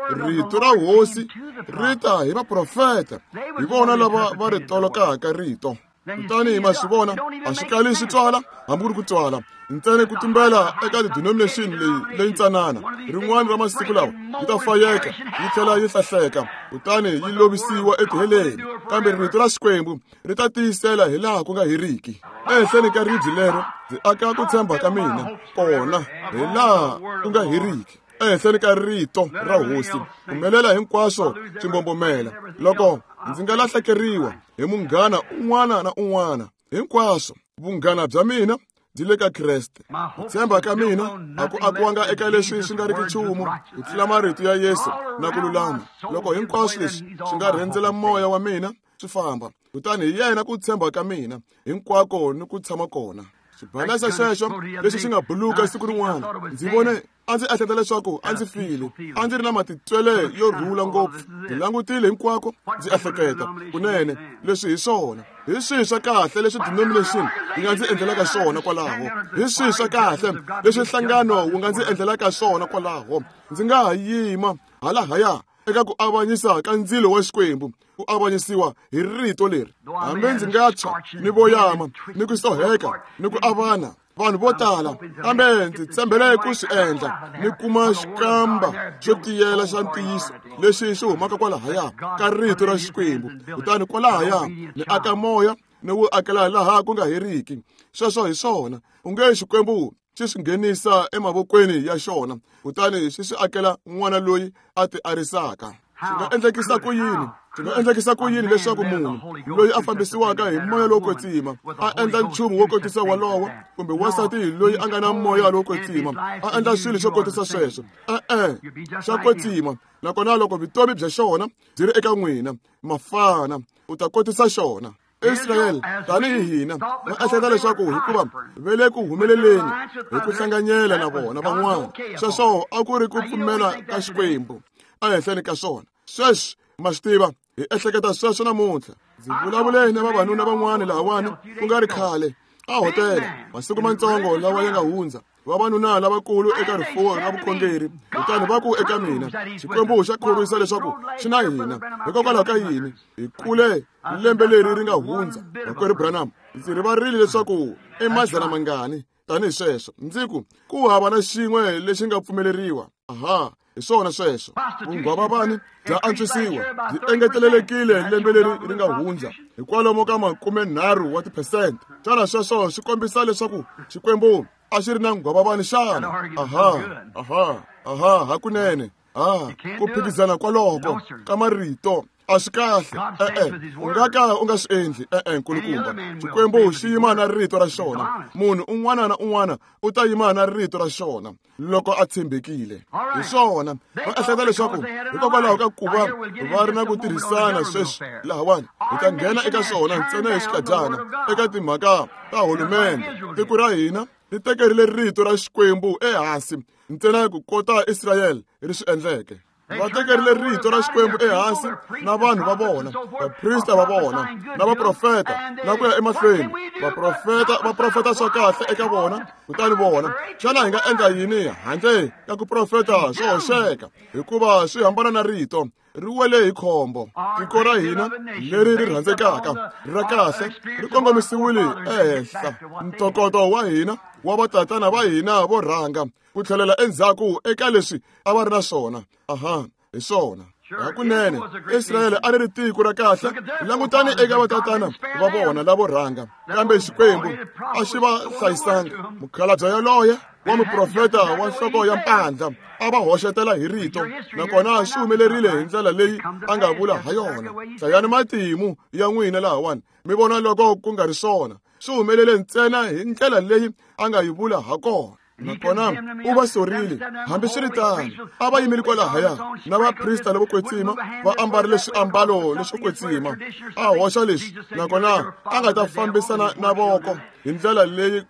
Rito ra hosi ri ta hi vaprofeta, hi vona lava va ri tolokaka rito. Kutani ma swi vona, a swi kali swi twala hambi ku ri ku twala, ntsena ku tumbela eka denomination leyi leyintsanana. Rin'wana ra masiku lawa yi ta fayeka yi tlhela yi hlahleka, kutani yi lovisiwa etiheleni. Kambe rito ra Xikwembu ri ta tiyisela hi laha ku nga heriki. Ehenhleni ka ribye lero ndzi aka ku tshemba ka mina kona hi laha ku nga heriki. Ehenhleni ka rito ra hosi humelela hinkwaswo swi mbombomela. Loko ndzi nga lahlekeriwa hi munghana un'wana na un'wana, hinkwaswo vunghana bya mina byi le ka Kreste. Ku tshemba ka mina a ku akiwanga eka leswi swi nga riki nchumu ku tlula marito ya Yesu na ku lulama. Loko hinkwaswo leswi swi nga rhendzela moya wa mina swi famba, kutani hi yena ku tshemba ka mina hinkwako ni ku tshama kona. Xibalesa xexo lexi xi nga buluka siku rin'wana, ndzi vone a ndzi ehleketa leswaku a ndzi file, a ndzi ri na matitwele yo rhula ngopfu. Ndzi langutile hinkwako ndzi ehleketa, kunene leswi hi swona, hi swihi swa kahle leswi denomination yi nga ndzi endlelaka swona kwalaho, hi swihi swa kahle leswi nhlangano wu nga ndzi endlelaka swona kwalaho. Ndzi nga ha yima halahaya eka ku avanyisa ka ndzilo wa Xikwembu, ku avanyisiwa hi rito leri. Hambi ndzi nga tshwa ni voyama ni ku soheka ni ku avana Vanhu vo tala, kambe ndzi tshembele ku swi endla ni kuma xikamba xo tiyela xa ntiyiso lexi xi humaka kwalahaya ka rito ra Xikwembu. Kutani kwalahaya ni aka moya ni wu akela laha ku nga heriki. Sweswo hi swona. U nge Xikwembu xi swi nghenisa emavokweni ya xona, kutani xi swi akela n'wana loyi a ti arisaka. Swi nga endlekisa ku yini? Swi nga endlekisa ku yini leswaku munhu loyi a fambisiwaka hi moya lowo kwetsima a endla nchumu wo kotisa walowo, kumbe wansati loyi a nga na moya lowo kwetsima a endla swilo swo kotisa sweswo? E-e, swa kwetsima. Nakona loko vutomi bya xona byi ri eka n'wina, mafana, u ta kotisa xona. Israyele tanihi hina va ehleketa leswaku hikuva va le ku humeleleni hi ku hlanganyela na vona van'wana, sweswo a ku ri ku pfumela ka Xikwembu ehenhleni ka swona. Sweswi ma swi tiva, hi ehleketa sweswo namuntlha. Ndzi vulavule na vavanuna van'wana lahawani ku nga ri khale a hotela, masiku matsongo lawa ya nga hundza, vavanuna lavakulu eka rifuwo ra vukhongeri. Kutani va ku eka mina, Xikwembu xa khorwisa leswaku xi na hina. Hikokwalaho ka yini hi kule lembe leri ri nga hundza, Makwerhu Branham, ndzi rivarile leswaku i madzana mangani tanihi sweswo. Ndzi ku ku hava na xin'we lexi nga pfumeleriwa. Aha, hi swona sweswo. Vunghwavavani bya antswisiwa, byi engetelelekile lembe leri ri nga hundza hi kwalomu ka makumenharhu wa tiphesente. Xana sweswo swi kombisa leswaku Xikwembu a xi ri na nghwavavani xana? Aha, aha, aha, hakunene. Ah, ku phikizana kwaloko ka marito a swi kahle. E-e, u nga ka u nga swi endli. E-e, nkulukumba, Xikwembu xi yima na rito ra xona. Munhu un'wana na un'wana u ta yima na rito ra xona loko a tshembekile. Hi swona. Va ehleketa leswaku hikokwalaho ka ku va va ri na ku tirhisana sweswi lahawani, hi ta nghena eka swona ntsena hi xikadyana eka timhaka ta hulumende. Tiko ra hina ri tekerile rito ra Xikwembu ehansi ntsena ku kota Israyele ri swi endleke. Va tekerile rito ra Xikwembu ehansi na vanhu va vona, vaprista va vona, na vaprofeta, na ku ya emahlweni. Vaprofeta va profeta swa kahle eka vona, kutani vona, xana hi nga endla yini handle ka ku profeta swo hoxeka? Hikuva swi hambana na rito, ri wele hi khombo. Tiko ra hina leri ri rhandzekaka ra kahle ri kongomisiwile ehenhla. Ntokoto wa hina wa vatatana va hina vo rhanga ku tlhelela endzhaku eka leswi a va ri na swona. Aha, hi swona. Hakunene Israyele a ri ri tiko ra kahle. Langutani eka vatatana va vona lavo rhanga, kambe Xikwembu a xi va hlayisanga. Mukhalabye yaloye wa muprofeta wa nhloko ya mpandla a va hoxetela hi rito, nakona swi humelerile hi ndlela leyi a nga vula ha yona. Hlayani matimu ya n'wina lahawani, mi vona loko ku nga ri swona. Swi humelele ntsena hi ndlela leyi a nga yi vula ha kona. Nakona u va sorile. Hambiswiritano, a va yimile kwalahaya na vaprista lavo kwetsima va ambarile swiambalo leswo kwetsima. A hoxa leswi, nakona a nga ta fambisana na voko hi ndlela leyi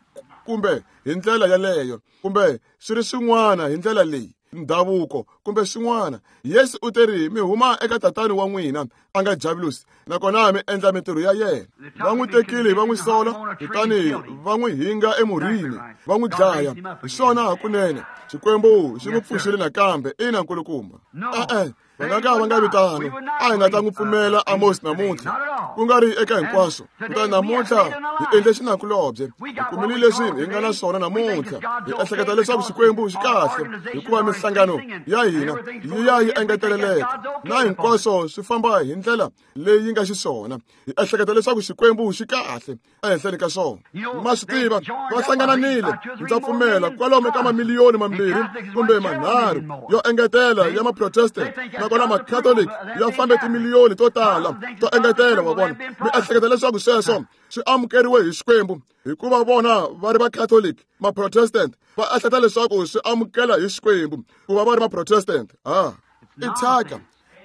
kumbe hi ndlela yaleyo, kumbe swi ri swin'wana hi ndlela leyi, ndhavuko kumbe swin'wana. Yesu u teri mi huma eka tatani wa n'wina a nga Javulosi, nakona mi endla mintirho ya yena. Va n'wi tekile va n'wi sola, kutani va n'wi hinga emurhini va n'wi dlaya. Hi swona hakunene. Xikwembu xi n'wi pfuxile nakambe. Ina, nkulukumba. E-e, va nga ka va nga vitano. A hi nga ta n'wi pfumela Amos namuntlha, ku nga ri eka hinkwaswo. Kutani namuntlha hi endle xinakulobye, hi kumile leswi hi nga na swona namuntlha. Hi ehleketa leswaku Xikwembu xi kahle hikuva minhlangano ya hina yi ya yi engeteleleka na hinkwaswo swi famba hi ndlela leyi yi nga xiswona. Hi ehleketa leswaku Xikwembu xi kahle ehenhleni ka swona. Ma swi tiva, va hlangananile, ndza pfumela, kwalomu ka mamiliyoni mambirhi kumbe manharhu yo engetela ya maprotestant, nakona macatholic ya fambe timiliyoni to tala to engetela. Wa vona, mi ehleketa leswaku sweswo swi amukeriwe hi Xikwembu hikuva vona va ri va-Catholic, ma-Protestant va ehleketa leswaku swi amukela hi Xikwembu ku va va ri ma-Protestant. Ha, i thyaka,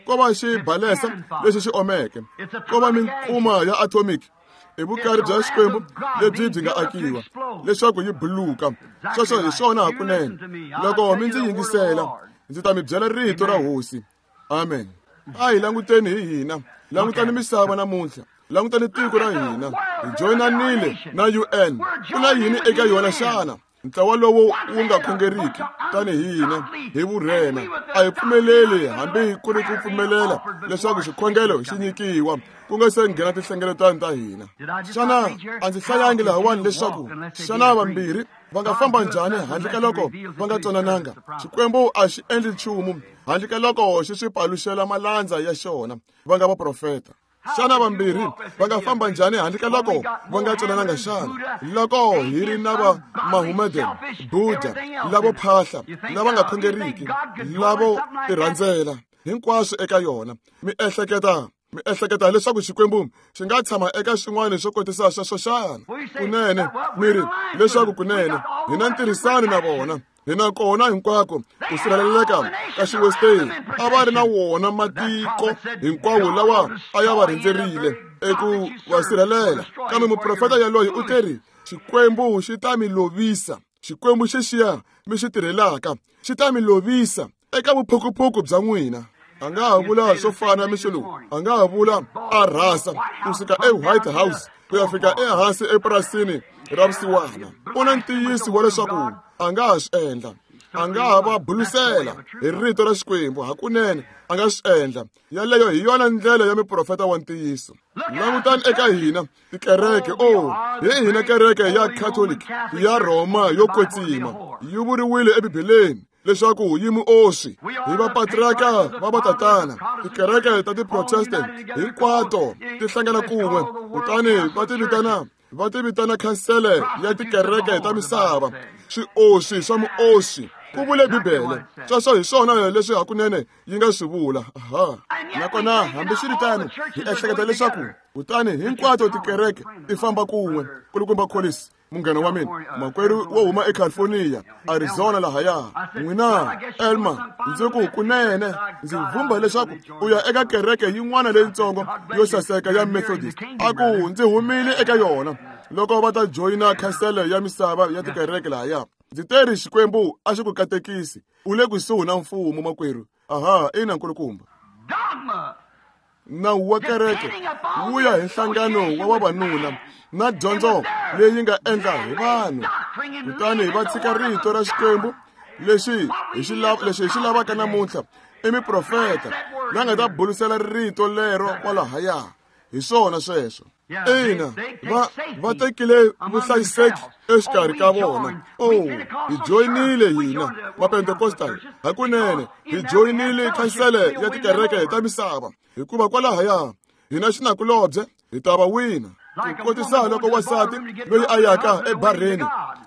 ko va xibalesa lexi xi omeke, ko va minkuma ya atomic. I vukari bya Xikwembu lebyi byi nga akiwa leswaku yi buluka. Sweswo hi swona hakunene. Loko mi ndzi yingisela, ndzi ta mi byela rito ra Hosi. Amen. A hi languteni hi hina, langutani misava namuntlha, langutani tiko ra hina. Hi joyinanile na U N. Ku na yini eka yona xana? Ntlawa lowu wu nga khongeriki tanihi hina hi vurhena a hi pfumeleli hambi ku ri ku pfumelela leswaku xikhongelo xi nyikiwa ku nga se nghena tinhlengeletano ta hina. Xana a ndzi hlayangi lahawani leswaku xana vambirhi va nga famba njhani handle ka loko va nga twanananga? Xikwembu a xi endli nchumu handle ka loko xi swi paluxela malandza ya xona va nga vaprofeta. Xana vambirhi va nga famba njhani handle ka loko va nga twanananga xana? Loko hi ri na va Mahomedan, Buddha, lavo phahla, lava nga khongeriki, lavo tirhandzela hinkwaswo eka yona, mi ehleketa mi ehleketa leswaku Xikwembu xi nga tshama eka xin'wana xo kotisa sweswo xana? Kunene mi ri leswaku kunene hi na ntirhisano na vona, hi na kona hinkwako ku sirheleleka ka xiwesteni. A va ri na wona matiko hinkwawo lawa a ya va rhendzerile eku va sirhelela, kambe muprofeta yaloye u teri Xikwembu xi ta mi lovisa. Xikwembu xexiya mi xi tirhelaka xi ta mi lovisa eka vuphukuphuku bya n'wina. A nga ha vula swo fana mixo lowu, a nga ha vula a rhasa kusuka eWhite House ku ya fika ehansi epurasini ra vusiwana. U na ntiyiso wa leswaku a nga ha swi endla, a nga ha va bulusela hi rito ra Xikwembu. Hakunene a nga swi endla. Yaleyo hi yona ndlela ya miprofeta wa ntiyiso. Langutani eka hina tikereke. O hi hina kereke ya Catholic ya Roma yo kwetsima yi vuriwile eBibeleni leswaku yi muoswi hi vapatriarka va vatatana. Tikereke ta ti-Protestant hinkwato ti hlangana kun'we kutani va ti vitana va ti vitana khansele ya tikereke ta misava. Swioswi swa muoswi, ku vule Bibele. Sweswo hi swona leswi hakunene yi nga swi vula. Aha. Nakona hambiswiritano hi ehleketa leswaku kutani hinkwato tikereke ti famba kun'we. Kulukumba Collins, munghana wa mina, makwerhu wo huma eCalifornia, Arizona lahaya, n'wina Elma, ndzi ku kunene ndzi vhumba leswaku u ya eka kereke yin'wana leyitsongo yo saseka ya Methodist. A ku ndzi humile eka yona loko va ta joyina khansele ya misava ya tikereke lahaya. Ndzi teri Xikwembu a xi ku katekisi, u le kusuhi na mfumo makwerhu. Aha, ina nkulukumba. Nawu wa kereke wu ya hi nhlangano wa vavanuna na dyondzo leyi nga endla hi vanhu, kutani va tshika rito ra Xikwembu. Lexi hi xi lexi hi xi lavaka namuntlha i miprofeta la nga ta bulusela rito lero kwalahaya. Hi swona sweswo. Ina, va va tekile vuhlayiseki exikarhi ka vona. Oh, hi joyinile hina Mapentekostal, hakunene hi joyinile khansele ya tikereke ta misava, hikuva kwalahaya hina xinakulobye hi ta va wina. Ku kotisa loko wansati loyi a yaka ebarheni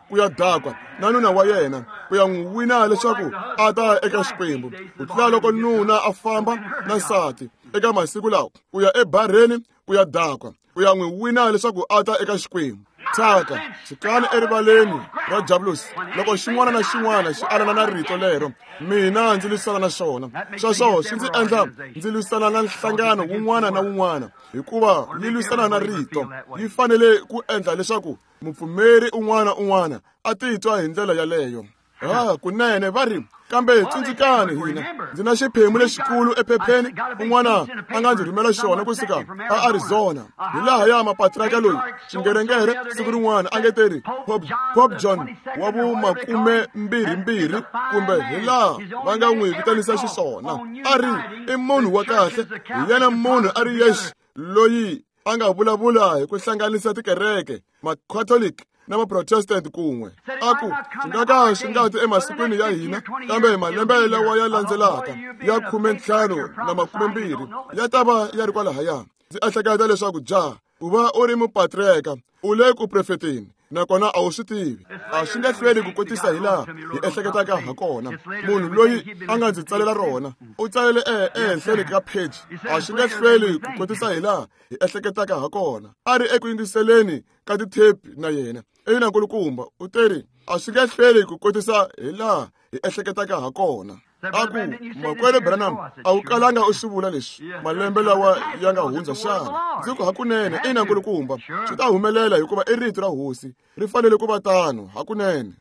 ku ya dakwa na nuna wa yena ku ya n'wi wina leswaku a ta eka Xikwembu, ku tlula loko nuna a famba na nsati eka masiku lawa ku ya ebarheni ku ya dakwa ku ya n'wi wina leswaku a ta eka Xikwembu. Thyaka xikani erivaleni ra Diablos loko xin'wana na xin'wana xi alana na rito lero, mina ndzi lwisana na xona. Sweswo swi ndzi endla ndzi lwisana na nhlangano wun'wana na wun'wana, hikuva yi lwisana na rito. Yi fanele ku endla leswaku mupfumeri un'wana un'wana a titwa hi ndlela yaleyo. Ah, kunene va ri, kambe tsundzukani hina, ndzi na xiphemu lexikulu ephepheni un'wana a nga ndzi rhumela xona kusuka a Arizona, hi laha ya mapatriarka loyi xingerengere siku rin'wana a nge teri Pope, Pope John wa vumakumembirhimbirhi, kumbe hi laha va nga n'wi vitanisa xiswona. A ri i munhu wa kahle, hi yena munhu a ri yexe loyi a nga vulavula hi ku hlanganisa tikereke Macatholic na Maprotestant kun'we. A ku swi nga ka swi nga ti emasikwini ya hina, kambe malembe lawa ya landzelaka ya khumentlhanu na makumembirhi ya ta va ya ri kwalahaya. Ndzi ehleketa leswaku ja ku va u ri mupatriarka u le ku profeteni, nakona a wu swi tivi. A swi nge hlweli ku kotisa hi laha hi ehleketaka ha kona. Munhu loyi a nga ndzi tsalela rona u tsalele ehenhleni ka page. A swi nge hlweli ku kotisa hi laha hi ehleketaka ha kona. A ri eku yingiseleni ka tithepi na yena. Ina nkulukumba, u teri a swi nge hlweli ku kotisa hi laha hi ehleketaka ha kona. A ku makwerhu Branham, a wu kalanga u swi vula leswi malembe lawa ya nga hundza xana? Ndzi ku hakunene, ina nkulukumba, swi ta humelela hikuva i rito ra hosi, ri fanele ku va tano hakunene.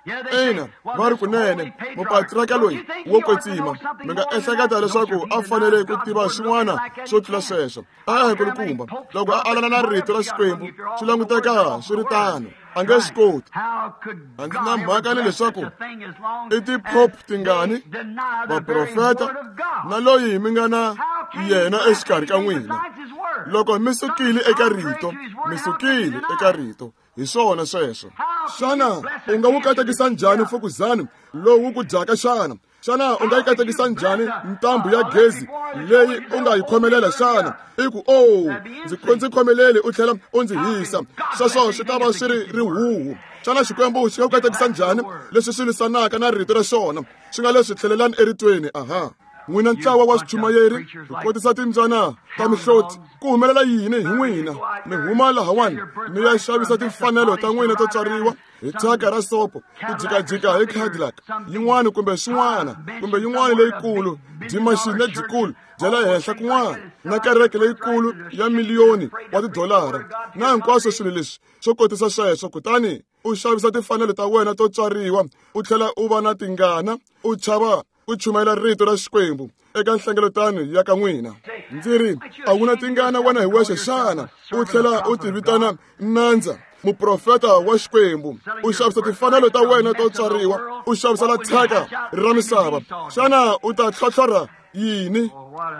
Ina, va ri kunene mupatriarka loyi wo kwetsima, mi nga ehleketa leswaku a fanele ku tiva swin'wana swo tlula sweswo. A nkulukumba, loko a alana na rito ra Xikwembu swi languteka swi ri tano. A nge swi koti. A ndzi na mhaka ni leswaku i ti-pope tingani, vaprofeta, na loyi mi nga na yena exikarhi ka n'wina. Loko mi sukile eka rito, mi sukile eka rito. Hi swona sweswo. Xana u nga wu katekisa njhani mfukuzani lowu ku dyaka xana? Xana u nga yi katekisa njhani ntambu ya gezi leyi u nga yi khomelela xana? I ku, oh, ndzi ndzi khomeleli u tlhela u ndzi hisa. Sweswo swi ta va swi ri rihuhu. Xana Xikwembu xi nga ku katekisa njhani leswi swi lwisanaka na rito ra xona? Swi nga leswi tlhelelani eritweni, aha. N'wina ntlawa wa swichumayeri, hi kotisa timbyana ta mihloti. Ku humelela yini hi n'wina? Mi huma lahawani mi ya xavisa timfanelo ta n'wina to tswariwa hi thyaka ra sopo, ku jikajika hi Cadillac yin'wana kumbe swin'wana, kumbe yin'wana leyikulu, dyimachini lebyikulu bya le henhla kun'wana, na kereke leyikulu ya miliyoni wa tidolara, na hinkwaswo swilo leswi swo kotisa sweswo. Kutani u xavisa timfanelo ta wena to tswariwa, u tlhela u va na tingana, u chava ku chumayela rito ra Xikwembu eka nhlengeletano ya ka n'wina. Ndzi ri, a wu na tingana wena hi wexe xana? U tlhela u ti vitana nandza, muprofeta wa Xikwembu. U xavisa timfanelo ta wena to tswariwa, u xavisela thyaka ra misava. Xana u ta tlhotlhora yini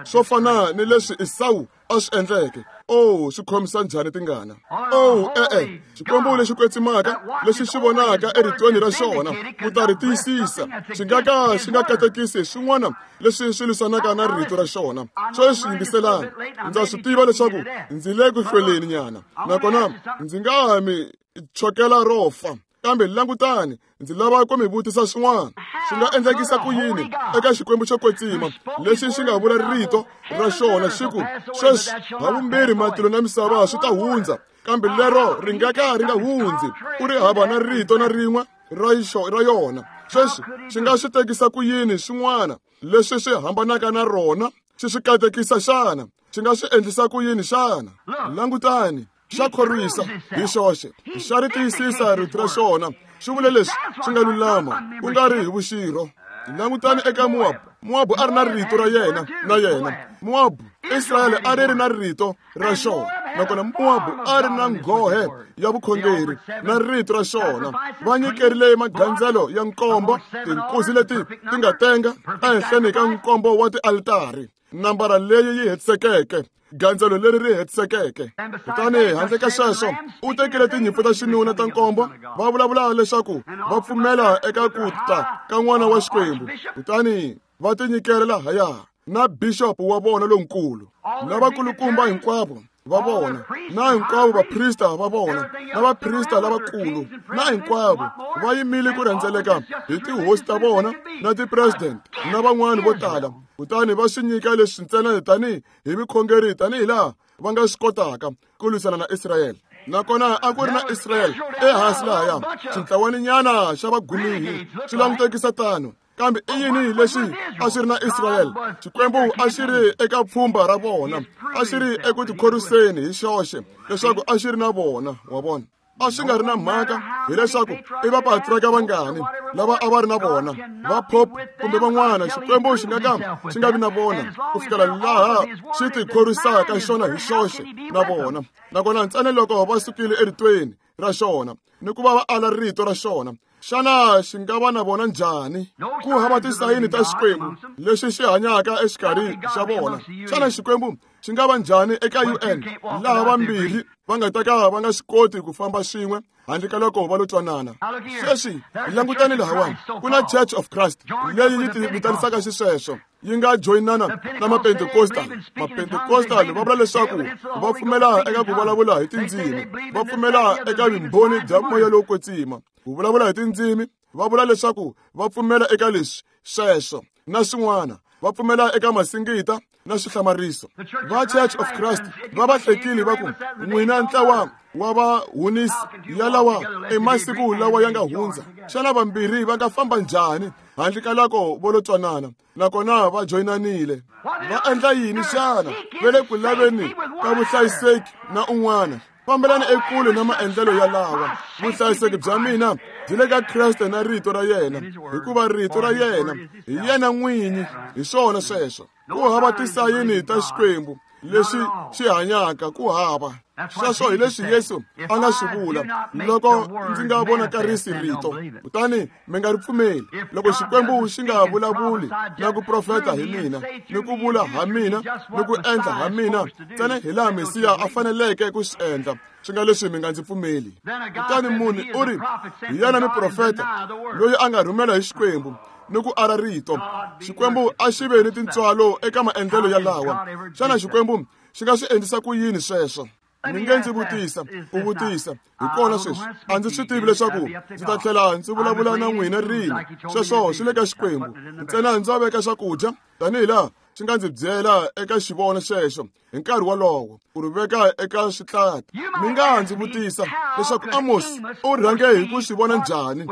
swo fana ni leswi Esawu a swi endleke? Oh, swi khomisa njhani tingana? Oh, e-e, Xikwembu lexi kwetsimaka lexi xi vonaka eritweni ra xona ku ta ri tiyisisa, xi nga ka xi nga katekisi swin'wana leswi swi lwisanaka na rito ra xona. Sweswi yingiselani, ndza swi tiva leswaku ndzi le ku hlweleni nyana, nakona ndzi nga ha mi chokela ro fa. Kambe langutani, ndzi lava ku mi vutisa swin'wana. Swi nga endlekisa ku yini eka Xikwembu xo kwetsima lexi xi nga vula rito ra xona xi ku, sweswi havumbirhi matilo na misava swi ta hundza, kambe lero ri nga ka ri nga hundzi, u ri hava na rito na rin'we ra ra yona. Sweswi xi nga swi tekisa ku yini swin'wana leswi swi hambanaka na rona xi swi katekisa xana? Xi nga swi endlisa ku yini xana? Langutani, xa khorwisa hi xoxe, xa ri tiyisisa rito ra xona. Xi vule leswi swi nga lulama, ku nga ri hi vuxirho. Langutani eka Mowabu. Mowabu a ri na rito ra yena na yena. Mowabu, Israyele a ri ri na rito ra xona, nakona Mowabu a ri na nghohe ya vukhongeri na rito ra xona. Va nyikerile magandzelo ya nkombo, tinkuzi leti ti nga tenga ehenhleni ka nkombo wa tialitari, nambara leyi yi hetisekeke, gandzelo leri ri hetisekeke. Kutani handle ka sweswo, u tekile tinyimpfu ta xinuna ta nkombo, va vulavula leswaku va pfumela eka ku ta ka n'wana wa Xikwembu. Kutani va tinyikela lahaya na bixopo wa vona lonkulu, na vakulukumba hinkwavo va vona, na hinkwavo vaprista va vona, na vaprista lavakulu, na hinkwavo va yimile ku rhendzeleka hi tihosi ta vona na ti-president na van'wana vo tala. Kutani va swi nyika leswi ntsena tanihi hi vukhongeri, tanihi laha va nga swi kotaka ku lwisana na Israyele. Nakona a ku ri na Israyele ehansi lahaya, xintlawaninyana xa vagumihi swi langutekisa tano. Kambe i yini lexi a xi ri na Israyele? Xikwembu a xi ri eka pfhumba ra vona, a xi ri eku tikhoriseni hi xoxe leswaku a xi ri na vona, wa vona. A swi nga ri na mhaka hileswaku i vapatraka vangani lava a va ri na vona, va pope kumbe van'wana. Xikwembu xi nga ka xi nga vi na vona ku fikela laha xi tikhorisaka xona hi xoxe na vona. Nakona ntsena loko va sukile eritweni ra xona ni ku va va ala rito ra xona, xana xi nga va na vona njhani? Ku hava tisayini ta Xikwembu lexi xi hanyaka exikarhi xa vona. Xana Xikwembu xi nga va njhani eka U N laha vambirhi va nga ta ka va nga swi koti ku famba swin'we handle ka loko va lo twanana? Sweswi hi langutani lahawani, ku na Church of Christ leyi yi ti vitanisaka xisweswo, yi nga joyinana na Mapentekostal. Mapentekostal va vula leswaku va pfumela eka ku vulavula hi tindzimi, va pfumela eka vumbhoni bya moya lowo kwetsima. Ku vulavula hi tindzimi, va vula leswaku va pfumela eka leswi sweswo na swin'wana, va pfumela eka masingita na swihlamariso. Va Church of Christ va va hlekile va ku, n'wina ntlawa wa vahunisi yalawa i masiku lawa ya nga hundza. Xana vambirhi va nga famba njhani handle ka loko vo lo twanana? Nakona va joyinanile. Va endla yini xana? Va le ku laveni ka vuhlayiseki na un'wana. Fambelani ekule na maendlelo yalawa. Vuhlayiseki bya mina byi le ka Kreste na rito ra yena, hikuva rito ra yena hi yena n'winyi. Hi swona sweswo. Ku hava tisayini ta Xikwembu lexi xi hanyaka ku hava. Sweswo hi leswi Yesu a nga swi vula, loko ndzi nga vonakarisi rito, kutani mi nga ri pfumeli. Loko Xikwembu xi nga vulavuli na ku profeta hi mina, ni ku vula ha mina, ni ku endla ha mina, ntsena hi laha Mesiya a faneleke ku swi endla, swi nga leswi mi nga ndzi pfumeli. Kutani munhu u ri, hi yena muprofeta loyi a nga rhumela hi Xikwembu ni ku ara rito. Xikwembu a xi ve ni tintswalo eka maendlelo yalawa. Xana Xikwembu xi nga swi endlisa ku yini sweswo? Mi nge ndzi vutisa, u vutisa, hi kona sweswi. A ndzi swi tivi leswaku ndzi ta tlhela ndzi vulavula na n'wina rini. Sweswo swi le ka Xikwembu. Ntsena ndza veka swakudya tanihi laha xi nga ndzi byela eka xivono xexo hi nkarhi wolowo, ku ri veka eka switlati. Mi nga ndzi vutisa leswaku Amos u rhange hi ku swi vona njhani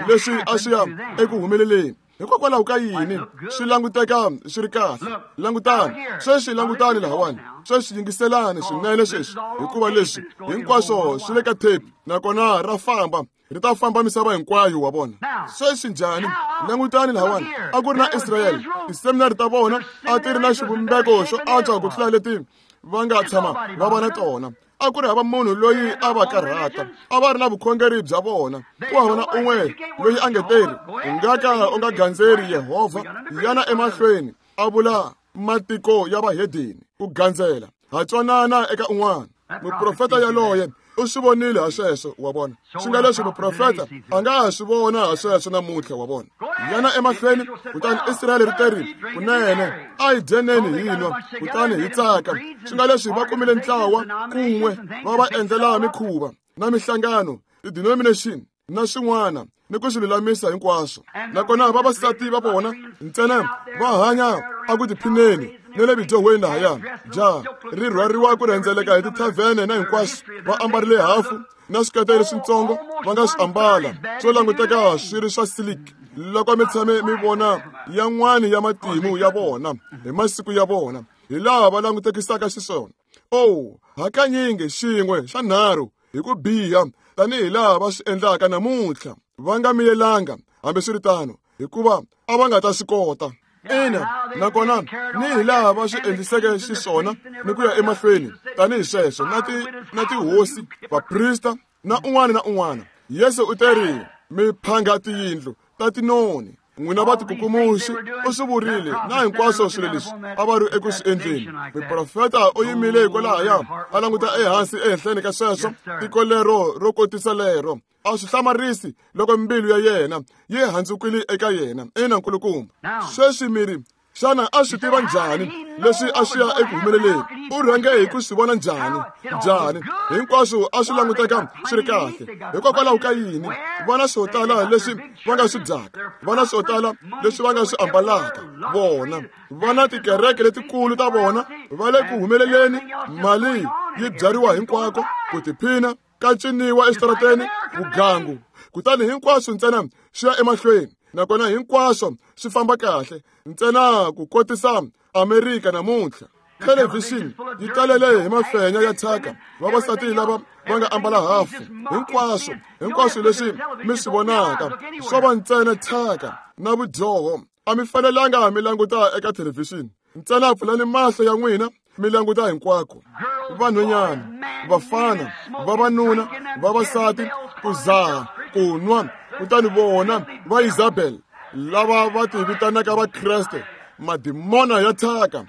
leswi a swi ya eku humeleleni. Hikokwalaho ka yini swi languteka swi ri kahle? Langutani sweswi, langutani lahawani sweswi, yingiselani swinene sweswi, hikuva leswi hinkwaswo swi le ka tape, nakona ra famba, ri ta famba misava hinkwayo wa vona. Sweswi njhani? Langutani lahawani, a ku ri na Israyele, tiseminari ta vona a ti ri na xivumbeko xo antswa ku tlula leti va nga tshama va va na tona. A ku ri hava munhu loyi a va karhata, a va ri na vukhongeri bya vona. Ku hava na un'we loyi a nge teri, u nga ka u nga gandzeri Yehovha, yana emahlweni a vula matiko ya vahedeni ku gandzela. Ha twanana eka un'wana. Muprofeta yaloye u swi vonile ha sweswo, wa vona. Swi nga leswi muprofeta a nga ha swi vona ha sweswo namuntlha, wa vona. Yana emahlweni, kutani Israyele ri teri, kunene a hi dyeneni hi nwa, kutani hi tsaka. Swi nga leswi va kumile ntlawa kun'we va va endlela mikhuva na mihlangano, ti-denomination na swin'wana, ni ku swi lulamisa hinkwaswo. Nakona vavasati va vona ntsena va hanya a ku tiphineni ni le bidyohweni lahaya. Ja ri rhwariwa ku rhendzeleka hi tithavhene na hinkwaswo, va ambarile hafu na swikete leswitsongo va nga swi ambala swo languteka swi ri swa silik. Loko mi tshame mi vona yan'wani ya matimu ya vona hi masiku ya vona, hi laha va langutekisaka xiswona. Oh, hakanyingi xin'we xa nharhu hi ku biha tanihi laha va swi endlaka namuntlha. Va nga miyelanga hambiswiritano, hikuva a va nga ta swi kota. Ina, nakona ni hi laha va swi endliseke xiswona ni ku ya emahlweni tanihi sweswo, na ti na tihosi, vaprista na un'wana na un'wana. Yesu u teri, mi phanga tiyindlu ta tinoni, n'wina va tikukumuxi. U swi vurile na hinkwaswo swilo leswi a va ri eku swi endleni. Muprofeta u yimile hikwalahaya a languta ehansi ehenhleni ka sweswo, tiko lero ro kotisa lero. A swi hlamarisi loko mbilu ya yena yi handzukile eka yena. Ina, nkulukumba. Sweswi mi ri, xana a swi tiva njhani leswi a swi ya eku humeleleni? U rhange hi ku swi vona njhani? Njhani? Hinkwaswo a swi languteka swi ri kahle. Hikokwalaho ka yini? Va na swo tala leswi va nga swi dyaka, va na swo tala leswi va nga swi ambalaka. Vona va na tikereke letikulu ta vona, va le ku humeleleni, mali yi byariwa hinkwako, ku tiphina ka ciniwa eswitarateni, vugangu. Kutani hinkwaswo ntsena swi ya emahlweni, nakona hinkwaswo swi famba kahle ntsena ku kotisa Amerika namuntlha. Thelevhixini yi talele hi mafenya ya thyaka, vavasati lava va nga ambala hafu. Hinkwaswo hinkwaswo leswi mi swi vonaka swo va ntsena thyaka na vudyoho. A mi fanelanga mi languta eka thelevhixini ntsena, pfulani mahlo ya n'wina mi languta hinkwako. Vanhwanyana, vafana, vavanuna, vavasati, ku zaha, ku nwa. Kutani vona va Isabel lava va ti vitanaka Vakreste, madimona ya thyaka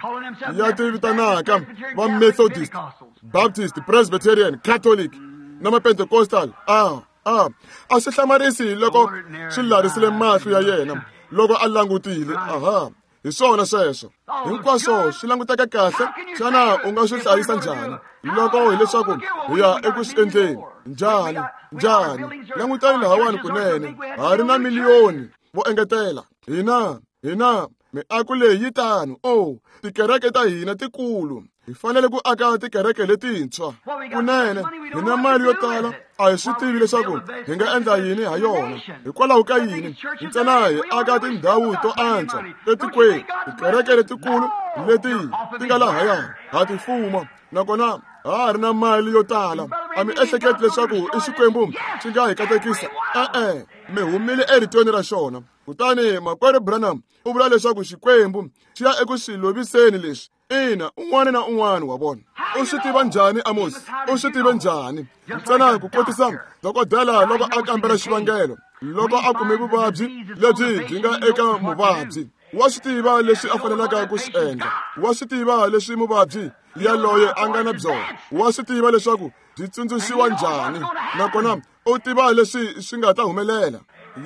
ya ti vitanaka va Methodist, Baptist, Presbyterian, Catholic na ma-Pentecostal. A a a swi hlamarisi loko swi larisile mahlo ya yena loko a langutile. Aha, hi swona sweswo. Hinkwaswo swi languteka kahle. Xana u nga swi hlayisa njhani loko hileswaku hi ya eku swi endleni? Njhani? Njhani? Langutani lahawani kunene, ha ri na miliyoni vo engetela. Hina hina miako leyi yi tano. Oh, tikereke ta hina tikulu, hi fanele ku aka tikereke letintshwa. Kunene hi na mali yo tala, a hi swi tivi leswaku hi nga endla yini ha yona. Hikwalaho ka yini? Ntsena hi aka tindhawu to antswa etikweni, tikereke letikulu leti ti nga lahaya ha ti fuma, nakona ha ha ri na mali yo tala. A mi ehleketi leswaku i Xikwembu xi nga hi katekisa? E-e, mi humile eritweni ra xona. Kutani makwerhu Branham u vula leswaku Xikwembu xi ya eku swi loviseni leswi Ina, un'wana na un'wana wa vona. U swi tiva njhani Amos? U swi tive njhani? Ntsena ku kotisa dokodela loko a kambela xivangelo, loko a kume vuvabyi lebyi byi nga eka muvabyi, wa swi tiva leswi a fanelaka ku swi endla. Wa swi tiva leswi muvabyi yaloye a nga na byona. Wa swi tiva leswaku byi tsundzuxiwa njhani, nakona u tiva leswi swi nga ta humelela.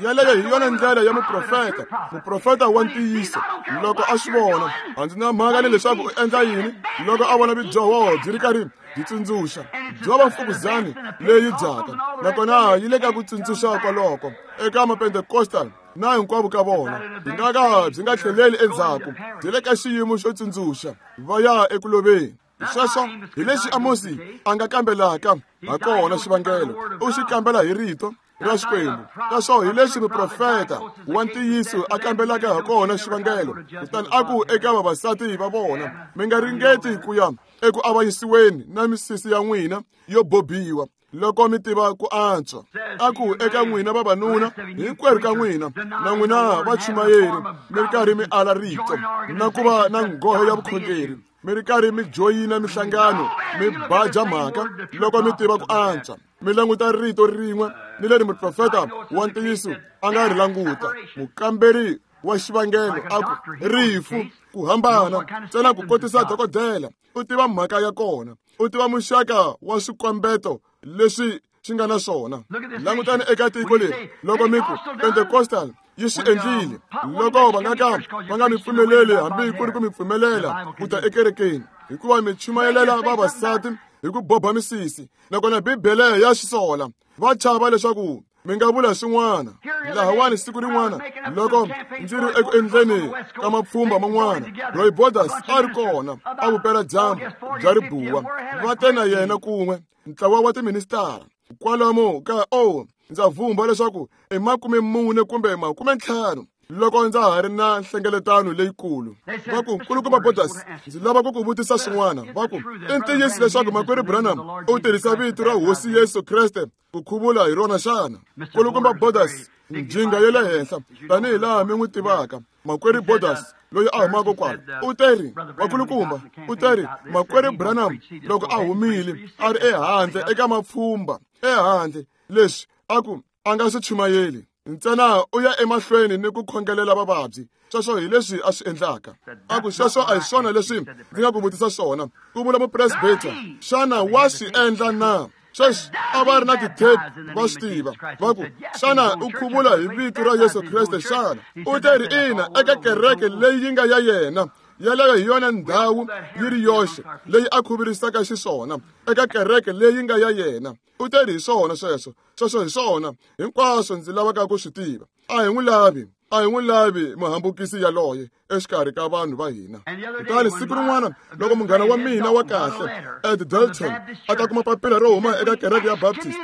Yaleyo hi yona ndlela ya muprofeta, muprofeta wa ntiyiso. Loko a swi vona, a ndzi na mhaka ni leswaku u endla yini, loko a vona vudyoho byi ri karhi byi tsundzuxa, byo va mfukuzani leyi dyaka, nakona yi le ka ku tsundzuxa kwaloko eka Mapentecostal na hinkwavo ka vona, byi nga ka byi nga tlheleli endzhaku, byi le ka xiyimo xo tsundzuxa, va ya eku loveni. Sweswo hi leswi Amosi a nga kambelaka ha kona xivangelo, u xi kambela hi rito ra Xikwembu. Kaswo hi leswi muprofeta wa ntiyiso a kambelaka ha kona xivangelo. Kutani a ku eka vavasati va vona, mi nga ringeti ku ya eku avanyisiweni na misisi ya n'wina yo bobiwa loko mi tiva ku antswa. A ku eka n'wina vavanuna, hinkwerhu ka n'wina, na n'wina vachumayeri, mi ri karhi mi ala rito na ku va na nghohe ya vukhongeri, mi ri karhi mi joyina mihlangano, mi baja mhaka loko mi tiva ku antswa. Mi languta rito rin'we ni leri muprofeta wa ntiyiso a nga ri languta. Mukamberi wa xivangelo a ku rifu ku hambana ntsena ku kotisa dokodela, u tiva mhaka ya kona, u tiva muxaka wa swikombeto leswi swi nga na swona. Langutani eka tiko leri, loko mi ku Pentecostal yi swi endlile, loko va nga ka va nga mi pfumeleli hambi ku ri ku mi pfumelela ku ta ekerekeni, hikuva mi chumayelela vavasati hi ku boba misisi, nakona Bibele ya swi sola. Va chava leswaku mi nga vula swin'wana. Lahawani siku rin'wana loko ndzi ri eku endleni ka mapfhumba man'wana, Roy Borders a ri kona a vupeladyambu bya ribuwa, va te na yena kun'we ntlawa wa tiministara kwalomu ka o ndza vumba leswaku i makume mune kumbe makume ntlhanu loko ndza ha ri na nhlengeletano leyikulu. Va ku, Nkulukumba Borders, ndzi lava ku ku vutisa swin'wana. Va ku, i ntiyiso leswaku makwerhu Branham u tirhisa vito ra Hosi Yesu Kreste ku khuvula hi rona xana? Nkulukumba Borders, njhinga ya le henhla tanihi laha mi n'wi tivaka, makwerhu Borders loyi a humaka kwala, u teri, vakulukumba, u teri makwerhu Branham loko a humile a ri ehandle eka mapfhumba ehandle, leswi a ku a nga swi chumayeli ntsena u ya emahlweni ni ku khongelela vavabyi. Sweswo hi leswi a swi endlaka. A ku sweswo a hi swona leswi ndzi nga ku vutisa swona, ku vula mupresbita. Xana wa swi endla na? Sweswi a va ri na ti-tape, va swi tiva. Va ku, xana u khuvula hi vito ra Yesu Kreste xana? U te ri ina, eka kereke leyi yi nga ya yena. Yaleyo hi yona ndhawu yi ri yoxe leyi a khuvurisaka xiswona, eka kereke leyi nga ya yena. U te ri hi swona sweswo, sweswo hi swona hinkwaswo ndzi lavaka ku swi tiva. A hi n'wi lavi, a hi n'wi lavi muhambukisi yaloye exikarhi ka vanhu va hina. Kutani siku rin'wana loko munghana wa mina wa kahle Ed Dalton a ta kuma papila ro huma eka kereke ya Baptist,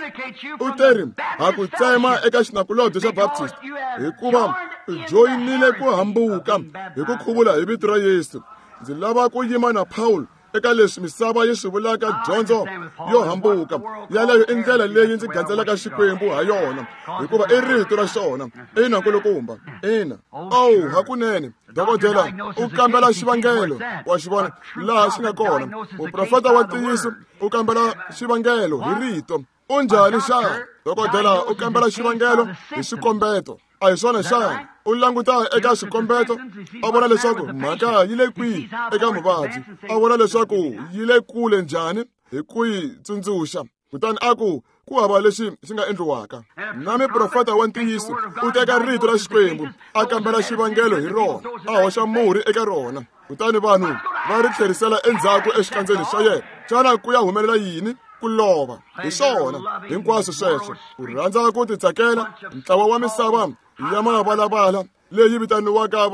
u te ri ha ku tsema eka xinakulobye xa Baptist hikuva u joyinile ku hambuka hi ku khuvula hi vito ra Yesu. Ndzi lava ku yima na Paul eka leswi misava yi swi vulaka dyondzo yo hambuka. Yaleyo i ndlela leyi ndzi gandzelaka Xikwembu ha yona, hikuva i rito ra xona. Ina, nkulukumba, ina. Oh, hakunene dokodela u kambela xivangelo, wa xi vona laha xi nga kona. Muprofeta wa ntiyiso u kambela xivangelo hi rito. U njhani xana? Dokodela u kambela xivangelo hi swikombeto. A hi swona xana? U languta eka swikombeto, a vona leswaku mhaka yi le kwihi eka muvabyi, a vona leswaku yi le kule njhani hi ku yi tsundzuxa. Kutani a ku ku hava lexi xi nga endliwaka. Na muprofeta wa ntiyiso u teka rito ra Xikwembu a kambela xivangelo hi rona, a hoxa murhi eka rona, kutani vanhu va ri tlherisela endzhaku exikandzeni xa yena. Xana ku ya humelela yini? Ku lova. Hi swona hinkwaswo sweswo. Ku rhandza ku titsakela, ntlawa wa misava ya mavalavala leyi vitaniwaka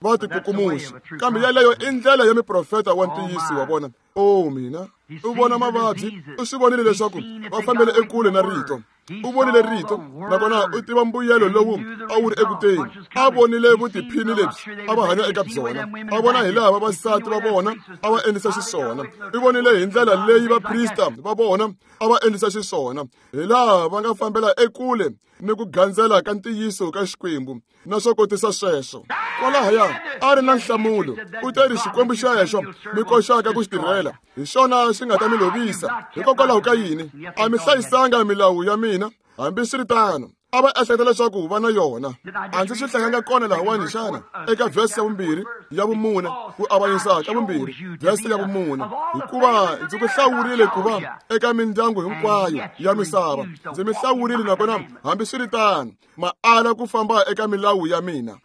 va tikukumuxi, kambe yaleyo i ndlela ya muprofeta wa ntiyiso wa vona. O mina, u vona mavabyi, u swi vonile leswaku va fambele ekule na rito. U vonile rito, nakona u tiva mbuyelo lowu a wu ri ekuteni. A vonile vutiphini lebyi a va hanya eka byona, a vona hi laha vavasati va vona a va endlisa xiswona. U vonile hi ndlela leyi vaprista va vona a va endlisa xiswona, hi laha va nga fambela ekule ni ku gandzela ka ntiyiso ka Xikwembu na swo kotisa sweswo. Kwalahaya a ri na nhlamulo. U teri Xikwembu xexo mi koxaka ku xi tirhela, hi xona xi nga ta mi lovisa. Hikokwalaho ka yini? A mi hlayisanga milawu ya mina. Hambiswiritano, a va ehleketa leswaku va na yona. A ndzi swi hlayanga kona lahawani xana? Eka vhesi ya vumbirhi ya vumune, ku avanyisa ka vumbirhi, vhesi ya vumune. Hikuva ndzi ku hlawurile ku va eka mindyangu hinkwayo ya misava. Ndzi mi hlawurile nakona hambiswiritano ma ala ku famba eka milawu ya mina.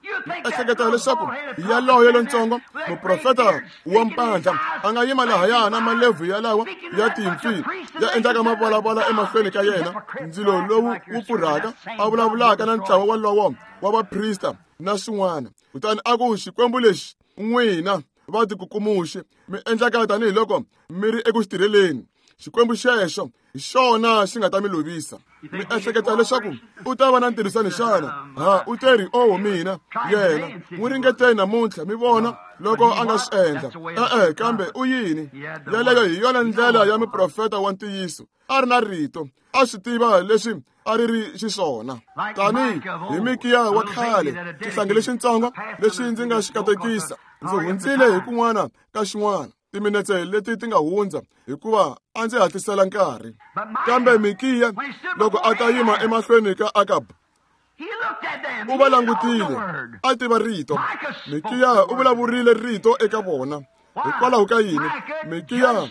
Ehleketa leswaku yaloye lontsongo muprofeta wa mpandla a nga yima lahaya na malebvu yalawa ya timpfi ya endlaka mavalavala emahlweni ka yena, ndzilo lowu wu pfurhaka, a vulavulaka na ntlawa walowo wa vaprista na swin'wana. Kutani a ku, Xikwembu lexi n'wina va tikukumuxi mi endlaka tanihiloko mi ri eku xi tirheleni, Xikwembu xexo hi xona xi nga ta mi lovisa. Mi ehleketa leswaku u ta va na ntirhisano xana? Ha, u teri, oh mina, yena n'wi ringeteni namuntlha mi vona loko a nga swi endla. E-e, kambe u yini? Yaleyo hi yona ndlela ya muprofeta wa ntiyiso. A ri na rito, a swi tiva leswi a ri ri xiswona. Tani hi Mikiya wa khale, xihlangi lexitsongo lexi ndzi nga xi katekisa, ndzi hundzile hi kun'wana ka xin'wana timinetse leti ti nga hundza, hikuva a ndzi hatlisela nkarhi. Kambe Mikiya loko a ta yima emahlweni ka Akabu, u va langutile, a tiva rito. Mikiya u vulavurile rito eka vona. Hikwalaho ka yini? Mikiya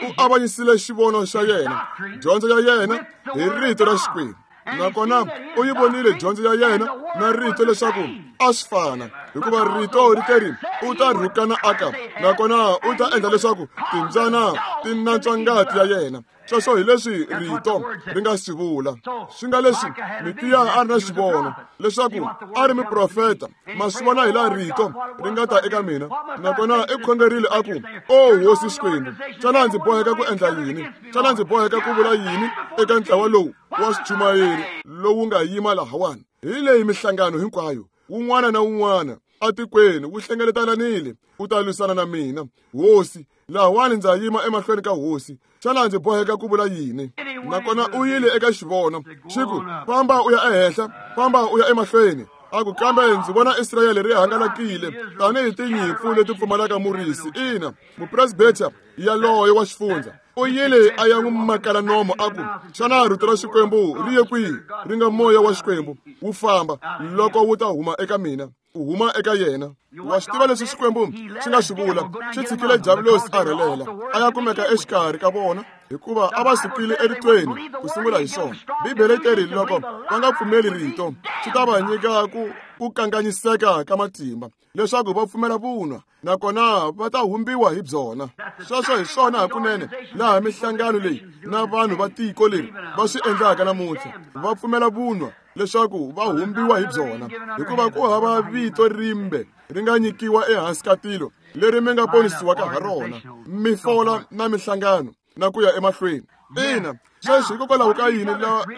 u avanyisile xivono xa yena, dyondzo ya yena hi rito ra Xikwembu. Nakona u yi vonile dyondzo ya yena na rito leswaku a swi fana, hikuva rito ri teri u ta rhukana Akabu, nakona u ta endla leswaku timbyana ti nantswa ngati ya yena. Sweswo hi leswi rito ri nga swi vula. Swi nga leswi Mikiya a ri na xivono leswaku a ri muprofeta. Ma swi vona hi laha rito ri nga ta eka mina. Nakona i khongerile a ku, O Hosi Xikwembu, xana ndzi boheka ku endla yini? Xana ndzi boheka ku vula yini eka ntlawa lowu wa swichumayeri lowu nga yima lahawani? Hi leyi mihlangano hinkwayo, wun'wana na wun'wana atikweni wu hlengeletananile wu ta lwisana na mina. Hosi, lahawani ndza yima emahlweni ka hosi. Xana ndzi boheka ku vula yini? Nakona u yile eka xivono, xi ku, famba u ya ehenhla, famba u ya emahlweni. A ku, kambe ndzi vona Israyele ri hangalakile tanihi tinyimpfu leti pfumalaka murisi. Ina, mupresbeta yaloye wa xifundza u yile a ya n'wi makala nomo a ku, xana rito ra Xikwembu ri ye kwihi? Ri nga moya wa Xikwembu wu famba loko wu ta huma eka mina, u huma eka yena. Wa swi tiva leswi Xikwembu xi nga swi vula? Xi tshikile Diavulosi a rhelela a ya kumeka exikarhi ka vona, hikuva a va sukile eritweni ku sungula hi swona. Bibele yi teri loko va nga pfumeli rito, swi ta va nyika ku ku kanganyiseka ka matimba leswaku va pfumela vunwa, nakona va ta humbiwa hi byona. Sweswo hi swona hakunene laha mihlangano leyi na vanhu va tiko leri va swi endlaka namuntlha, va pfumela vunwa leswaku va humbiwa hi byona, hikuva ku hava vito rimbe ri nga nyikiwa ehansi ka tilo leri mi nga ponisiwaka ha rona. Mi fola na mihlangano na ku ya emahlweni. Ina, sweswi hikokwalaho ka yini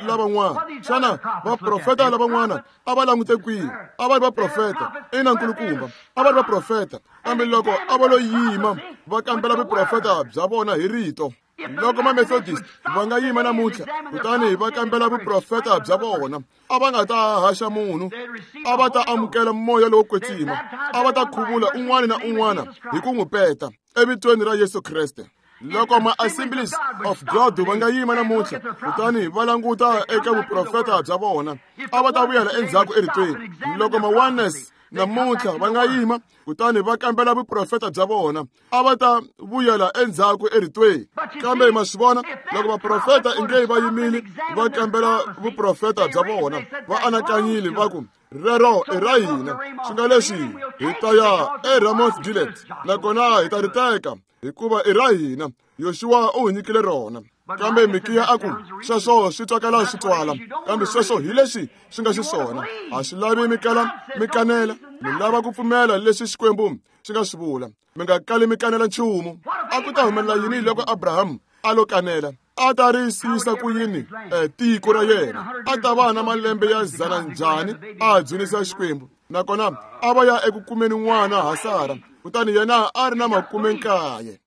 lavan'wana? Xana vaprofeta lavan'wana a va langute kwihi? A va ri vaprofeta. Ina, nkulukumba, a va ri vaprofeta, kambe loko a va lo yima va kambela vuprofeta bya vona hi rito. Loko ma-Methodist va nga yima namuntlha kutani va kambela vuprofeta bya vona, a va nga ta haxa munhu, a va ta amukela moya lowo kwetsima, a va ta khuvula un'wana na un'wana hi ku n'wi peta evitweni ra Yesu Kreste. Loko ma-Assemblies of God va nga yima namuntlha kutani va languta eka vuprofeta bya vona, a va ta vuyela endzhaku eritweni. Loko ma-Oneness namuntlha va nga yima kutani va kambela vuprofeta bya vona, a va ta vuyela endzhaku eritweni. Kambe ma swi vona, loko vaprofeta inge va yimile va kambela vuprofeta bya vona, va anakanyile va ku, rero i ra hina, swi nga leswi hi ta ya eRamoth Gilead, nakona hi ta ri teka hikuva i ra hina, Yoshua u hi nyikile rona. Kambe Mikiya a ku, sweswo swi twakala swi twala, kambe sweswo hi leswi swi nga xiswona. A swi lavi mi kala mi kanela, mi lava ku pfumela leswi Xikwembu xi nga swi vula. Mi nga kali mi kanela nchumu. A ku ta humelela yini loko Abraham a lo kanela? A ta ri siyisa ku yini tiko ra yena? A ta va na malembe ya dzana njhani a dzunisa Xikwembu? Nakona a va ya eku kumeni n'wana ha Sara, kutani yena a ri na makume nkaye.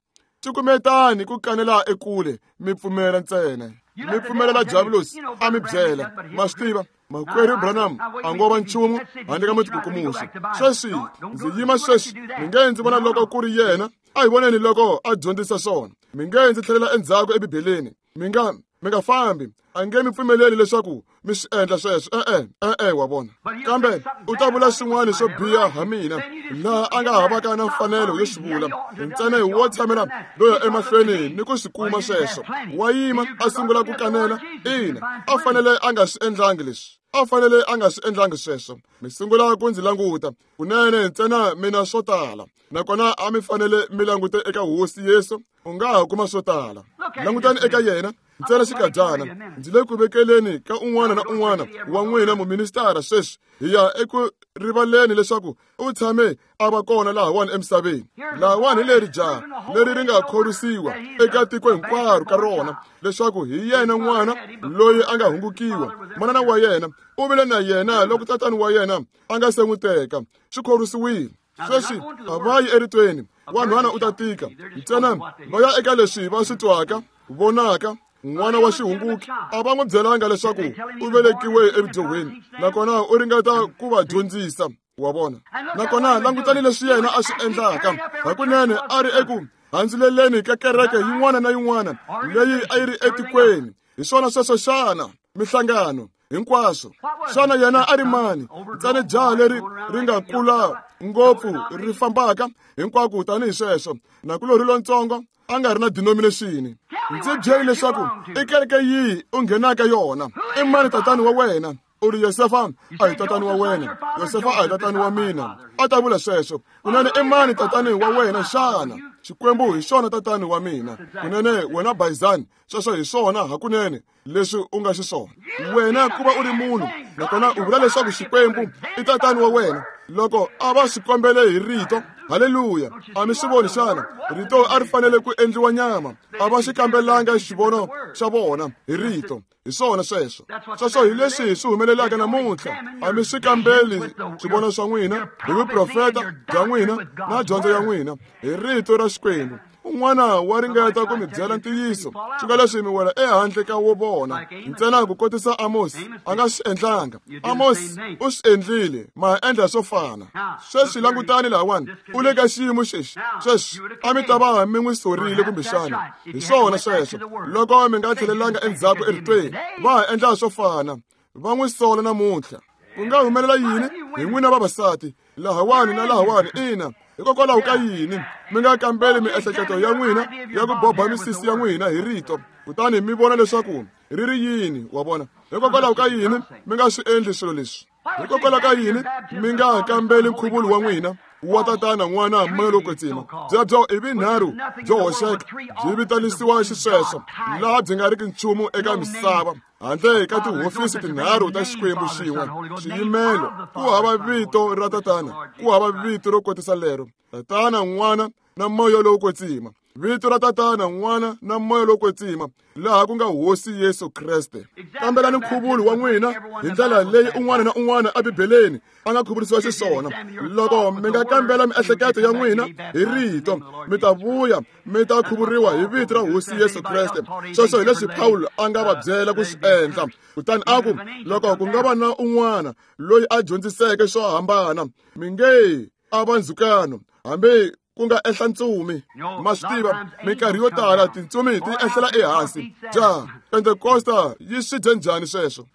Cukumetani ku kanela ekule, mi pfumela ntsena. Mi pfumelela Diavulosi a mi byela. Ma swi tiva, Makwerhu Branham a ngo va nchumu handle ka mutikukumuxi. Sweswi ndzi yima sweswi mi nge ndzi vona loko ku ri yena, a hi voneni loko a dyondzisa swona. Mi nge ndzi tlhelela endzhaku ebibeleni. Mi nga mi nga fambi, a nge mi pfumeleli leswaku mi swi endla sweswo. E-e, e-e, wa vona. Kambe u ta vula swin'wana swo biha ha mina laha a nga havaka na mfanelo yo swi vula. Ntsena wo tshamela loyo emahlweni ni ku swi kuma sweswo. Wa yima a sungula ku kanela. Ina, a fanele a nga swi endlangi leswi. A fanele a nga swi endlangi sweswo. Mi sungula ku ndzi languta kunene ntsena mina swo tala. Nakona a mi fanele mi langute eka Hosi Yesu, u nga ha kuma swo tala. Langutani eka yena ntsena xikadyana. Ndzi le ku vekeleni ka un'wana na un'wana wa n'wina muministara sweswi hi ya eku rivaleni leswaku u tshame a va kona lahawani emisaveni. Lahawani hi leri jaha leri ri nga khorwisiwa eka tiko hinkwaro ka rona leswaku hi yena n'wana loyi a nga hungukiwa. Manana wa yena u vile na yena loko tatani wa yena a nga se n'wi teka. Swi khorwisiwile. Sweswi a va yi eritweni, wanhwana u ta tika. Ntsena va ya eka leswi va swi twaka, vonaka. N'wana wa xihunguki a va n'wi byelanga leswaku u velekiwe evudyuhweni, nakona u ringeta ku va dyondzisa, wa vona. Nakona langutani leswi yena a swi endlaka. Hakunene a ri eku handzuleleni ka kereke yin'wana na yin'wana leyi a yi ri etikweni. Hi swona sweswo xana? Mihlangano hinkwaswo. Xana yena a ri mani? Ntsena jaha leri ri nga kula ngopfu ri fambaka hinkwako tanihi sweswo. Nakulorhi lontsongo a nga ri na denomination. Ndzi byeli leswaku i kereke yihi u nghenaka yona. I mani tatani wa wena? U ri Yosefa a hi tatani wa wena. Yosefa a hi tatani wa mina. A ta vula sweswo. Kunene i mani tatani wa wena xana? Xikwembu hi xona tatani wa mina. Kunene wena Bayizani, sweswo hi swona hakunene leswi u nga xiswona. Wena ku va u ri munhu, nakona u vula leswaku Xikwembu i tatani wa wena. Loko a va swi kombele hi rito, haleluya, a mi swi voni xana? Rito a ri fanele ku endliwa nyama. A va xi kambelanga xivono xa vona hi rito. Hi swona sweswo. Sweswo hi leswi swi humelelaka namuntlha. A mi swi kambeli swivono swa n'wina hi vuprofeta bya n'wina na dyondzo ya n'wina hi rito ra Xikwembu. Un'wana wa ringeta ku mi byela ntiyiso, swi nga leswi mi wela ehandle ka wo vona. Ntsena ku kotisa Amos a nga swi endlanga. Amos u swi endlile, ma endla swo fana. Sweswi langutani lahawani, u le ka xiyimo xexi. Sweswi a mi ta va mi n'wi sorile kumbexana. Hi swona sweswo. Loko mi nga tlhelelanga endzhaku eritweni, va ha endla swo fana. Va n'wi sola namuntlha. Ku nga humelela yini hi n'wina vavasati lahawani na lahawani? Ina, hikokwalaho ka yini mi nga kambeli miehleketo ya n'wina ya ku boba misisi ya n'wina hi rito, kutani mi vona leswaku ri ri yini? Wa vona? Hikokwalaho ka yini mi nga swi endli swilo leswi? Hikokwalaho ka yini mi nga kambeli nkhuvulo wa n'wina wa tatana, n'wana, moya lowo kwetsima? Byebyo i vinharhu byo hoxeka, byi vitanisiwa xisweswo, laha byi nga riki nchumu eka misava handle ka tihofisi tinharhu ta Xikwembu xin'we. Xiyimelo ku hava vito ra tatana, ku hava vito ro kotisa lero. Tatana, n'wana na moya lowo kwetsima. Vito ra tatana, n'wana na moya lowo kwetsima, laha ku nga Hosi Yesu Kreste. Kambelani nkhuvulo wa n'wina hi ndlela leyi un'wana na un'wana ebibeleni a nga khuvurisiwa xiswona. Loko mi nga kambela miehleketo ya n'wina hi rito, mi ta vuya mi ta khuvuriwa hi vito ra Hosi Yesu Kreste. Sweswo hi leswi Pawulo a nga va byela ku swi endla. Kutani a ku, loko ku nga va na un'wana loyi a dyondziseke swo hambana, mi nge a va ndzhukano, hambi ku nga ehla ntsumi. Ma swi tiva, minkarhi yo tala tintsumi ti ehlela ehansi. Ja Pentekosta yi swi dye njhani sweswo?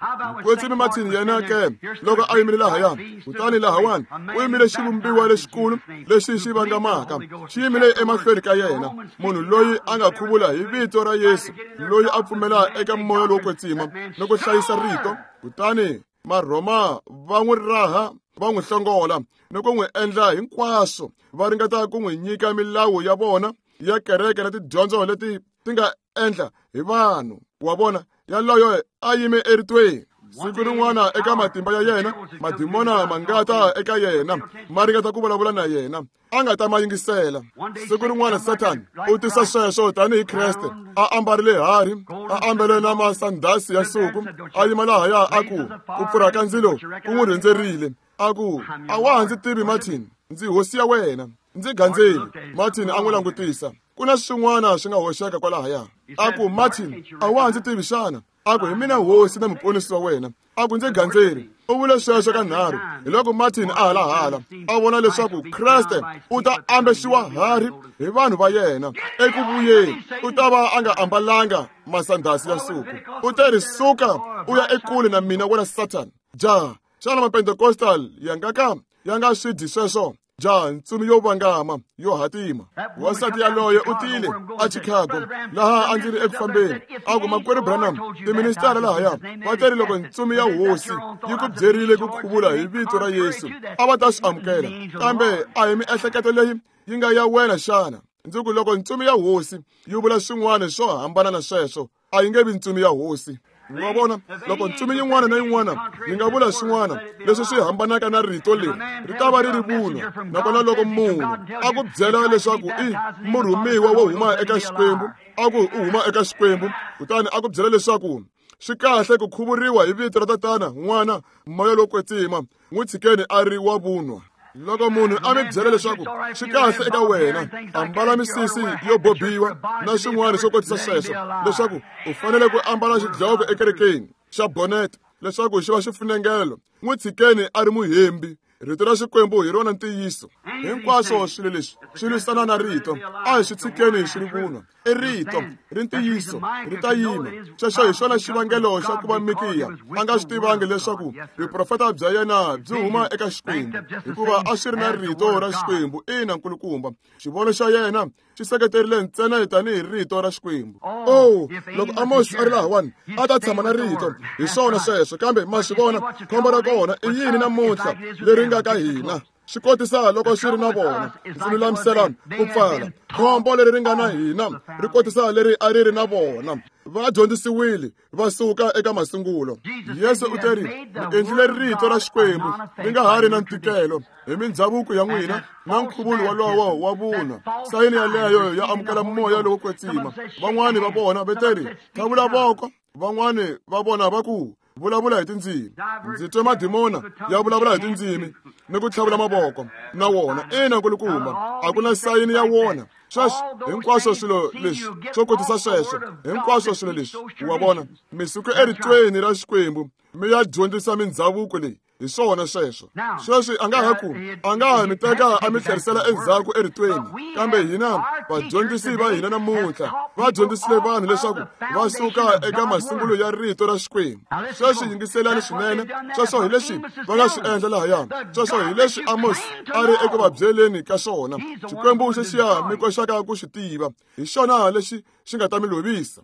Kwetsimi Martin yena ke loko a yimile lahaya, kutani lahawani u yimile xivumbiwa lexikulu lexi xi vangamaka, xi yimile emahlweni ka yena, munhu loyi a nga khuvula hi vito ra Yesu, loyi a pfumela eka moya lowo kwetsima ni ku hlayisa rito. Kutani Marhoma va n'wi raha, va n'wi hlongola ni ku n'wi endla hinkwaswo, va ringeta ku n'wi nyika milawu ya vona ya kereke na tidyondzo leti ti nga endla hi vanhu. Wa vona, yaloyo a yime eritweni. Siku rin'wana eka matimba ya yena, madimona ma nga ta eka yena, ma ringeta ku vulavula na yena, a nga ta ma yingisela. Siku rin'wana Satan u tisa sweswo tanihi Kreste, a ambarile harhi, a ambele na masandhasi ya nsuku, a yima lahaya a ku, ku pfurha ka ndzilo ku n'wi rhendzerile. A ku, a wa ha ndzi tivi Martin, ndzi hosi ya wena, ndzi gandzeli. Martin a n'wi langutisa. Ku na swin'wana swi nga hoxeka kwalahaya. A ku, Martin, a wa ha ndzi tivi xana? A ku hi mina hosi na muponisi wa wena. A ku ndzi gandzeri. U vule sweswo ka nharhu. Hi loko Martin a halahala a vona leswaku Kreste u ta ambexiwa hari hi vanhu va yena eku vuyeni. U ta va a nga ambalanga masandhasi ya nsuku. U te ri suka u ya ekule na mina wena Satan. Ja, xana Mapentecostal ya nga ka ya nga swi dyi sweswo? Ja, ntsumi yo vangama yo hatima. Wansati yaloye u tile a Chicago laha a ndzi ri eku fambeni. A ku makwerhu Branham, tiministara lahaya va teri loko ntsumi ya hosi yi ku byerile ku khuvula hi vito ra Yesu a va ta swi amukela, kambe a hi miehleketo leyi yi nga ya wena xana? Ndzi ku loko ntsumi ya hosi yi vula swin'wana swo hambana na sweswo a yi nge vi ntsumi ya hosi. Wa vona, loko ntsumi yin'wana na yin'wana yi nga vula swin'wana leswi swi hambanaka na rito leri ri ta va ri ri vunwa. Nakona loko munhu a ku byela leswaku i murhumiwa wo huma eka Xikwembu, a ku u huma eka Xikwembu, kutani a ku byela leswaku swi kahle ku khuvuriwa hi vito ra Tatana, N'wana, Moya lowo Kwetsima, n'wi tshikeni a ri wa vunwa. Loko munhu a mi byela leswaku swi kahle eka wena ambala misisi yo bobiwa na swin'wana swo kotisa sweswo, leswaku u fanele ku ambala xidloko ekerekeni xa bonnet leswaku xi va xifunengelo, n'wi tshikeni a ri muhembi. Rito ra Xikwembu hi rona ntiyiso. Hinkwaswo swilo leswi swi lwisana na rito, a hi swi tshikeni swi ri vunwa. I rito ri ntiyiso ri ta yima. Xexo hi xona xivangelo xa ku va Mikiya a nga swi tivangi leswaku vuprofeta bya yena byi huma eka Xikwembu, hikuva a swi ri na rito ra Xikwembu. Ina, nkulukumba, xivono xa yena xi seketerile ntsena tanihi rito ra Xikwembu. Oh, loko Amos a ri lahawani a ta tshama na rito, hi swona sweswo. Kambe ma swi vona khombo ra kona i yini namuntlha leri nga ka hina? Swi kotisa loko swi ri na vona. Ndzi lulamisela ku pfala. Khombo leri ri nga na hina ri kotisa leri a ri ri na vona. Va dyondzisiwile va suka eka masungulo. Yesu u teri mi endlile rito ra Xikwembu ri nga ha ri na ntikelo hi mindhavuko ya n'wina na nkhuvulo wolowo wa vunwa. Sayini yaleyo ya amukela moya lowo kwetsima. Van'wani va vona va teri tlhavula voko, van'wani va vona va ku vulavula hi tindzimi. Ndzi twe madimona ya vulavula hi tindzimi ni ku tlhavula mavoko na wona. Ina, nkulukumba, a ku na sayini ya wona. Sweswo hinkwaswo swilo leswi swo kotisa sweswo, hinkwaswo swilo leswi wa vona mi suka eritweni ra Xikwembu mi ya dyondzisa mindhavuko leyi. Hi swona sweswo. Sweswi a nga ha ku a nga ha mi teka a mi tlherisela endzhaku eritweni, kambe hina vadyondzisi va hina namuntlha va dyondzisile vanhu leswaku va suka eka masungulo ya rito ra Xikwembu. Sweswi yingiselani swinene. Sweswo hi leswi va nga swi endla lahaya. Sweswo hi leswi Amos a ri eku va byeleni ka swona. Xikwembu xexiya mi koxaka ku xi tiva, hi xona lexi xi nga ta mi lovisa.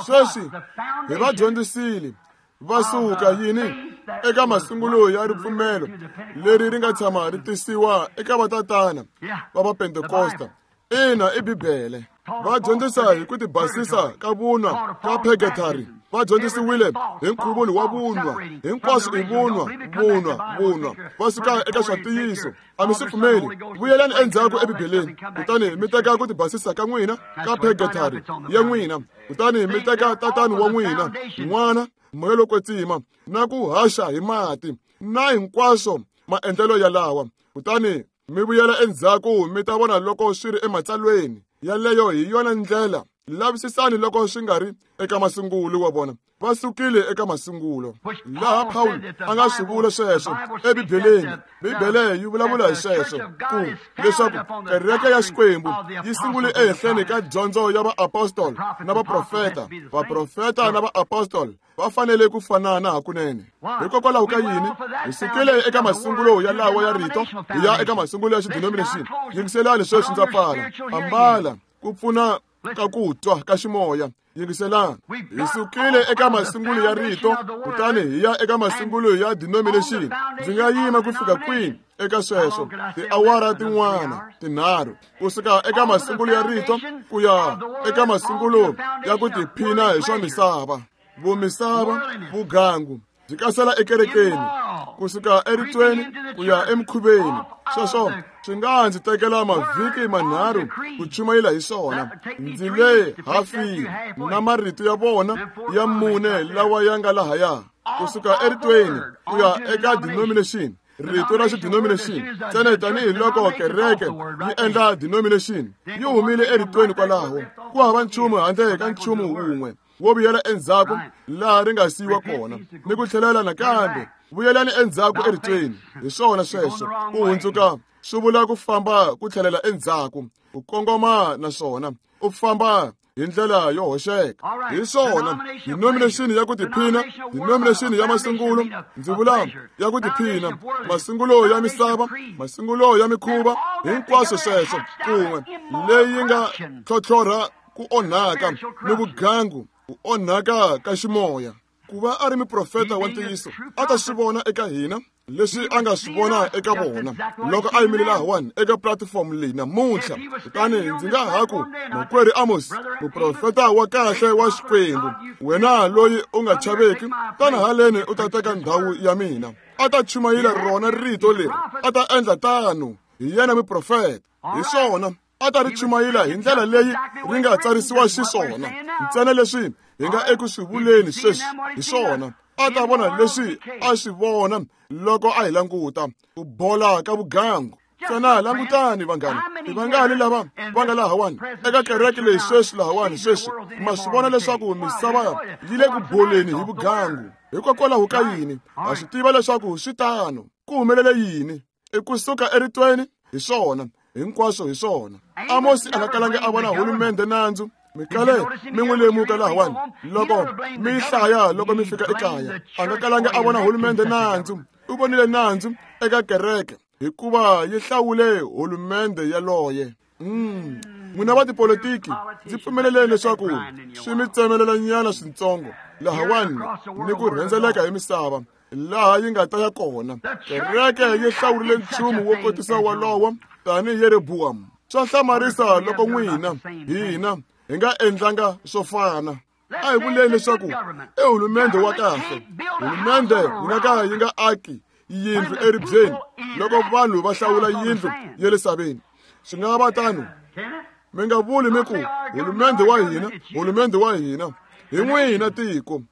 Sweswi hi va dyondzisile va suka yini eka masungulo ya ripfumelo leri ri nga tshama ri tisiwa eka vatatana va Vapentekosta. Ina, i Bibele. Va dyondzisa hi ku tibasisa ka vunwa ka purgatory. Va dyondzisiwile hi nkhuvulo wa vunwa. Hinkwaswo i vunwa, vunwa, vunwa. Va suka eka swa ntiyiso. A mi swi pfumeli. Vuyelani endzhaku eBibeleni, kutani mi teka ku tibasisa ka n'wina ka purgatory ya n'wina, kutani mi teka tatani wa n'wina, N'wana, Moya lowo Kwetsima, na ku haxa hi mati na hinkwaswo maendlelo yalawa, kutani mi vuyela endzhaku mi ta vona loko swi ri ematsalweni. Yaleyo hi yona ndlela. Lavisisani loko swi nga ri eka masungulo wa vona. Va sukile eka masungulo. Laha Paul a nga swi vula sweswo eBibeleni. Bibele yi vulavula hi sweswo ku leswaku kereke ya Xikwembu yi sungule ehenhleni ka dyondzo ya vaapostoli na vaprofeta. Vaprofeta na vaapostoli va fanele ku fanana hakunene. Hikokwalaho ka yini hi sukile eka masungulo ya lawa ya rito hi ya eka masungulo ya xidenomination? Yingiselani sweswi ndza pfala. Ambala ku pfuna ka ku twa ka ximoya. Yingiselani, hi sukile eka masungulo ya rito kutani hi ya eka masungulo ya denomination. Ndzi nga yima ku fika kwini eka sweswo? Tiawara tin'wana tinharhu kusuka eka masungulo ya rito ku ya eka masungulo ya ku tiphina hi swa misava. Vumisava, vugangu byi kasela ekerekeni kusuka eritweni ku ya emikhuveni. Sweswo swi nga ndzi tekela mavhiki manharhu ku chumayela hi swona. Ndzi le hafini na marito ya vona ya mune lawa ya nga lahaya kusuka eritweni ku ya eka denomination. Rito ra xidenomination ntsena tanihiloko kereke yi endla denomination yi humile eritweni kwalaho. Ku hava nchumu handle ka nchumu wun'we wo vuyela endzhaku laha ri nga siyiwa kona ni ku tlhelela nakambe. Vuyelani endzhaku eritweni. Hi swona sweswo. Ku hundzuka swi vula ku famba ku tlhelela endzhaku, u kongoma naswona u famba hi ndlela yo hoxeka. Hi swona denomination ya ku tiphina, denomination ya masungulo, ndzi vula ya ku tiphina, masungulo ya misava, masungulo ya mikhuva, hinkwaswo sweswo kun'we leyi nga tlhotlhorha ku onhaka ni vugangu, ku onhaka ka ximoya. Ku va a ri muprofeta wa ntiyiso a ta swi vona eka hina leswi a nga swi vona eka vona loko a yimile lahawani eka platform leyi namuntlha. Kutani ndzi nga ha ku, makwerhu Amos, muprofeta wa kahle wa Xikwembu, wena loyi u nga chaveki, tana haleni u ta teka ndhawu ya mina. A ta chumayela rona rito leri, a ta endla tano. Hi yena muprofeta. Hi swona a ta ri chumayela hi ndlela leyi ri nga tsarisiwa xiswona, ntsena leswi hi nga eku swi vuleni sweswi. Hi swona a ta vona leswi a swi vona loko a hi languta, ku bola ka vugangu. Ntsena langutani vanghana, i vangani lava va nga lahawani eka kereke leyi sweswi lahawani sweswi? Ma swi vona leswaku misava yi le ku boleni hi vugangu. Hikokwalaho ka yini? Ha swi tiva leswaku swi tano. Ku humelele yini? I kusuka eritweni. Hi swona hinkwaswo, hi swona. Amosi a nga kalangi a vona hulumende nandzu. Mi kale mi n'wi lemuka lahawani loko mi hlaya loko mi fika ekaya. A nga kalangi a vona hulumende nandzu. U vonile nandzu eka kereke hikuva yi hlawule hulumende yaloye. Mm. N'wina va tipolitiki, ndzi pfumeleleni leswaku swi mi tsemelelanyana swintsongo lahawani ni ku rhendzeleka hi misava laha yi nga ta ya kona. Kereke yi hlawurile nchumu wo kotisa walowo tanihi Yeroboam. Swa hlamarisa loko n'wina hina hi nga endlanga swo fana. A hi vuleni leswaku i hulumende wa kahle. Hulumende yi nga ka yi nga aki yindlu eribyeni loko vanhu va hlawula yindlu ya le saveni. Swi nga va tano. Mi nga vuli mi ku hulumende wa hina, hulumende wa hina. Hi n'wina tiko,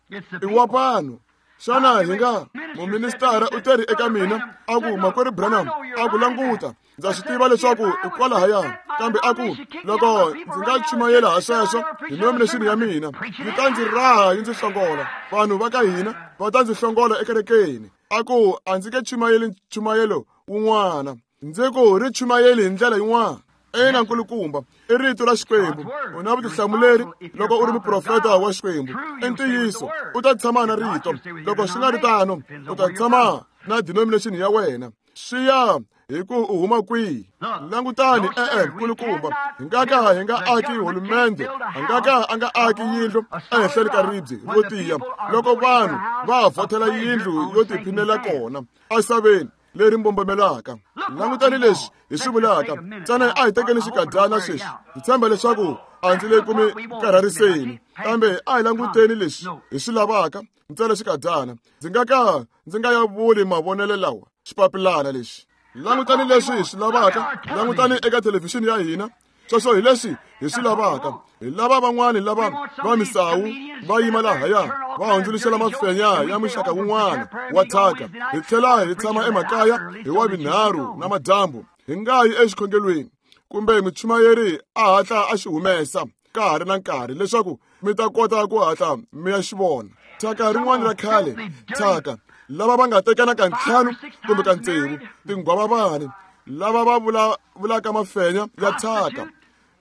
i wa vanhu. Xana hi nga muministara u teri eka mina a ku, makwerhu Branham, a ku languta, ndza swi tiva leswaku i kwalahaya, kambe a ku loko ndzi nga chumayela ha sweswo denomination ya mina yi ta ndzi raha yi ndzi hlongola. Vanhu va ka hina va ta ndzi hlongola ekerekeni. A ku a ndzi nge chumayeli nchumayelo wun'wana, ndzi ku ri chumayeli hi ndlela yin'wana. Ina nkulukumba, i rito ra Xikwembu. U na vutihlamuleri loko u ri muprofeta wa Xikwembu. I ntiyiso, u ta tshama na rito. Loko swi nga ri tano, u ta tshama na denomination ya wena. Swi ya hi ku u huma kwihi. Langutani, e-e, nkulukumba, hi nga ka hi nga aki hulumende, a nga ka a nga aki yindlu ehenhleni ka ribye ro tiya loko vanhu va vhotela yindlu yo tiphinela kona esaveni leri mbombomelaka. Langutani leswi hi swi vulaka. Ntsena a hi tekeni xikadyana sweswi. Ndzi tshemba leswaku a ndzi le ku mi karhariseni, kambe a hi languteni leswi hi swi lavaka ntsena xikadyana. Ndzi nga ka ndzi nga ya vuli mavonelo lawa xipapilana lexi. Langutani leswi hi swi lavaka. Langutani eka thelevhixini ya hina. Sweswo hi leswi hi swi lavaka. Hi lava van'wani lava va misawu va yima lahaya va hundzuluxela mafenya ya muxaka wun'wana wa thyaka. Hi tlhela hi tshama emakaya hi wa vinharhu na madyambu, hi nga yi exikhongelweni kumbe muchumayeri a hatla a xi humesa ka ha ri na nkarhi leswaku mi ta kota ku hatla mi ya xi vona. Thyaka rin'wana ra khale, thyaka lava va nga tekana ka ntlhanu kumbe ka tsevu, tinghwavavani lava va vula vulaka mafenya ya thyaka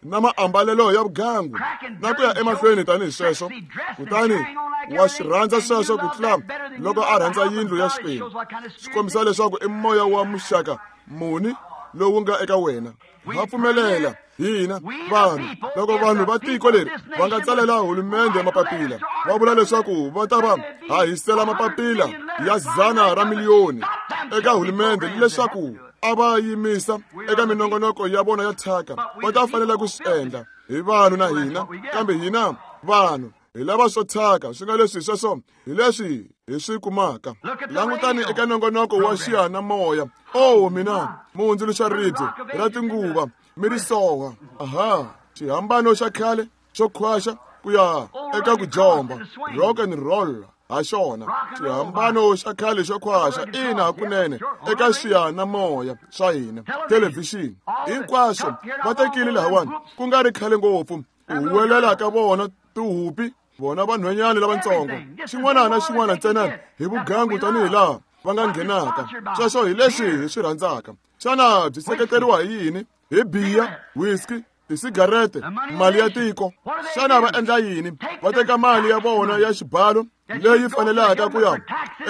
na maambalelo ya vugangu na ku ya emahlweni tanihi sweswo. Kutani wa swi rhandza sweswo ku tlula loko a rhandza yindlu ya Xikwembu. Swi kombisa leswaku i moya wa muxaka muni lowu nga eka wena. Ha pfumelela hina vanhu loko vanhu va tiko leri va nga tsalela hulumende mapapila va vula leswaku va ta va hahisela mapapila ya zana ra miliyoni eka hulumende leswaku a va yimisa eka minongonoko ya vona ya thyaka. Va ta fanela ku swi endla hi vanhu na hina, kambe hina vanhu hi lava swo thyaka. Swi nga leswi sweswo hi leswi hi swi kumaka. Langutani eka nongonoko wa xiyanimoya. Oh mina, muhundzuluxa ribye ra tinguva mi ri soha. Aha, xihambano xa khale xo khwaxa ku ya eka ku jomba, rock and roll. ha xona. Xihambano xa khale xo khwaxa ina hakunene eka xiyanimoya swa hina, thelevhixini, hinkwaswo va tekile lahawani ku nga ri khale ngopfu. Ku huwelela ka vona tihupi, vona vanhwanyana lavatsongo, xin'wana na xin'wana ntsena hi vugangu tanihi laha va nga nghenaka. Sweswo hi leswi hi swi rhandzaka. Xana byi seketeriwa hi yini? Hi biya, whisky, tisigarete, mali ya tiko. Xana va endla yini? Va teka mali ya vona ya xibalo leyi fanelaka ku ya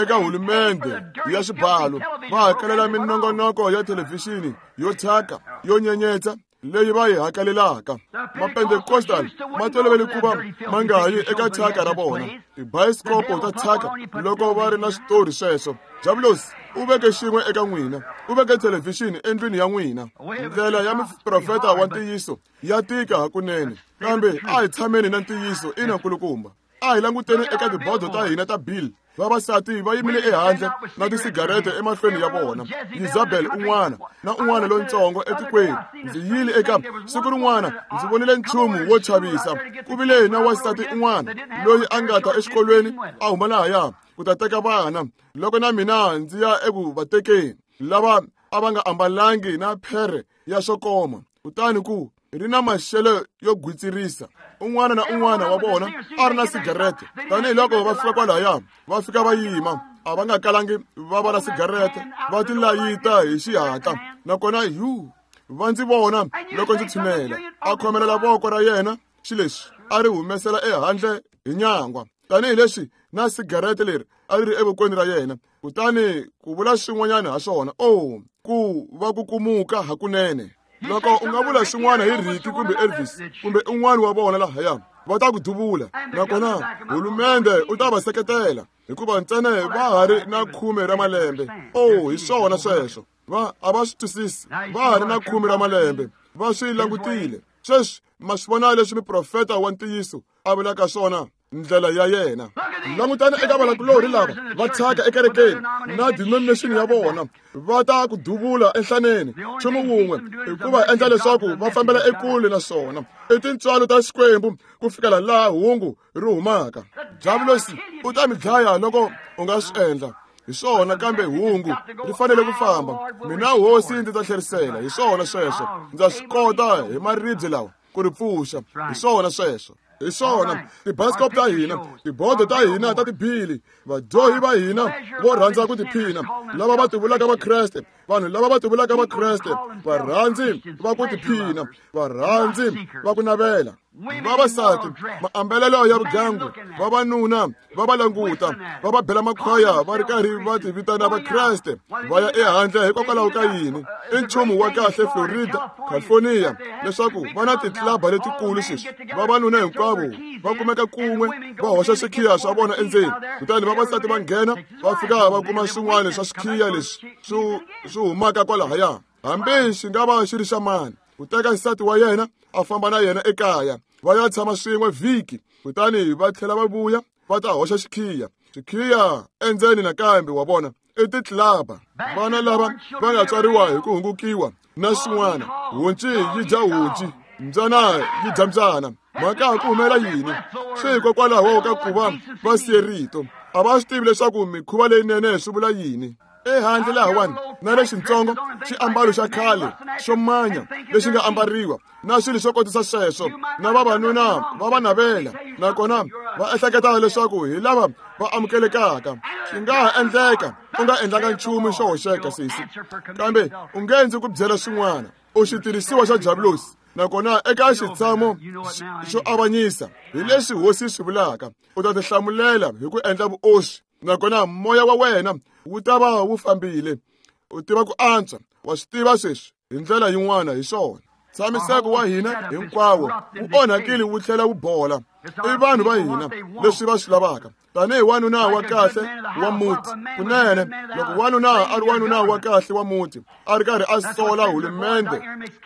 eka hulumende ya xibalo, va hakelela minongonoko ya thelevhixini yo thyaka, yo nyenyetsa leyi va yi hakelelaka. Mapentekostal ma tolovele ku va ma nga yi eka thyaka ra vona, tibayiskopo ta thyaka loko va ri na switori sweswo. Diabolos u veke xin'we eka n'wina, u veke thelevhixini endlwini ya n'wina. Ndlela ya muprofeta wa ntiyiso ya tika hakunene, kambe a hi tshameni na ntiyiso ina nkulukumba. A hi languteni eka tibodo ta hina ta bill. Vavasati va yimile ehandle na tisigarete emahlweni ya vona. Isabel un'wana na un'wana lontsongo etikweni. Ndzi yile eka siku rin'wana ndzi vonile nchumu wo chavisa. Ku vile na wansati un'wana loyi a nga ta exikolweni a huma lahaya ku ta teka vana. Loko na mina ndzi ya eku va tekeni, lava a va nga ambalangi na phere ya swo koma, kutani ku ri na maxelo yo gwitsirisa. Un'wana na un'wana wa vona a ri na sigarete. Tanihiloko va fika kwalaya, va fika va yima, a va nga kalangi va va na sigarete, va ti layita hi xihatla. Nakona yu va ndzi vona loko ndzi tshunela, a khomelela voko ra yena xileswi a ri humesela ehandle hi nyangwa, tanihileswi na sigarete leri a ri ri evokweni ra yena. Kutani ku vula swin'wanyana ha swona, oh, ku va ku kumuka hakunene. Loko u nga vula swin'wana hi Ricky kumbe Elvis kumbe un'wana wa vona lahaya, va ta ku duvula. Nakona hulumende u ta va seketela hikuva ntsena va ha ri na khume ra malembe. Oh, hi swona sweswo. Va a va swi twisisi, va ha ri na khume ra malembe, va swi langutile. Sweswi ma swi vona leswi muprofeta wa ntiyiso a vulaka swona, ndlela ya yena. Langutana eka valakulorhi lava va thyaka ekerekeni na denomination ya vona, va ta ku duvula enhlaneni. Nchumu wun'we i ku va endla leswaku va fambela ekule na swona i tintswalo ta Xikwembu ku fikela laha hungu ri humaka. Diabolos u ta mi dlaya loko u nga swi endla. Hi swona, kambe hungu ri fanele ku famba. Mina hosi ndzi ta tlherisela. Hi swona sweswo, ndza swi kota hi maribye lawa ku ri pfuxa. Hi swona sweswo. Hi swona tibayiskopo ta hina, tibodo ta hina ta tibili, vadyohi va hina vo rhandza ku tiphina, lava va tivulaka Vakreste, vanhu lava va tivulaka Vakreste, varhandzi va ku tiphina, varhandzi va ku navela. Vavasati maambalelo ya vugangu, vavanuna va va languta, va va bela makhwaya va ri karhi va ti vitana Vakreste, va ya ehandle hikokwalaho ka yini? I nchumu wa kahle Florida, California, leswaku va na titlilaba letikulu sweswi. Vavanuna hinkwavo va kumeka kun'we, va hoxa swikhiya swa vona endzeni, kutani vavasati va nghena va fika va kuma swin'wana swa swikhiya leswi swi swi humaka kwalahaya, hambi xi nga va xi ri xa mani. Ku teka nsati wa yena a famba na yena ekaya, va ya tshama swin'we vhiki, kutani va tlhela va vuya va ta hoxa xikhiya xikhiya endzeni nakambe. Wa vona, i titlilaba. Vana lava va nga tswariwa hi ku hungukiwa na swin'wana, honci yi dya honci, mbyana yi dya mbyana. Mhaka ku humela yini? Swi hikokwalaho ka ku va va siye rito. A va swi tivi leswaku mikhuva leyinene swi vula yini. Ehandle lahawani na lexintsongo xiambalo xa khale xo manya lexi nga ambariwa na swilo swo kotisa sweswo, na vavanuna va va navela, nakona va ehleketa leswaku hi lava va amukelekaka. Swi nga ha endleka u nga endlanga nchumu xo hoxeka sesi, kambe u nge ndzi ku byela swin'wana. U xitirhisiwa xa Diabolos, nakona eka xitshamo xo avanyisa hi leswi hosi swi vulaka, u ta tihlamulela hi ku endla vuoswi, nakona moya wa wena wu ta va wu fambile. U tiva ku antswa, wa swi tiva sweswi hi ndlela yin'wana. Hi swona, ntshamiseko wa hina hinkwawo wu onhakile wu tlhela wu bola. I vanhu va hina leswi va swi lavaka tanihi wanuna wa kahle wa muti. Kunene loko wanuna a ri wanuna wa kahle wa muti a ri karhi a sola hulumende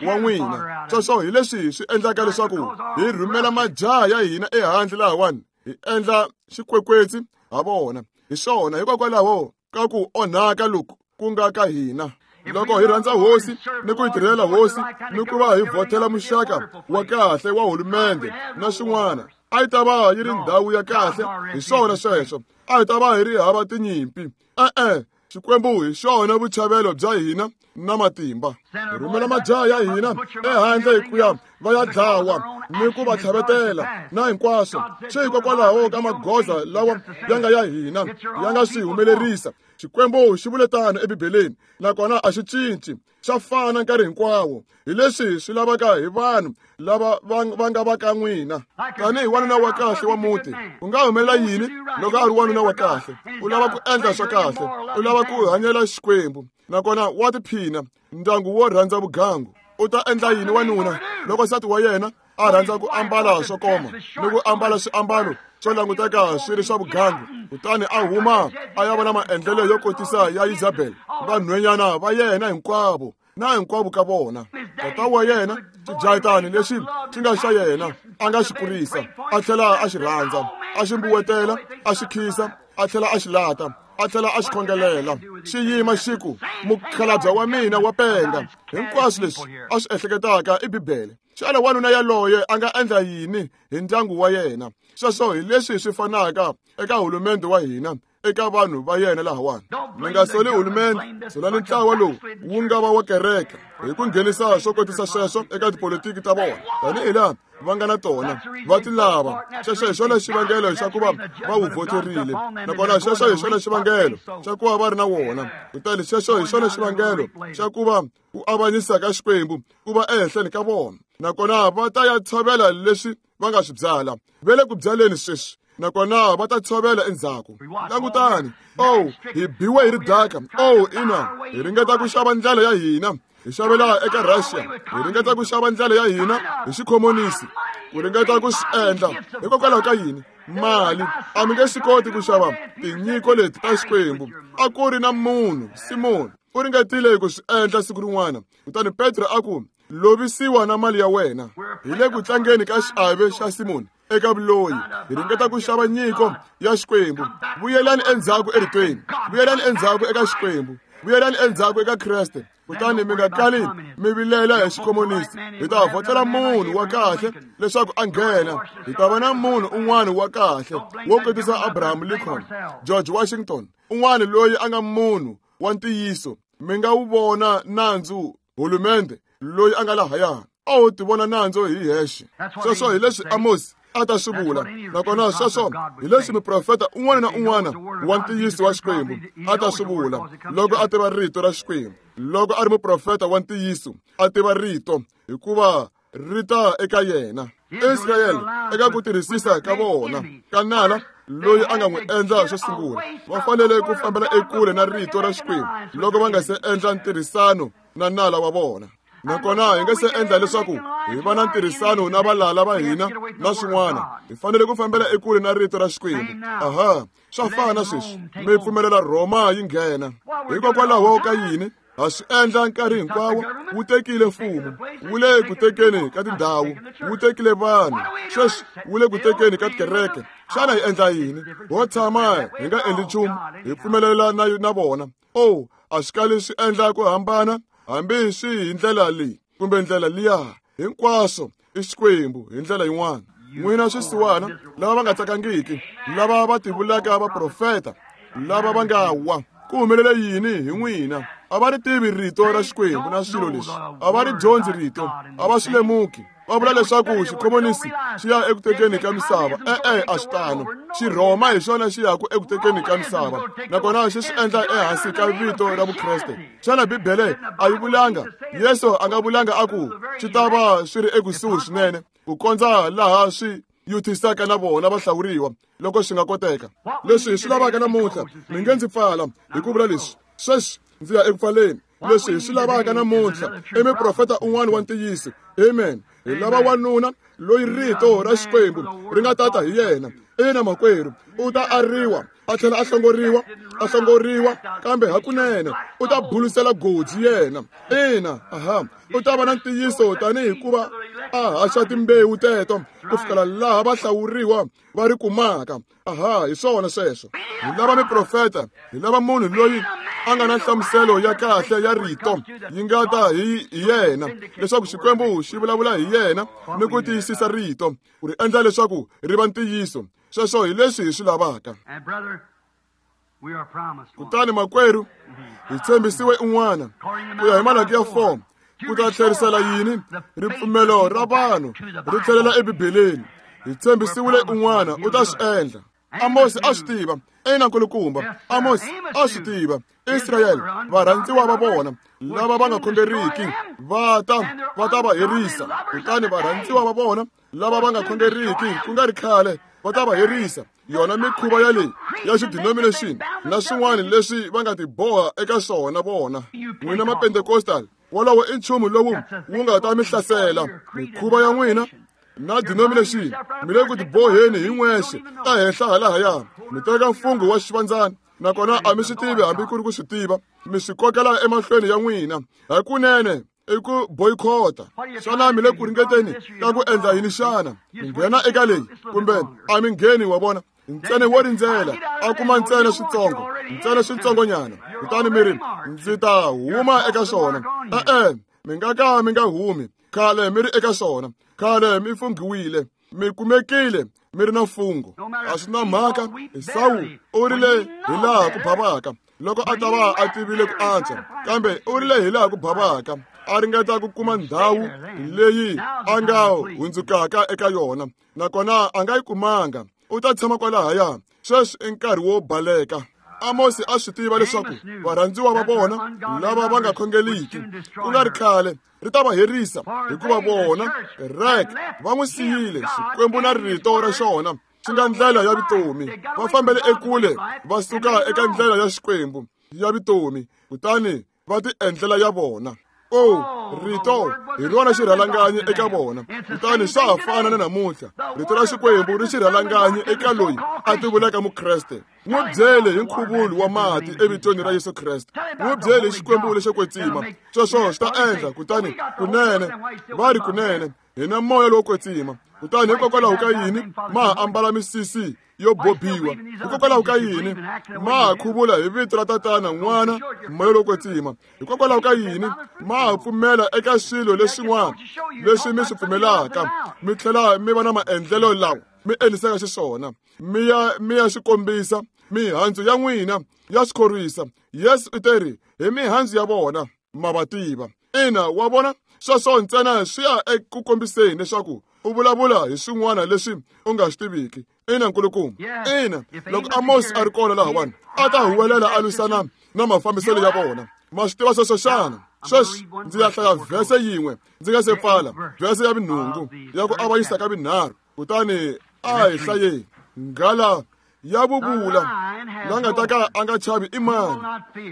wa n'wina, sweswo hi leswi swi endlaka leswaku hi rhumela majaha ya hina ehandle lahawani, hi endla xikwekwetsi ha vona. Hi swona, hikokwalaho ka ku onhaka loku ku nga ka hina. Loko hi rhandza hosi ni ku yi tirhela hosi ni ku va hi vhotela muxaka wa kahle wa hulumende na swin'wana, A yi ta va yi ri ndhawu ya kahle hi swona sweswo. A hi ta va hi ri hava tinyimpi. E-e, Xikwembu hi xona vuchavelo bya hina na matimba. Hi rhumela majaha ya hina ehandle hi ku ya va ya dlawa ni ku va tlhavetela na hinkwaswo. Swi hikokwalaho ka magoza lawa ya nga ya hina ya nga swi humelerisa. Xikwembu xi vule tano eBibeleni, nakona a xi cinci, xa fana nkarhi hinkwawo. Hi leswi swi lavaka hi vanhu lava va nga va ka n'wina. Tanihi wanuna wa kahle wa muti, u nga humelela yini loko a ri wanuna wa kahle? U lava ku endla swa kahle, u lava ku hanyela Xikwembu, nakona wa tiphina. Ndyangu wo rhandza vugangu. U ta endla yini wanuna loko nsati wa yena a rhandza ku ambala swo koma ni ku ambala swiambalo swo languteka swi ri swa vugangu, kutani a huma a ya vona maendlelo yo kotisa ya Isabel, vanhwenyana va yena hinkwavo na hinkwavo ka vona. Tata wa yena xijahatani lexi xi nga xa yena a nga xi kurisa, a tlhela a xi rhandza, a xi mbuwetela, a xi khisa, a tlhela a xi lata, a tlhela a xi khongelela. Xi yima xi ku, mukhalabye wa mina wa penga. Hinkwaswo leswi a swi ehleketaka i Bibele. Xana wanuna yaloye a nga endla yini hi ndyangu wa yena? Sweswo hi leswi swi fanaka eka hulumende wa hina, eka vanhu va yena lahawani. Mi nga soli hulumende, solani ntlawa lowu wu nga va wa kereke hi ku nghenisa swo kotisa sweswo eka tipolitiki ta vona, tanihi laha va nga na tona va ti lava. Xexo hi xona xivangelo xa ku va va wu vhoterile, nakona xexo hi xona xivangelo xa ku va va ri na wona. Kutani xexo hi xona xivangelo xa ku va ku avanyisa ka Xikwembu ku va ehenhleni ka vona, nakona va ta ya tshovela leswi va nga swi byala. Va le ku byaleni sweswi, nakona va ta tshovela endzhaku. Langutani, oh, hi biwe hi ridaka. Oh, ina, hi ringeta ku xava ndlela ya hina hi xavela eka Russia, hi ringeta ku xava ndlela ya hina hi xikhomonisi, ku ringeta ku swi endla. Hikokwalaho ka yini? Mali. A mi nge swi koti ku xava tinyiko leti ta Xikwembu. A ku ri na munhu, Simoni, u ringetile ku swi endla siku rin'wana. Kutani Petro a ku, lovisiwa na mali ya wena. Hi le ku tlangeni ka xiave xa Simoni eka vuloyi. Hi ringeta ku xava nyiko ya Xikwembu. Vuyelani endzhaku eritweni, vuyelani endzhaku eka Xikwembu, vuyelani endzhaku eka Kreste. Kutani mi nga kali mi vilela hi xikhomonisi. Hi ta vhotela munhu wa kahle leswaku a nghena. Hi ta va na munhu un'wana wa kahle wo kotisa Abraham Lincoln, George Washington, un'wana loyi a nga munhu wa ntiyiso. Mi nga wu vona nandzu hulumende loyi a nga lahaya. A wu ti vona nandzu hi hexe. Sweswo hi leswi Amos a ta swi vula, nakona sweswo hi leswi muprofeta un'wana na un'wana wa ntiyiso wa Xikwembu a ta swi vula loko a tiva rito ra Xikwembu. Loko a ri muprofeta wa ntiyiso a tiva rito, hikuva ri ta eka yena. Israyele eka ku tirhisisa ka vona ka nala loyi a nga n'wi endla xo sungula, va fanele ku fambela ekule na rito ra Xikwembu loko va nga se endla ntirhisano na nala wa vona. Nakona hi nga se endla leswaku hi va na ntirhisano na valala va hina na swin'wana, hi fanele ku fambela ekule na rito ra Xikwembu. Aha, swa fana sweswi. Mi pfumelela Rhoma yi nghena. Hikokwalaho ka yini? Ha swi endla nkarhi hinkwawo. Wu tekile mfumo, wu le ku tekeni ka tindhawu, wu tekile vanhu, sweswi wu le ku tekeni ka tikereke. Xana hi endla yini? Ho tshama hi nga endli nchumu, hi pfumelela na na vona. Oh, a swi kali swi endla ku hambana hambi swi hi ndlela leyi kumbe ndlela liya. Hinkwaswo i Xikwembu hi ndlela yin'wana. N'wina swisiwana lava va nga tsakangiki, lava va tivulaka vaprofeta, lava va nga wa, ku humelele yini hi n'wina? A va ri tivi rito ra Xikwembu na swilo leswi. A va ri dyondzi rito, a va swi lemuki. Va vula leswaku xikhomonisi xi ya eku tekeni ka misava. E-e, a swi tano. Xirhoma hi xona xi yaku eku tekeni ka misava, nakona xi swi endla ehansi ka vito ra Vukreste. Xana Bibele a yi vulanga? Yesu a nga vulanga a ku swi ta va swi ri ekusuhi swinene ku kondza laha swi yuthisaka na vona va hlawuriwa loko swi nga koteka. Leswi hi swi lavaka namuntlha, mi nge ndzi pfala hi ku vula leswi. Sweswi ndzi ya eku pfaleni. Leswi hi swi lavaka namuntlha i muprofeta un'wana wa ntiyiso. Amen. Hi lava wanuna loyi rito ra Xikwembu ri nga tata hi yena. Ina makwerhu, u ta ariwa, a tlhela a hlongoriwa, a hlongoriwa, kambe hakunene u ta bulusela goji yena. Ina, aha, u ta va na ntiyiso tanihi hikuva a haxa timbewu teto ku fikela laha va hlawuriwa va ri kumaka. Aha, hi swona sweswo. Hi lava miprofeta, hi lava munhu loyi a nga na nhlamuselo ya kahle ya rito yi nga ta hi yena, leswaku Xikwembu xi vulavula hi yena ni ku tiyisisa rito ku ri endla leswaku ri va ntiyiso. Sweswo hi leswi hi swi lavaka. Kutani makwerhu, hi tshembisiwe un'wana ku ya hi Malaki ya four ku ta tlherisela yini ripfumelo ra vanhu ri tlhelela eBibeleni. Hi tshembisiwile un'wana u ta swi endla. Amosi a swi tiva, ina nkulukumba. Amosi a swi tiva. Israyele, varhandziwa va vona lava va nga khongeriki va ta va ta va herisa. Kutani varhandziwa va vona lava va nga khongeriki ku nga ri khale va ta va herisa. Yona mikhuva ya leyi ya xidenomination na swin'wana leswi va nga tiboha eka swona vona. N'wina ma-Pentecostal, wolowo i nchumu lowu wu nga ta mi hlasela. Mikhuva ya n'wina na denomination mi le ku tiboheni hi n'wexe ehenhla halahaya. Mi teka mfungho wa xivandzana nakona a mi swi tivi hambi ku ri ku swi tiva, mi swi kokela emahlweni ya n'wina. Hakunene i ku boycota. Xana mi le ku ringeteni ka ku endla yini xana? Mi nghena eka leyi kumbe a mi ngheni, wa vona? Ntsena wo rindzela a kuma ntsena switsongo, ntsena switsongonyana, kutani mi ri ndzi ta huma eka swona. E-e, mi nga ka mi nga humi. Khale mi ri eka swona, khale mi funghiwile, mi kumekile mi ri na mfungho. A swi na mhaka. Esawu u rile hi laha ku bavaka loko a ta va a tivile ku antswa, kambe u rile hi laha ku bavaka a ringeta ku kuma ndhawu leyi a nga hundzukaka eka yona, nakona a nga yi kumanga. U ta tshama kwalahaya. Sweswi i nkarhi wo baleka. Amosi a swi tiva leswaku varhandziwa va vona lava va nga khongeliki ku nga ri khale ri ta va herisa, hikuva vona kereke va n'wi siyile Xikwembu na rito ra xona xi nga ndlela ya vutomi. Va fambele ekule va suka eka ndlela ya Xikwembu ya vutomi, kutani va ti endlela ya vona. O, rito hi rona xirhalanganyi eka vona. Kutani swa ha fana na namuntlha, rito ra Xikwembu ri xirhalanganyi eka loyi a tivulaka Mukreste. N'wi byele hi nkhuvulo wa mati evitweni ra Yesu Kreste. N'wi byele hi Xikwembu lexo kwetsima. Sweswo swi ta endla. Kutani kunene va ri kunene hi na moya lowo kwetsima. Kutani hikokwalaho ka yini ma ha ambala misisi yo bobiwa? Hikokwalaho ka yini ma ha khuvula hi vito ra Tatana, N'wana, Moya lowo kwetsima? Hikokwalaho ka yini ma ha pfumela eka swilo leswin'wana leswi mi swi pfumelaka, mi tlhela mi va na maendlelo lawa mi endlisaka xiswona? Mi ya mi ya swi kombisa mihandzu ya n'wina ya swi khorwisa. Yesu u teri hi mihandzu ya vona ma va tiva. Ina, wa vona, sweswo ntsena swi ya eku kombiseni leswaku u vulavula hi swin'wana leswi u nga swi tiviki. Ina nkulukumba. Ina, loko Amosi a ri kona lahawani a ta huwelela a lwisana na mafambiselo ya vona. Ma swi tiva sweswo xana? Sweswi ndzi ya hlaya vhese yin'we ndzi nga se pfala, vhese ya vinhungu ya ku avanyisa ka vinharhu. Kutani a hi hlayeni. Nghala ya vuvula la nga ta ka a nga chavi i mani?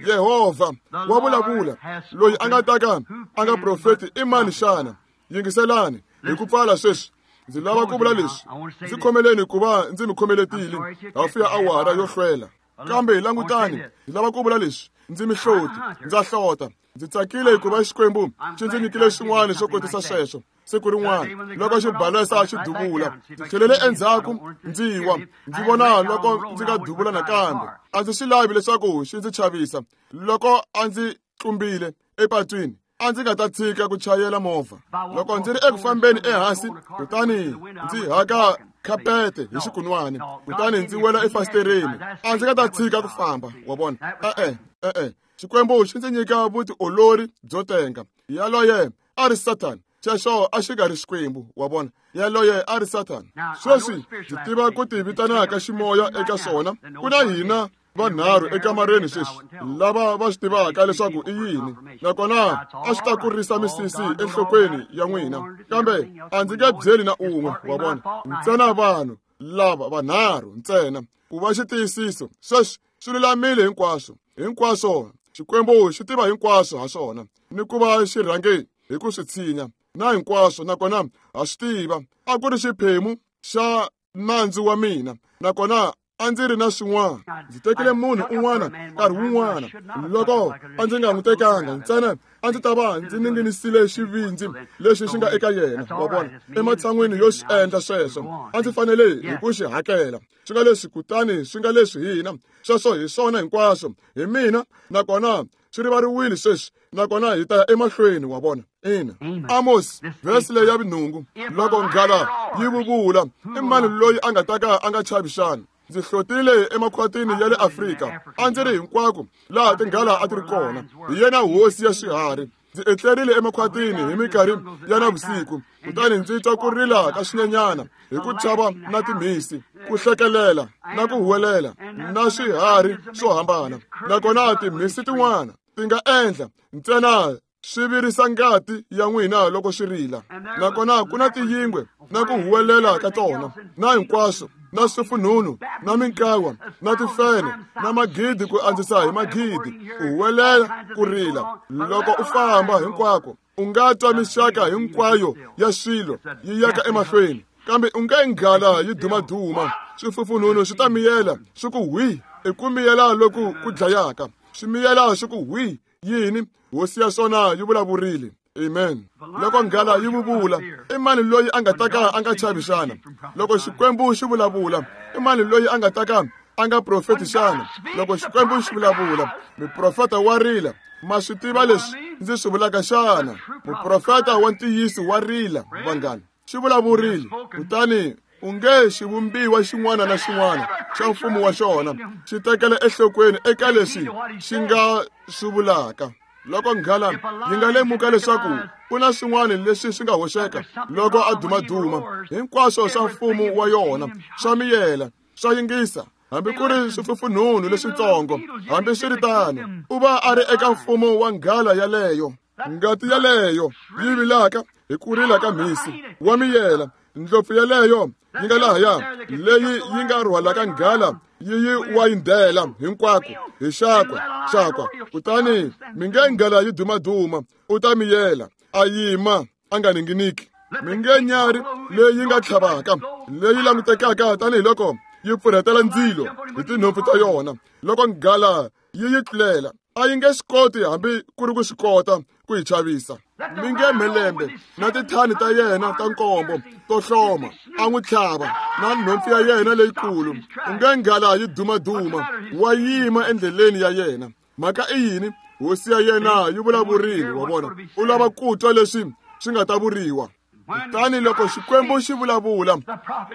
Yehovha wa vulavula. Loyi a nga ta ka a nga profeti i mani xana? Yingiselani hi ku pfala sweswi. Ndzi lava ku vula leswi. Ndzi khomeleni ku va ndzi mi khomeletile hafu ya awara yo hlwela, kambe langutani, ndzi lava ku vula leswi. Ndzi mihloti, ndza hlota. Ndzi tsakile hikuva Xikwembu xi ndzi nyikile xin'wana xo kotisa sweswo. Siku rin'wana loko xibalesa xi duvula, ndzi tlhelele endzhaku ndzi wa ndzi vona loko ndzi nga duvula nakambe. A ndzi swi lavi leswaku xi ndzi chavisa. Loko a ndzi tlumbile epatwini, a ndzi nga ta tshika ku chayela movha. Loko ndzi ri eku fambeni ehansi, kutani ndzi haka khapete hi xikunwani, kutani ndzi wela efasitereni, a ndzi nga ta tshika ku famba. Wa vona? E-e, e-e. Xikwembu xi ndzi nyika vutiolori byo tenga. Yaloye a ri Sathana. Xexo a xi nga ri Xikwembu, wa vona? Yaloye a ri Sathana. Sweswi ndzi tiva ku ti vitanaka ximoya eka swona. Ku na hina vanharhu ekamareni sweswi lava va swi tivaka leswaku i yini, nakona a swi ta kurisa misisi enhlokweni ya n'wina, kambe a ndzi nge byeli na un'we, wa vona? Ntsena vanhu lava vanharhu ntsena ku va xitiyisiso. Sweswi swi lulamile hinkwaswo, hinkwaswo. Xikwembu xi tiva hinkwaswo ha swona, ni ku va xi rhange hi ku swi tshinya na hinkwaswo, nakona ha swi tiva. A ku ri xiphemu xa nandzu wa mina, nakona A ndzi ri na swin'wana. Ndzi tekile munhu un'wana nkarhi wun'wana. Loko a ndzi nga n'wi tekanga ntsena a ndzi ta va ndzi ninginisile xivindzi lexi xi nga eka yena, wa vona. Ematshan'wini yo xi endla sweswo, a ndzi fanele hi ku xi hakela. Swi nga leswi kutani swi nga leswi hina. Sweswo hi swona hinkwaswo. Hi mina nakona swi rivariwile sweswi nakona hi ta ya emahlweni, wa vona. Ina. Amos, vhesi leyi ya vunhungu, loko nghala yi vuvula, i mani loyi a nga ta ka a nga chavi xana? Ndzi hlotile emakhwatini ya le Afrika, a ndzi ri hinkwako laha tinghala a ti ri kona. Hi yena hosi ya swiharhi. Ndzi etlerile emakhwatini hi minkarhi ya navusiku, kutani ndzi twa ku rila ka swinyenyana hi ku chava na timhisi, ku hlekelela na ku huwelela na swiharhi swo hambana. Nakona timhisi tin'wana ti nga endla ntsena swi virisa ngati ya n'wina loko swi rila. Nakona ku na tiyingwe na ku huwelela ka tona na hinkwaswo, na swifunhunu na minkawa na tifene na magidi ku andzisa hi magidi, ku huwelela ku rila. Loko u famba hinkwako u nga twa mixaka hinkwayo ya swilo yi yaka emahlweni, kambe u nge nghala yi dumaduma. Swifufunhunu swi ta miyela swi ku hwi, i ku miyela loku ku dlayaka. Swi miyela swi ku hwi yini? Hosi ya swona yi vulavurile. Amen. Loko nghala yi vuvula, i mani loyi a nga ta ka a nga chavi xana? Loko Xikwembu xi vulavula, i mani loyi a nga ta ka a nga profeti xana? Loko Xikwembu xi vulavula, muprofeta wa rila. Ma swi tiva leswi ndzi swi vulaka xana? Muprofeta wa ntiyiso wa rila, vanghana. Xi vulavurile, kutani u nge xivumbiwa xin'wana na xin'wana xa mfumo wa xona xi tekela enhlokweni eka leswi xi nga swi vulaka. Loko nghala yi nga lemuka leswaku ku na swin'wana leswi swi nga hoxeka loko a dumaduma, hinkwaswo swa mfumo wa yona swa miyela, swa yingisa, hambi ku ri swifufunhunu leswitsongo. Hambi swi ri tano, u va a ri eka mfumo wa nghala yaleyo. Ngati yaleyo yi vilaka hi ku rila ka mhisi wa miyela. Ndlopfu yaleyo yi nga lahaya leyi yi nga rhwalaka nghala yi yi wayindela hinkwako hi xakwa xakwa. Kutani mi nge nghala yi dumaduma, u ta miyela, a yima a nga ninginiki. Mi nge nyarhi leyi nga tlhavaka, leyi langutekaka tanihiloko yi pfurhetela ndzilo hi tinhompfu ta yona. Loko nghala yi yi tlulela, a yi nge swi koti hambi ku ri ku swi kota ku yi chavisa. Mi nge mhelembe na tithani ta yena ta nkombo to hloma a n'wi tlhava na nhompfu ya yena leyikulu. U nge nghala yi dumaduma, wa yima endleleni ya yena. Mhaka i yini? Hosi ya yena yi vulavurile, wa vona. U lava ku twa leswi swi nga ta vuriwa. Kutani loko Xikwembu xi vulavula,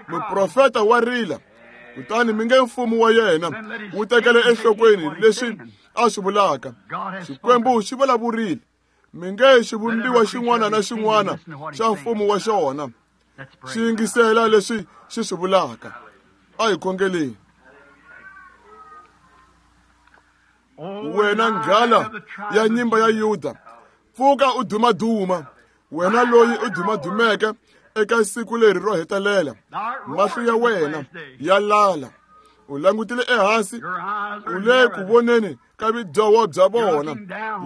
muprofeta wa rila. Kutani mi nge mfumo wa yena wu tekele enhlokweni leswi a swi vulaka. Xikwembu xi vulavurile. Mi nge xivumbiwa xin'wana na xin'wana xa mfumo wa xona xi yingisela leswi xi swi vulaka. A hi khongeleni. Wena nghala ya nyimba ya Yuda, pfuka u dumaduma. Wena loyi u dumadumeke eka siku leri ro hetelela, mahlo ya wena ya lala. U langutile ehansi, u le ku voneni ka vidyoho bya vona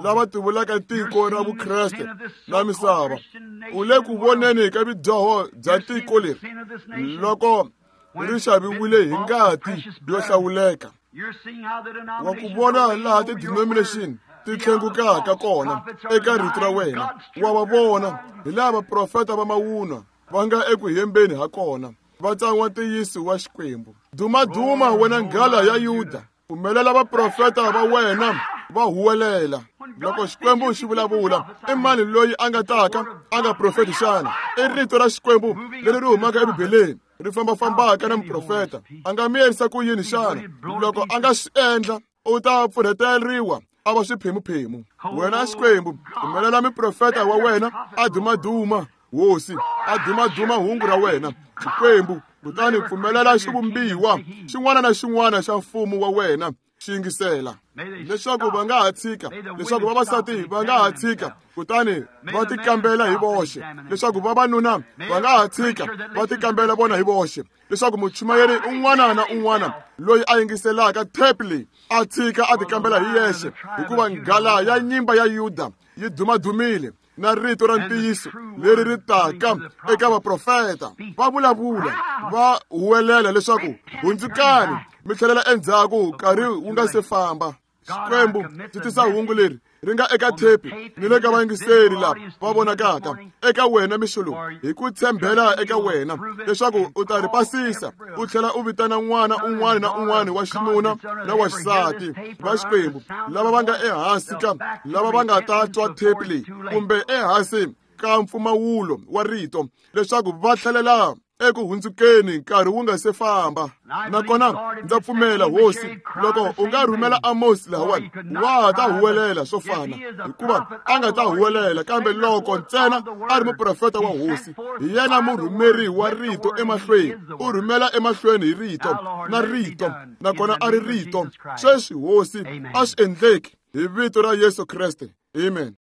lava tivulaka tiko ra Vukreste na misava. U le ku voneni ka vidyoho bya tiko leri loko ri xaviwile hi ngati yo hlawuleka. Wa ku vona laha ti-denomination ti tlhengukaka kona eka rito ra wena. Wa va vona hi laha vaprofeta va mavunwa va nga eku hembeni ha kona, va tsan'wa ntiyiso wa Xikwembu. Dumaduma wena nghala ya Yuda, pfumelela vaprofeta va wena va huwelela. Loko Xikwembu xi vulavula, i mani loyi a nga taka a nga profeti xana? I rito ra Xikwembu leri ri humaka eBibeleni, ri fambafambaka na muprofeta. A nga miyerisa ku yini xana? Loko a nga swi endla, u ta pfurheteriwa a va swiphemuphemu. Wena Xikwembu, pfumelela muprofeta wa wena a dumaduma, Hosi, a dumaduma hungu ra wena, Xikwembu. Kutani pfumelela xivumbiwa xin'wana na xin'wana xa mfumo wa wena xi yingisela, leswaku va nga ha tshika, leswaku vavasati va nga ha tshika, kutani va tikambela hi voxe, leswaku vavanuna va nga ha tshika va tikambela vona hi voxe, leswaku muchumayeri un'wana na un'wana loyi a yingiselaka tape leyi a tshika a tikambela hi yexe, hikuva nghala ya nyimba ya Yuda yi dumadumile na rito ra ntiyiso leri ri taka eka vaprofeta. Va vulavula, va huwelela leswaku hundzukani Mi tlhelela endzhaku nkarhi wu nga se famba. Xikwembu xi tisa hungu leri ri nga eka thepi ni le ka vayingiseri lava va vonakaka eka wena mixo lowu, hi ku tshembela eka wena leswaku u ta ri pasisa, u tlhela u vitana n'wana un'wana na un'wana wa xinuna na wa xisati va Xikwembu lava va nga ehansi ka lava va nga ta twa thepi leyi kumbe ehansi ka mpfumawulo wa rito, leswaku va tlhelela eku hundzukeni nkarhi wu nga se famba. Nakona ndza pfumela, Hosi, loko u nga rhumela Amos lahawani, wa ta huwelela swo fana, hikuva a nga ta huwelela, kambe loko ntsena a ri muprofeta wa Hosi, hi yena murhumeri wa rito emahlweni, u rhumela emahlweni hi rito na rito, nakona a ri rito. Sweswi, Hosi, a swi endleki hi vito ra Yesu Kreste. Amen.